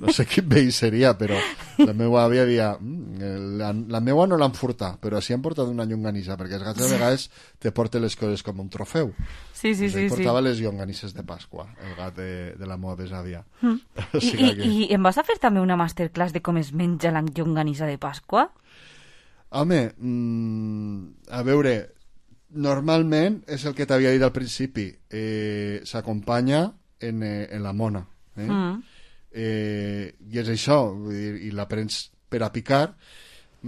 No sé quin veí seria, però la meva àvia dia la meva no l'han furtat, però sí han portat una llonganissa, perquè els gats a vegades te porten les coses com un trofeu. Sí. Portava les llonganisses de Pasqua, el gat de la meva besàvia. I em vas a fer també una masterclass de com es menja la llonganissa de Pasqua? Home, a veure, normalment és el que t'havia dit al principi, s'acompanya en la mona, i és això, i la prens per a picar.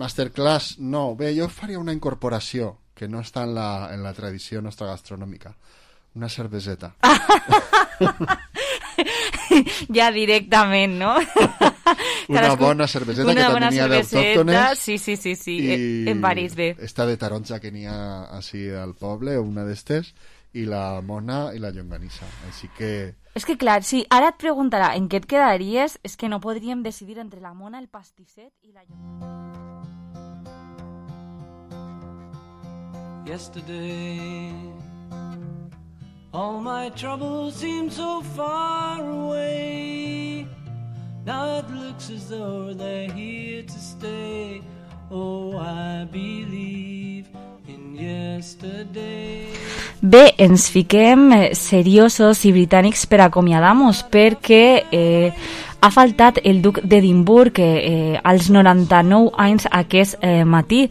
Masterclass, no. Bé, jo faria una incorporació, que no està en la tradició nostra gastronòmica. Una cerveseta. Ja directament, no? Una bona cerveseta que també n'hi ha d'autòctones. Sí, en París, bé. Esta de taronja que n'hi ha així al poble, una d'estes, i la mona i la llonganissa. Així que... És que clar, sí, ara et preguntarà en què et quedaries, és que no podríem decidir entre la mona, el pastisset i la llonganissa. Yesterday, all my troubles seem so far away. Now it looks as though they're here to stay. Oh, I believe in yesterday. Bé, ens fiquem seriosos i britànics per acomiadar-nos perquè ha faltat el duc d'Edimburg als 99 anys aquest matí.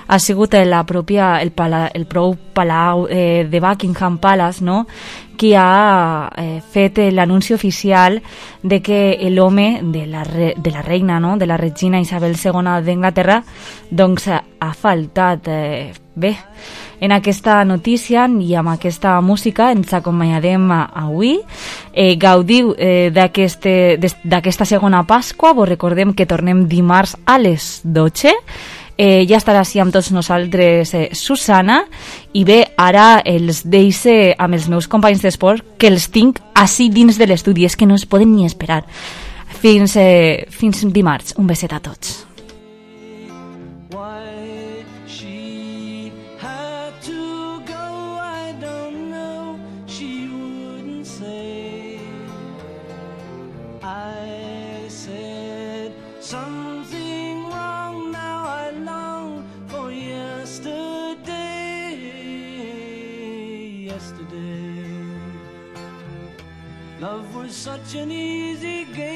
Ha sigut el prou palau de Buckingham Palace, no?, qui ha fet l'anunci oficial de que l'home de la reina, no?, de la regina Isabel II d'Anglaterra, doncs ha faltat. Bé, en aquesta notícia i amb aquesta música ens acompanyarem avui. Gaudiu d'aquesta segona Pasqua. Vos recordem que tornem dimarts a les 12. Ja estarà així amb tots nosaltres Susana, i bé, ara els deixo amb els meus companys d'esport, que els tinc així dins de l'estudi, és que no es poden ni esperar. Fins dimarts. Un beset a tots. Love was such an easy game.